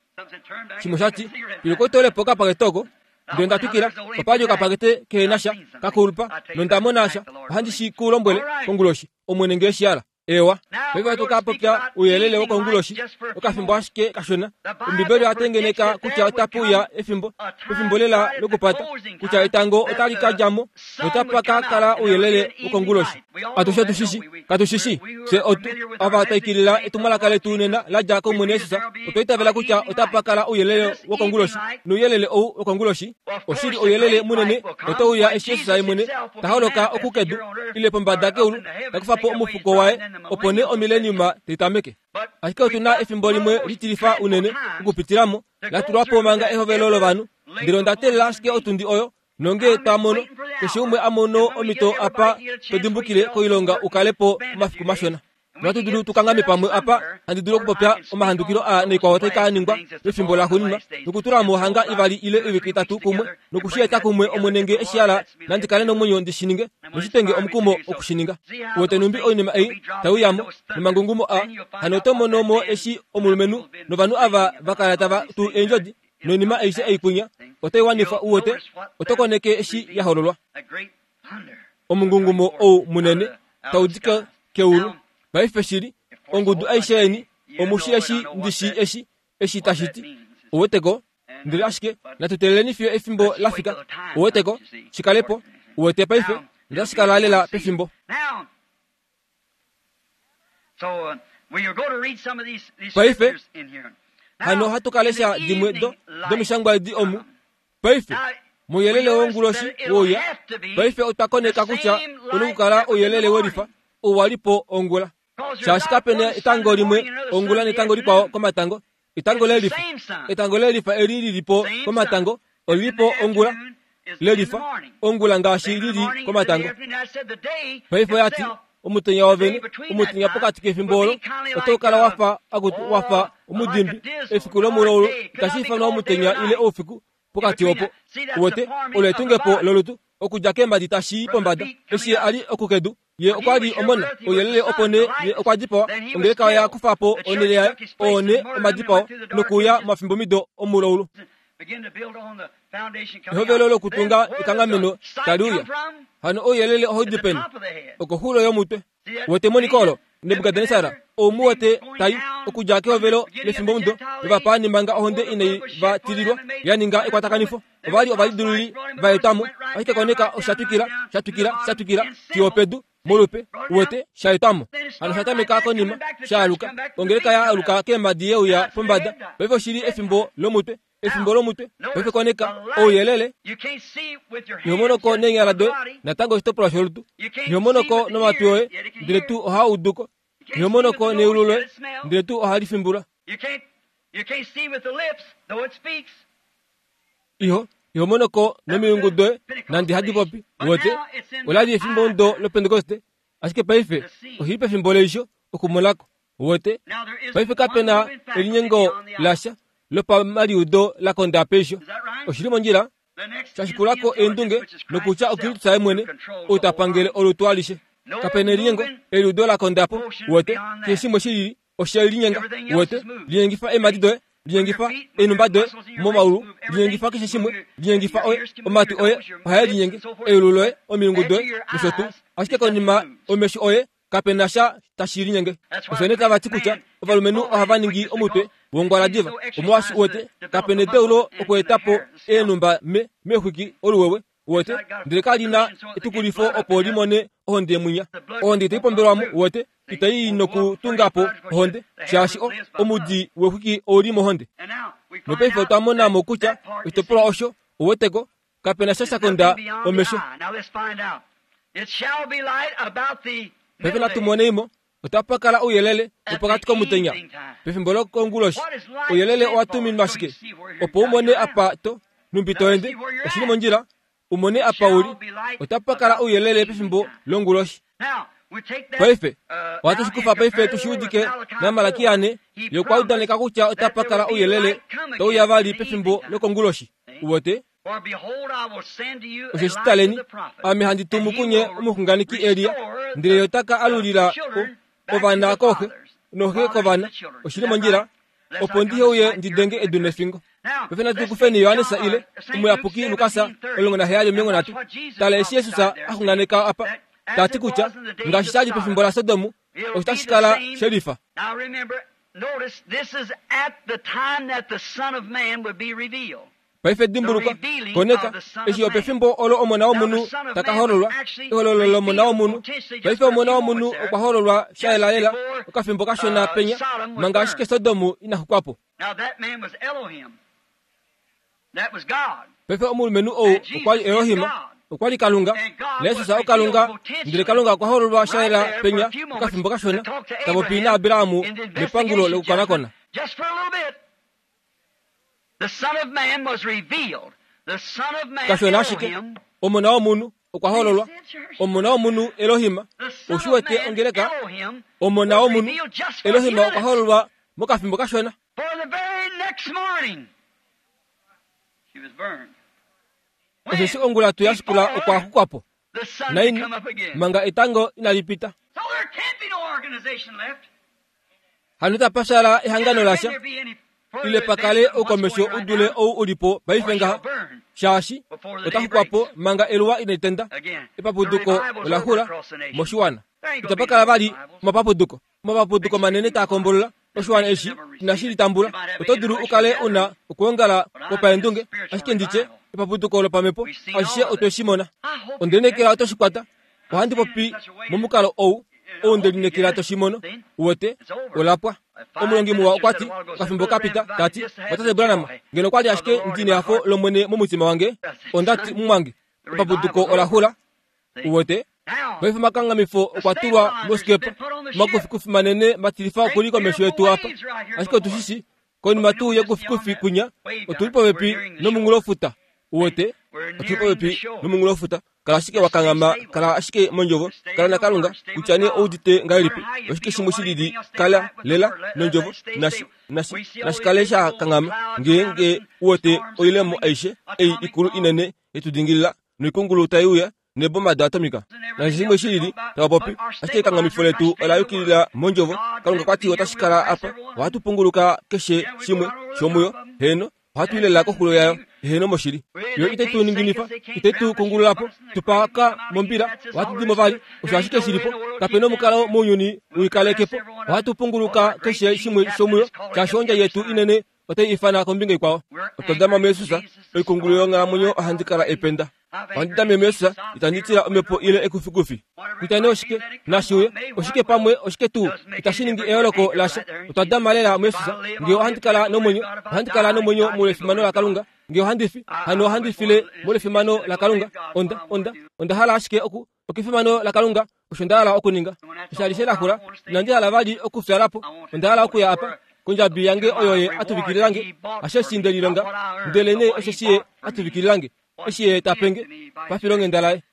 Shimwe osha ti, piluka utoole po okapakete oko. Ndele nda twikila, opali okapakete kehena sha, kakulupa, nonda mona sha, ohandi shi ku lombwele konguloshi, Omwene nge shi hala. Ewa, paife ohatu ka popya ouyelele wokonguloshi, okafimbo ashike kashona. Ombibeli oya tengeneka kutya otape uya efimbo, pefimbo lela lokupata, kutya etango otali ka dja mo, notapa ka kala ouyelele wokonguloshi. Atushe otu shishi, katu shishi, fye otu ava twa ikilila etumwalaka letu nena la dja kOmwene Jesus, otwa itavela kutya otapa kala ouyelele wokonguloshi. Nouyelele ou wokonguloshi oshili ouyelele munene otau uya eshi Jesus ye mwene ta holoka okukedu ile pombada keulu, ta kufa po omufuko waye, opo nee omileniuma tai tameke. Ashike otu na efimbo limwe litilifa unene okupitila mo, la tulwa po manga ehovelo lovanhu. Ndele onda teelela ashike otundi oyo, nonge twa mono, keshe umwe a mono omhito apa to dimbukile koilonga u kale po omafiku mashona. Nohatu dulu tu kangame pamwe apa, handi dulu okupopya omahandukilo aa naikwao tai ka ningwa pefimbo laxuuninwa, nokutula mo hanga ivali ile oivike itatu kumwe, nokushieta kumwe Omwene nge eshi hala nandi kale nomwenyo ndi shi ninge, noshitenge omukumo okushininga. Uwete nhumbi oinima ei tai uya mo, nomangungumo a, hano oto mono mo eshi omulumenhu novanhu ava va kala tava tu eendjodi, noinima aishe ei kwinya otai wanifwa. Uwete, oto koneke eshi ya hololwa. Omungungumo ou munene tau di keulu. Paife shili, ongudu aishe yeni, omushi eshi ndishi eshi, eshi tashi ti. Uweteko, ndele ashike natu teeleleni fiyo efimbo la fika. Uweteko, shikale po. Uwete paife, notashi kala lela pefimbo. Paife hano ohatu ka lesha dimwe do domishangwa edi omu. Paife mouyelele wonguloshi wouya. Paife otwa koneka kutya una okukala ouyelele welifa ou wa li po ongula. Shaashi kapena etango limwe ongula netango likwao komatango. Etango lelifa. Etango lelifa eli lili po komatango olili po ongula lelifa ongula ngaashi lili komatango. Paife oyati omutenya wovene omutenya pokati kefimbo olo otau kala wafa akutu wafa omudimbi efiku lomulaulu itashi ifanwa omutenya ile oufiku pokati opo. Uwete olo etungepo lolutu okudja keemhadi tashi i pombada. Eshi ye ali okukedu ye okwa li omona ouyelele opo nee ye okwa dipawa. Ongeleka oya kufa po onhele yaye oo nee omadipao nokuuya mafimbomido omulaulu. Ehovelo lokutunga ekanghameno tali uya. Hano ouyelele ohau di peni? Okoxulo yomutwe. Wete emoniko olo Nebukadnesar ou mu wete tai okudja kehovelo lefimbomudo lovapaani manga ohonde inai va tililwa ya ninga ekwatakanifo. Ova li ovalidiluli va etwamo, ashike koneka osha twikila, sha twikila, sha twikila fiyo opedu molupe. Uwete sha etwamo. Hano sha tameka konima sha aluka. Ongeleka ya aluka keemhadi yeuya pombada. Paife oshili efimbo lomutwe. Efimbo lomutwe. Paife koneka ouyelele. Iho monoko neenyala doye natango oshitopolwa sholutu. Iho monoko nomatwi oye ndele tuu ohaa uduko. Iho monoko neulu loye ndele tuu ohali fimbula. Iho iho monoko nomilungu doye nande hadi popi. Uwete olali efimbo ndo lopentekoste, ashike paife oshili pefimbo leisho okumonako. Uwete paife kapena elinyengo lasha lopamaliudo la konda peisho. Oshili mondjila shashikulako eendunge nokutya Okristu ye mwene ou ta pangele olutu alishe. Kapena elinyengo eliudo la kondapo. Uwete keshe shimwe shilili oshe linyenga. Uwete linyengifa eemhadi doye, linyengifa eenhumba doye momaulu, linyengifa keshe shimwe, linyengifa oye omatwi oye ohae linyenge, eulu loye, omilungu doye nosho tuu. Ashike konima omesho oye kapena sha tashi linyenge. Osho nee tava ti kutya ovalumenhu ohava ningi omutwe wongwala diva. Omolwaashi uwete kapena edeulo okweeta po eenhumba me meexwiki oluwewe. Uwete ndele kali na etukulifo opo limone ohonde mwinya. Ohonde itai pombelwamo. Uwete itai nokutunga po ohonde shaashi omudi wexwiki ouli mohonde. Nopaife otwa mona mo kutya oshitopolwa osho uweteko kapena sha shakonda omesho. Paife natu moneimo otapa kala ouyelele wopokati komutenya pefimbo lokonguloshi. Ouyelele owa tuminwa shike? Opo umone apa to numbi to ende. Oshili mondjila umone apa uli. Otapa kala ouyelele pefimbo longuloshi. Paife ohatu shikufa paife tushiudike naMalaki ane ye okwa udaneka kutya otapa kala ouyelele tauya vali pefimbo lokonguloshi. Uwete osheshi taleni, ame handi tumu kunye omuxunganeki Elia, ndele ye ota ka alulila ovana kooxe noxe kovana. Oshili mondjila opo ndihe uye ndidenge edu nefingo. Paife natu kufeni Johannes ile omuyapuki Lukas omulongo naheyali omilongo nhatu. Tala eshi Jesus a xunganeka apa tati kutya ngaashi sha li pefimbo laSodom osho tashi kala shelifa. Paife dimbuluka koneka eshi opefimbo olo omona womunhu taka hololwa, ehololo lomona womunhu. Paife omona womunhu okwa hololwa sha yelalela okafimbo kashona penya manga ashike Sodom ina xukwapo. Paife omulumenhu ou okwa li Elohim, okwa li Kalunga, naJesus oKalunga, ndele Kalunga okwa hololwa sha yela penya okafimbo kashona ta popi naAbraham mepangulo lokukonakona. Kashona ashike omona womunhu okwa hololwa, omona womunhu Elohim. Oshi wete ongeleka omona womunhu Elohim okwa hololwa mokafimbo kashona. Osheshi ongula tu yashikula okwa xukwapo naini manga etango inali pita. Hano itapa shala ehangano lasha ile pakale oukomesho udule ou ulipo paife ngaha, shaashi ota xukwapo manga eluwa inali tenda. Epapuduko ola xula moshiwana. Itapa kala vali omapapuduko. Omapapuduko manene taa kombolola oshiwana eshi inashi litambula. Oto dulu ukale una okuongala kwopaendunge, ashike nditye epapuduko lopamhepo ashishe otwe shi mona. Onde lineekela oto shi kwata. Ohandi popi momukalo ou Oundelinekela toshimono uwete olapwa. Omulongi muwa okwa ti okafimbo kapita tati otate Branham ngeno kwali ashike ndine yafo lomwene momutima wange ondati mumwange epapuduko olaxula uwete. Paife omakangamifo okwa tulwa mosikepa omakufikufi manene matilifa okuli komesho yetu apa ashike otushishi konima tuu yekufikufi kunya otuli popepi nomunghulofuta uwete otuli popepi nomunghulofuta. Kala ashike wakangama, kala ashike mondjovo, kala naKalunga kutya nee oudite ngahelipi oshike shimwe shilili kala lela nondjovo nashi nashi nashikale sha kangama ngeenge uwete oilemo aishe ei ikulu inene yetudingilila noikungulu tai uya neboma da atomika nashi shimwe shilili tavapopi ashike ekangamifo letu ola yukilila mondjovo. Kalunga kwati otashi kala apa ohatu punguluka keshe shimwe shomuyo heno ohatu ilela koxulo yayo heno moshili yo ite tu ninginifa ite tu kungululapo tupaka mombila ohatu dimo vali osho ashike shilipo kapena omukalo mounyuni uikalekepo ohatu punguluka keshe shimwe shomuyo shaashi ondja yetu inene otai ifana kombinga ikwao. Otwa dama muYesus oikungulu yonghalamwenyo ohandi kala ependa ohandi dame muYesus itandi tila omhepo ile ekufikufi kutya nee oshike nashiuye oshike pamwe oshike tuu itashi ningi eyooloko lasha. Otwa dama lela muYesus ngee ohandi kala nomwenyo ohandi kala nomwenyo molwefimano laKalunga ngee ohandi fi hano ohandi file molwefimano laKalunga onda onda onda hala ashike oku okefimano laKalunga osho nda hala okuninga eshi alishe laxula inandi hala vali okufyalapo onda hala okuya apa kondjabi yange oyo ye atuvikililange asheshi ndelilonga ndele nee osheshi ye atuvikililange eshi ye tapenge pafilonghenda laye.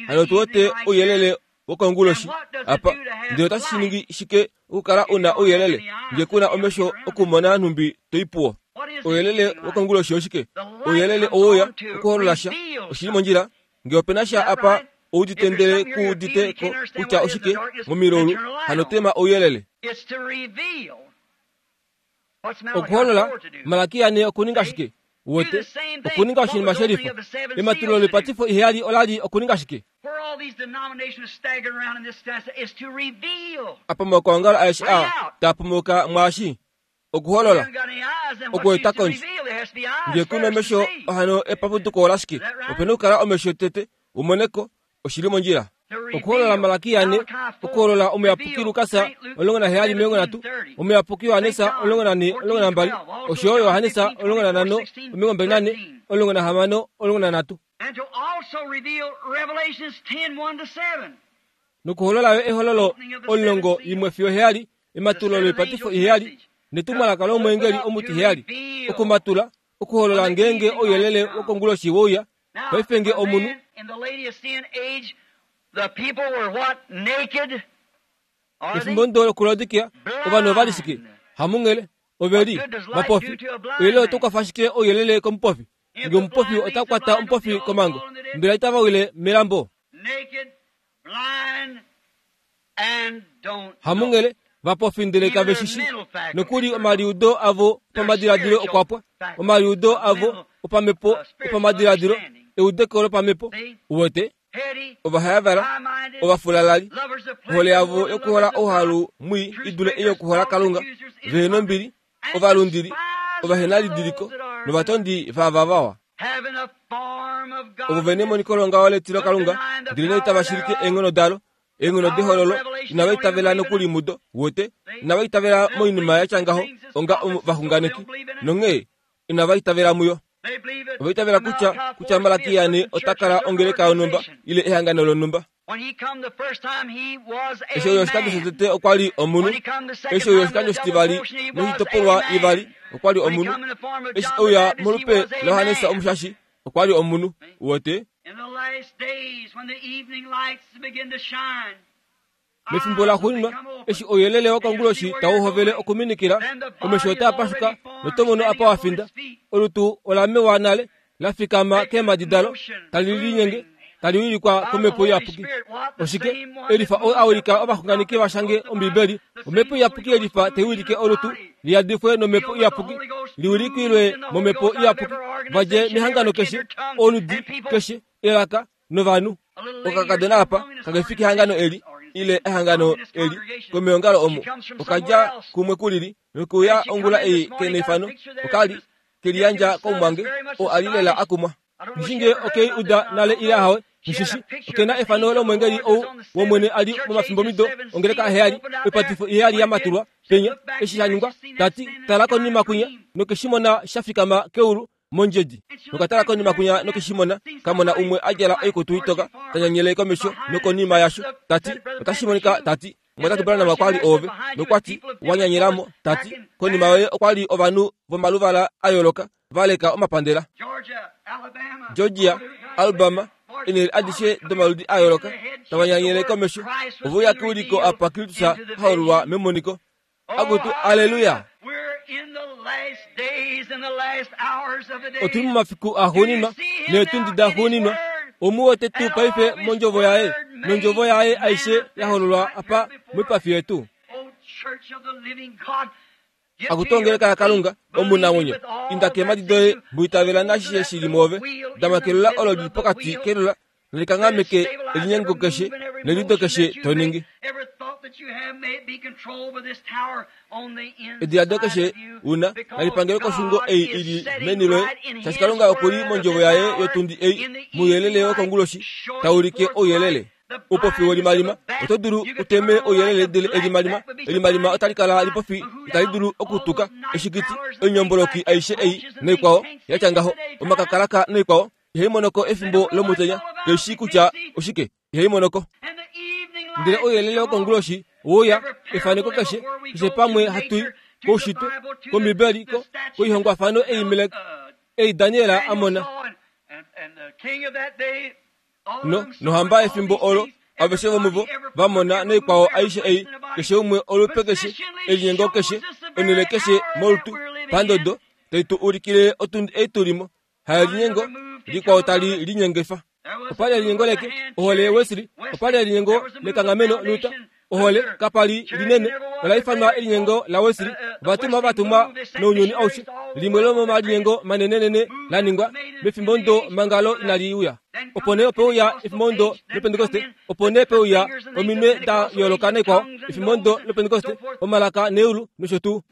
Hano tuwete ouyelele wokonguloshi apa ndele otashi ningi shike okukala una ouyelele ngee kuna omesho okumona nhumbi toipuwo. Ouyelele wokonguloshi oshike? Ouyelele oweuya okuholola sha oshili mondjila ngee opena sha apa oudite ndele kuudite ko kutya oshike momilaulu hano tema ouyelele. Okuholola Malakia ne okuninga shike uwete okuninga oshinima shelifa ematulo loipatifo iheyali olali okuninga shike apa omakwangalo aeshe a taapumuka mwaashi okuholola okueta kondje ngee kuna omesho hano epapuduko olashike opena okukala omesho tete umoneko oshili mondjila. Okuholola Malakia ne okuholola omuyapuki Lukas omulongo naheyali omilongo nhatu omuyapuki Johannes omulongo nane omulongo nambali oshoyo Johannes omulongo nanhano omilongo mbali nane omulongo nahamano omulongo nanhatu nokuholola yo ehololo omulongo imwe fiyo heyali ematulo loipatifo iheyali netumwalaka lomweengeli omutiheyali okumatula okuholola ngeenge ouyelele wokonguloshi wouya paife nge omunhu pefimbo ndo lokuLaodikia ovanhu ovali shike hamunghele oveli vapofi ouyelele otaukwafa ashike ouyelele komupofi nge omupofi otakwata omupofi komango mbela itava wile melambo hamunghele vapofi ndele kave shishi nokuli omaliudo avo opamadiladilo okwapwa omaliudo avo opamhepo opamadiladilo eudeko lopamhepo uwete ovahayavala ovafulalali ohole yavo yokuhola ouhalu mwii idule ei yokuhola Kalunga vehena ombili ovalundili ovahenalidiliko novatondi vavavawa ovo vene emoniko longaho letilo Kalunga ndele nee itava shilike eenghono dalo eenghono dehololo inava itavela nokuli mudo wote inava itavela moinima yatya ngaho onga ovaxunganeki nonghee inava itavela muyo. Ova itavela kutya kutya Malakia ne ota kala ongeleka yonhumba ile ehangano lonhumba. Eshi oyo oshikando shotete okwali omunhu eshi oyo oshikando shitivali noshitopolwa ivali okwali omunhu eshi ouya molupe laJohannes Omushashi okwali omunhu uwete. Mefimbo laxuuninwa eshi ouyelele wokonguloshi tau hovele okuminikila omesho otaa pashuka notomono apa wafinda olutu olamewa nale lafikama keemhadi dalo tali linyenge tali wilikwa komhepo iyapuki. Oshike elifa oo awilika ovaxunganeki vashange Ombibeli omhepo iyapuki elifa taiwilike olutu liyadifwe nomhepo iyapuki liwilikilwe momhepo iyapuki vadje mehangano keshe oludi keshe elaka novanhu. Okakadona apa kakefiki ehangano eli ile ehangano eli komeongalo omo okadja kumwe kulili nokuya ongula ei keneifano okali keliyandja komumwange oo ali lela akumwa. Ngishinge okei uda nale ile ahawe Mushishi okena efano lomwengeli ou womwene ali momafimbomido ongeleka heyali oipatifo iheyali ya matulwa penya eshi sha ningwa tati tala konima kwinya nokeshimona sha fikama keulu mondjedi nokatala konima kwinya nokeshimona kamona umwe a djala oikutu itoka tanyanyele komesho nokonima yasho tati otashi monika tati mwatatu Branham okwali ove nokwati wanyanyelamo tati konima yoye okwali ovanhu vomaluvala a yooloka valeka omapandela Georgia, Alabama, enele adishe domaludi a yooloka tavanyanyele komesho oveuya keuliko apa Kristus hahololwa memoniko akutu aleluya. Otuli momafiku axuuninwa neetundi daxuuninwa omuwete tuu paife mondjovo yaye nondjovo yaye aishe yahololwa apa moipafi yetu. Akutongeleka ya Kalunga omunamwenyo inda keemadi doye mwiitavela nashishe shili mwoove dama kelola olo lili pokati kelola nalikangameke elinyengo keshe neliudo keshe toningi. Ediladilo keshe una nalipangele koshungo ei ili meni loye shaashi Kalunga okuli mondjovo yaye yotundi ei mouyelele wokonguloshi taulike ouyelele. Oupofi welimalima oto dulu uteme ouyelele ndele elimalima elimalima otali kala lipofi itali dulu okutuka eshikiti oinyomboloki aishe ei noikwao yatya ngaho omakakalaka noikwao ihai monoko efimbo lomutenya keishi kutya oshike ihai monoko. Ndele ouyelele wokonguloshi ouya efaneko keshe keshe pamwe hatui koushitwe kombibeli ko koihongwafano ei Melek ei Daniel a mona no nohamba efimbo olo aveshe vomuvo vamona noikwao aishe ei keshe umwe olupe keshe elinyengo keshe onele keshe molutu pandodo taitu ulikile otundi ei tulimo haelinyengo likwao tali linyengefa. Opali elinyengo leke ohole Wesley opali elinyengo lekanghameno Luther ohole kapali linene ola ifanwa elinyengo la Wesley ovatumwa vatumwa nounyuni aushe limwe lomomalinyengo manenenene la ningwa mefimbo ndo mangalo inali uya. Opo nee opeuya efimbo ndo lopentekoste opo nee peuya ominwe da yooloka naikwao efimbo ndo lopentekoste omalaka neulu nosho tuu.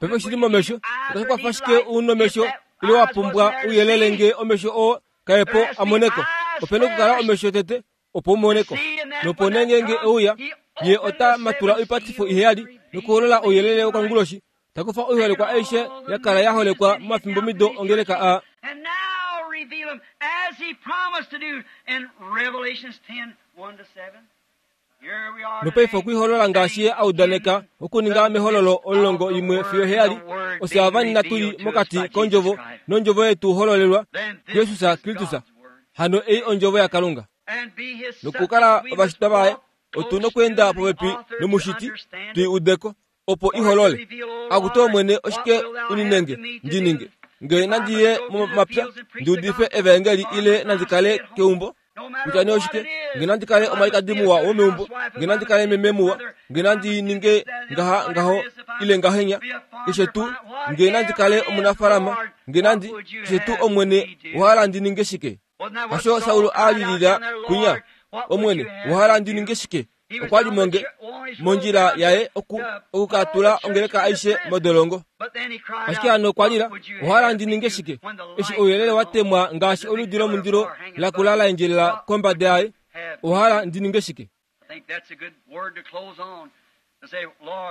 Paife shili momesho otashi kwafa shike unomesho ile wa pumbwa ouyelele nge omesho oo kaepo amoneko. Opena okukala omesho tete opo umoneko. Nopo nee ngeenge euya ye ota matula oipatifo iheyali nokuholola ouyelele wokonguloshi takufa oiholekwa aishe ya kala ya holekwa momafimbomido ongeleka a. Nopaife okuiholola ngaashi ye a udaneka okuninga mehololo omulongo imwe fiyo heyali ofye avanina tuli mokati kondjovo nondjovo yetu hololelwa Jesus Kristus. Hano ei ondjovo yaKalunga. Nokukala ovashitwa vaye otuna okweenda popepi nomushiti tui udeko opo iholole. Akutu Omwene oshike uninenge ndininge nge nandiye momapya ndiudife evangeli ile nandikale keumbo kutya nee oshike nge nandikale omwalikadi muwa womeumbo nge nandikale meme muwa nge nandininge ngaha ngaho ile ngahenya keshe tuu nge nandikale omunafalama nge nandi keshe tuu Omwene owahala ndininge shike. Hasho Saulo a lilila kwinya Omwene owahala ndininge shike. Okwali monge mondjila yaye oku okukatula ongeleka aishe modolongo. Ashike hano okwalila owahala ndininge shike eshi ouyelele watemwa ngaashi oludi lomundilo lakula la endjelela kombada yaye owahala ndininge shike.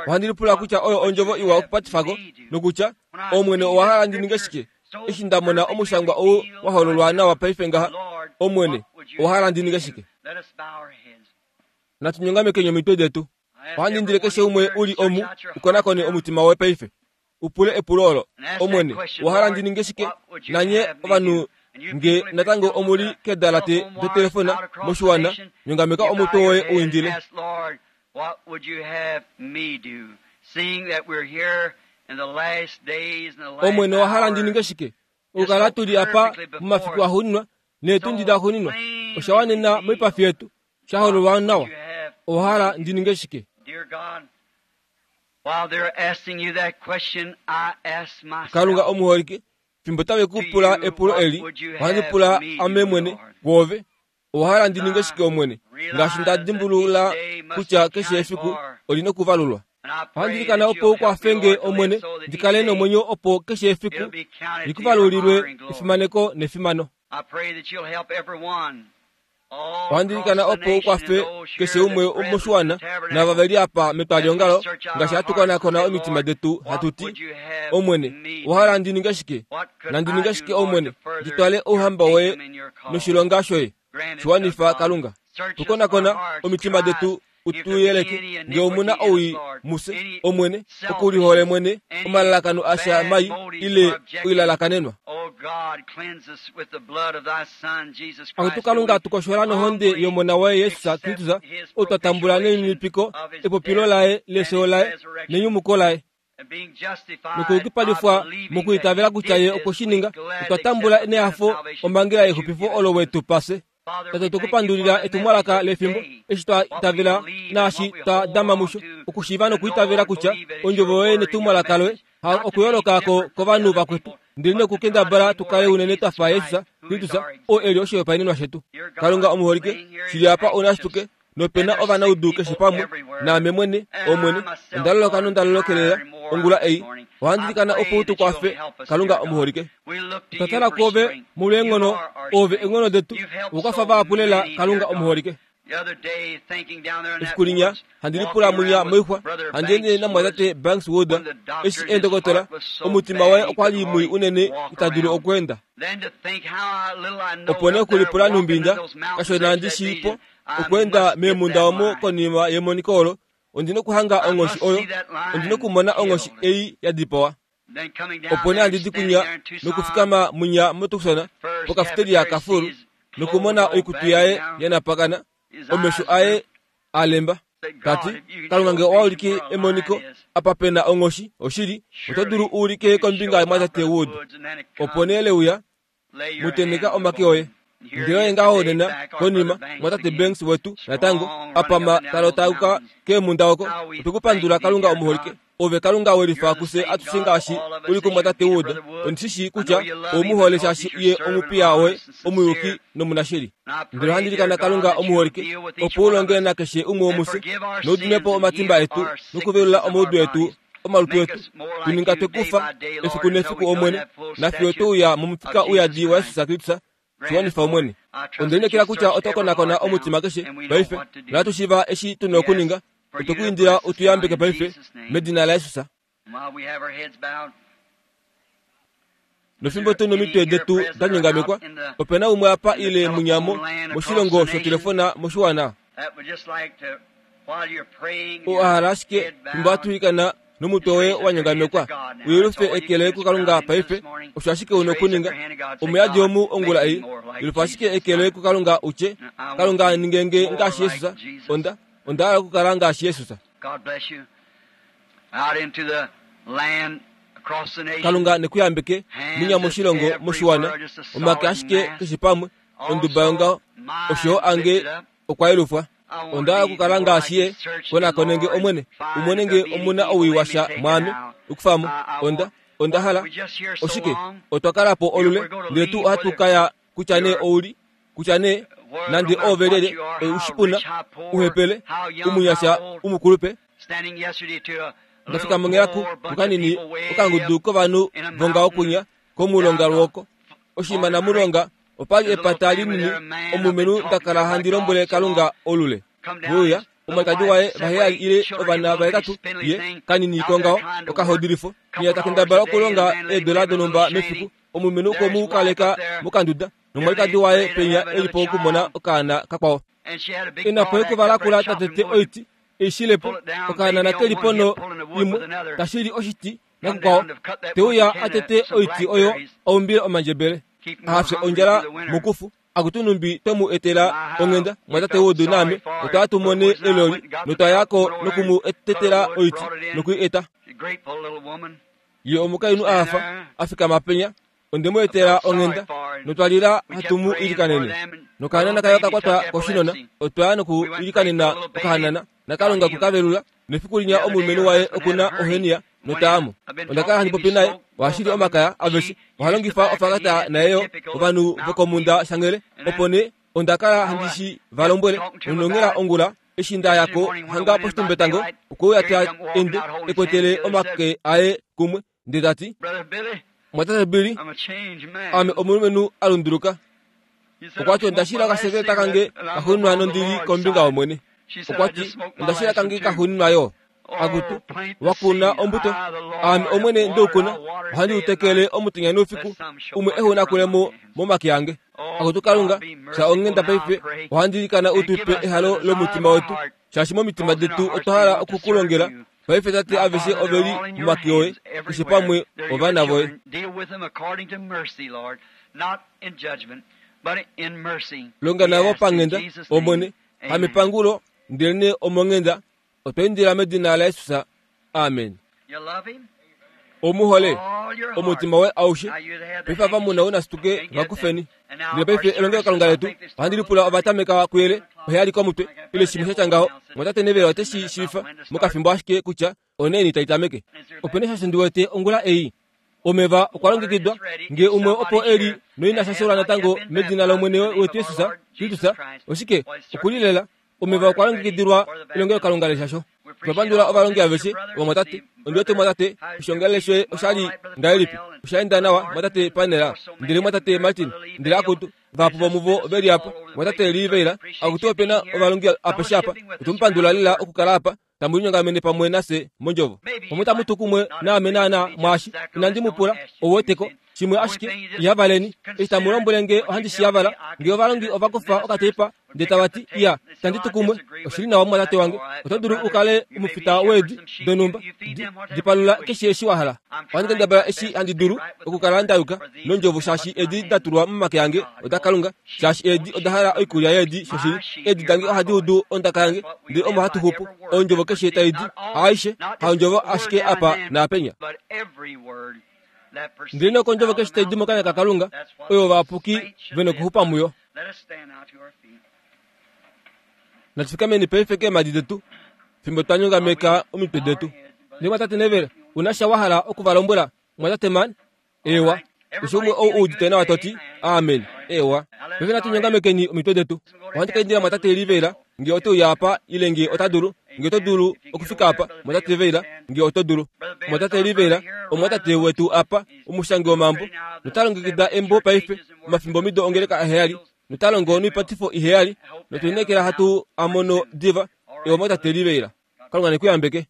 Ohandi lipula kutya oyo ondjovo iwa okupatifako nokutya Omwene owahala ndininge shike eshi ndamona omushangwa ou wahololwa nawa paife ngaha Omwene owahala ndininge shike. Natunyongameke omitwe detu. Ohandi indile keshe umwe uli omu ukonakone omutima woye paife upule epulo olo Omwene owahala ndininge shike nanye ovanhu nge natango omuli kedalate dotelefona moshiwana nyongameka omutwe woye uindile. Omwene owahala ndininge shike okukala tuli apa momafiku axuuninwa neetundi daxuuninwa osha wanena moipafi yetu sha hololwa nawa owahala ndininge shike. Kalunga omuholike fimbo tave kupula epulo eli ohandi pula ame mwene kwoove owahala ndininge shike Omwene ngaashi nda dimbulula kutya keshe efiku olina okuvalulwa. Ohandi ilikana opo ukwafenge Omwene ndikale nomwenyo opo keshe efiku likuvalulilwe efimaneko nefimano. Ohandi ilikana opo u kwafe keshe umwe moshiwana naava ve li apa metwaliongalo ngaashi hatu konakona omitima detu hatu ti, Omwene, owa hala ndi ninge shike? Nandi ninge shike, Omwene, ndi twale ouhamba woye noshilonga shoye? Shiwanifa Kalunga. Tukonakona omitima detu utuyeleke nge omuna owii muse, Omwene, okulihole mwene, omalalakano asha mai ile oilalakanenwa. Akutu Kalunga, tukoshola nohonde yomona waye Yesus Kristus, ou twa tambula nelininipiko epopilo laye lefyo laye nenyumuko laye, nokuyukipalifwa mokwiitavela kutya ye okwe shi ninga, otwa tambula nehafo omhangela yexupifo olo wetu pase. Tate, tukupandulila etumwalaka lefimbo eshi twa itavela naashi twa dama musho, okushiiva nokwiitavela kutya ondjovo yoye netumwalaka loye ha okuyooloka ko kovanhu vakwetu, ndele nokukendabala tukale unene twafa Yesus Kristus oo eli oshihopaenenwa shetu. Kalunga omuholike, shili apa ounashituke nopena ovanaudu keshe pamwe, naame mwene, Omwene, onda loloka nonda lolokelela ongula ei. Ohandi ilikana opo u tu kwafe, Kalunga omuholike. Otwa tala kwoove molweenghono, oove eenghono detu, okukwafa vahapu lela, Kalunga omuholike. Efiku linya handi lipula munya moixwa, handi ende namwatate Banks Wood, eshi eendokotola, omutima waye okwa li mwii unene ita dulu okweenda. Opo nee okulipula numbinda, kashona ndi shiipo okweenda meemunda omo konima yemoniko olo, ondina okuhanga onghoshi oyo, ondina okumona onghoshi ei ya dipawa. Opo nee handi di kunya nokufikama munya moTucson pokafeteria kafulu, nokumona oikutu yaye ya napakana, omesho aye a lemba. Tati, Kalunga nge owa ulike emoniko apa pena onghoshi, oshili, oto dulu u ulike kombinga yomwatate Wood. Opo nee leuya, muteneka omake oye. Ndele oye ngaho nena konima mwatate Banks wetu natango apama talotauka keemunda oko. Otwekupandula Kalunga omuholike, ove Kalunga welifa kufye atushe ngaashi uli kumwatate Wood. Ondishishi kutya oumuhole shaashi ye omupiya woye omuyuki nomunashili. Ndele ohandi ilikana Kalunga omuholike opo u longe nakeshe umwe womufye, noudimepo omatimba etu nokuvelula omaudu etu omalutu etu, tuninga twekufa efiku nefiku, Omwene, nafiyo tweuya momufika uyadi waYesus Kristus. Shiwanifa Omwene. Onde lineekela kutya oto konakona omutima keshe paife, nohatu shiiva eshi tuna okuninga. Otwe ku indila u tu yambeke paife medina laYesus. Nofimbo tu nomitwe detu da nyongamekwa, opena umwe apa ile munyamo moshilongo shotelefona moshiwana oo a hala ashike fimbo hatu ilikana nomutwe woye wa nyongamekwa, uyelufe eke loye kuKalunga paife. Osho ashike una okuninga. Omuyadi omu ongula ei, yelufa ashike eke loye kuKalunga utye, Kalunga ningenge ngaashi Yesus, onda onda hala okukala ngaashi Yesus. Kalunga nekuyambeke munya moshilongo moshiwana, omake ashike keshe pamwe, onduba yongaho, osho ange okwa yelufwa. Onda hala okukala ngaashi ye. Konakonenge Omwene, umone nge omuna owii washa mwaame, okufamo. Onda onda hala oshike? Otwa kala po olule, ndele tuu ohatu kaya kutya nee ouli, kutya nee nande oove lyelye, ushipuna, uhepele, umunyasha, umukulupe. Ndafika mongelaku kukanini okangudu kovanhu vongaho kunya komulonga lwoko oshinima namulonga, opali epata linini, omulumenhu ndakala handi lombwele Kalunga olule. Veuya omwalikadi waye vaheyali ile ovana vahetatu, ye kanini kongaho okahodilifo, niya takendabala okulonga eedola donhumba mefiku, omulumenhu okwe mu kaleka mokanduda, nomwalikadi waye penya eli po okumona okaana kakwao. Ina po ekuva lakula tatete oiti eishilepo, okaana nakeli pono imwe tashili oshiti nakukwao, teuya atete oiti oyo aumbile omandjebele, ahafye ondjala mokufu. Akutu numbi twemu etela onghenda mwatate Wood naame, otwa tu mone eloli notwayako nokumu etetela oiti nokui eta. Ye omukainhu ahafa afikama penya, onde mu etela onghenda notwalila hatu mu ilikanene. Nokahanana kayo kakwatwa koshinona, otwaya noku ilikanena okahanana, naKalunga kukavelula. Nefiku linya omulumenhu waye okuna ohenia notaamo. Onda kala handi popi naye, ohashili omakaya aveshe, oha longifa ofakata naye ovanhu vokomunda shangele. Opo nee onda kala handi shi va lombwele nonongela ongula eshi nda yako hanga poshitumbetango, okweuya ta ende ekwetele omake aye kumwe, ndele tati, Mwatate Billy, ame omulumenhu a lunduluka. Okwa ti onda shila okasekeleta kange kaxuuninwa nondili kombinga yOmwene. Okwa ti onda shila kange kaxuuninwa yo. Akutu, wa kuna ombuto, aame Omwene ndeukuna, ohandi u tekele omutenya noufiku, umwe ehu nakulemo momake ange. Akutu Kalunga, fya onghenda paife, ohandi ilikana u tu pe ehalo lomutima wetu, shaashi momitima detu otwa hala oku ku longela. Paife Tate, aveshe ove li momake oye, keshe pamwe ovana voye. Longa navo panghenda, Omwene, hamepangulo, ndelenee omonghenda. Otwa indila medina laJesus. Amen. Omuhole omutima woye aushe. Paife ava muna unasituke vakufeni. Ndele paife elongelokalunga letu ohandi lipula ovatameka kuyele oheyali komutwe ile shimwe sha tya ngaho. Mwatate Neville ote shi shiifa mokafimbo ashike kutya onaini tai tameke. Opena sha ndi wete ongula ei. Omeva okwa longekidwa ngee umwe opo e li noina shashelwa natango medina lOmwene wetu Jesus Kristus. Oshike okulilela omeva okwa longekidilwa elongelokalunga leshasho. Twapandula ovalongi aveshe vomwatate. Ondi wete mwatate oshiongalele shoye oshali ngahelipi? Osha enda nawa mwatate Panela, ndele mwatate Martin, ndele akutu vahapu vomuvo veli apa, mwatate Lee Vayle, akutu opena ovalongi apeshe apa. Otwemupandula lela okukala apa tamu linyongamene pamwe nafye mondjovo. Pamwe tamu tu kumwe naame naana mwaashi inandi mu pula, ou weteko shimwe ashike ihavaleni. Eshi tamu lombwele nge ohandi shi yavala, nge ovalongi ova kufa okateipa ndele tava ti iya itandi tu kumwe, oshili nawa mumwatate wange, oto dulu u kale omufita weedi donhumba, dipalula keshe eshi wa hala. Ohandi kendabala eshi handi dulu okukala nda yuka nondjovo, shaashi eedi da tulwa momake ange oda Kalunga, shaashi eedi oda hala oikulya yeedi shoshili. Eedi dange ohadi udu ondaka yange, ndele omo hatu xupu. Ondjovo keshe tai di, haaishe, haondjovo ashike apa naapenya, ndele nokondjovo keshe tai di mokanya kaKalunga, oyo ovayapuki ve nokuxupa muyo. Natufikameni paife keemhadi detu fimbo twa nyongameka omitwe detu. Ndele mwatate Neville, una sha wa hala oku va lombwela, mwatate Man? Ewa, keshe umwe ou udite nawa to ti amen. Ewa, paife natu nyongamekeni omitwe detu. Ohandi ka indila mwatate Lee Vayle nge ote uya apa ile nge ota dulu, nge oto dulu okufika apa, mwatate Vayle, nge oto dulu. Mwatate Lee Vayle, omwatate wetu apa, omushangi womambo, nota longekida embo paife, omafimbomido ongeleka aheyali, nota longo noipatifo iheyali, notwe lineekela hatu a mono diva. Ewa mwatate Lee Vayle, Kalunga ne ku yambeke.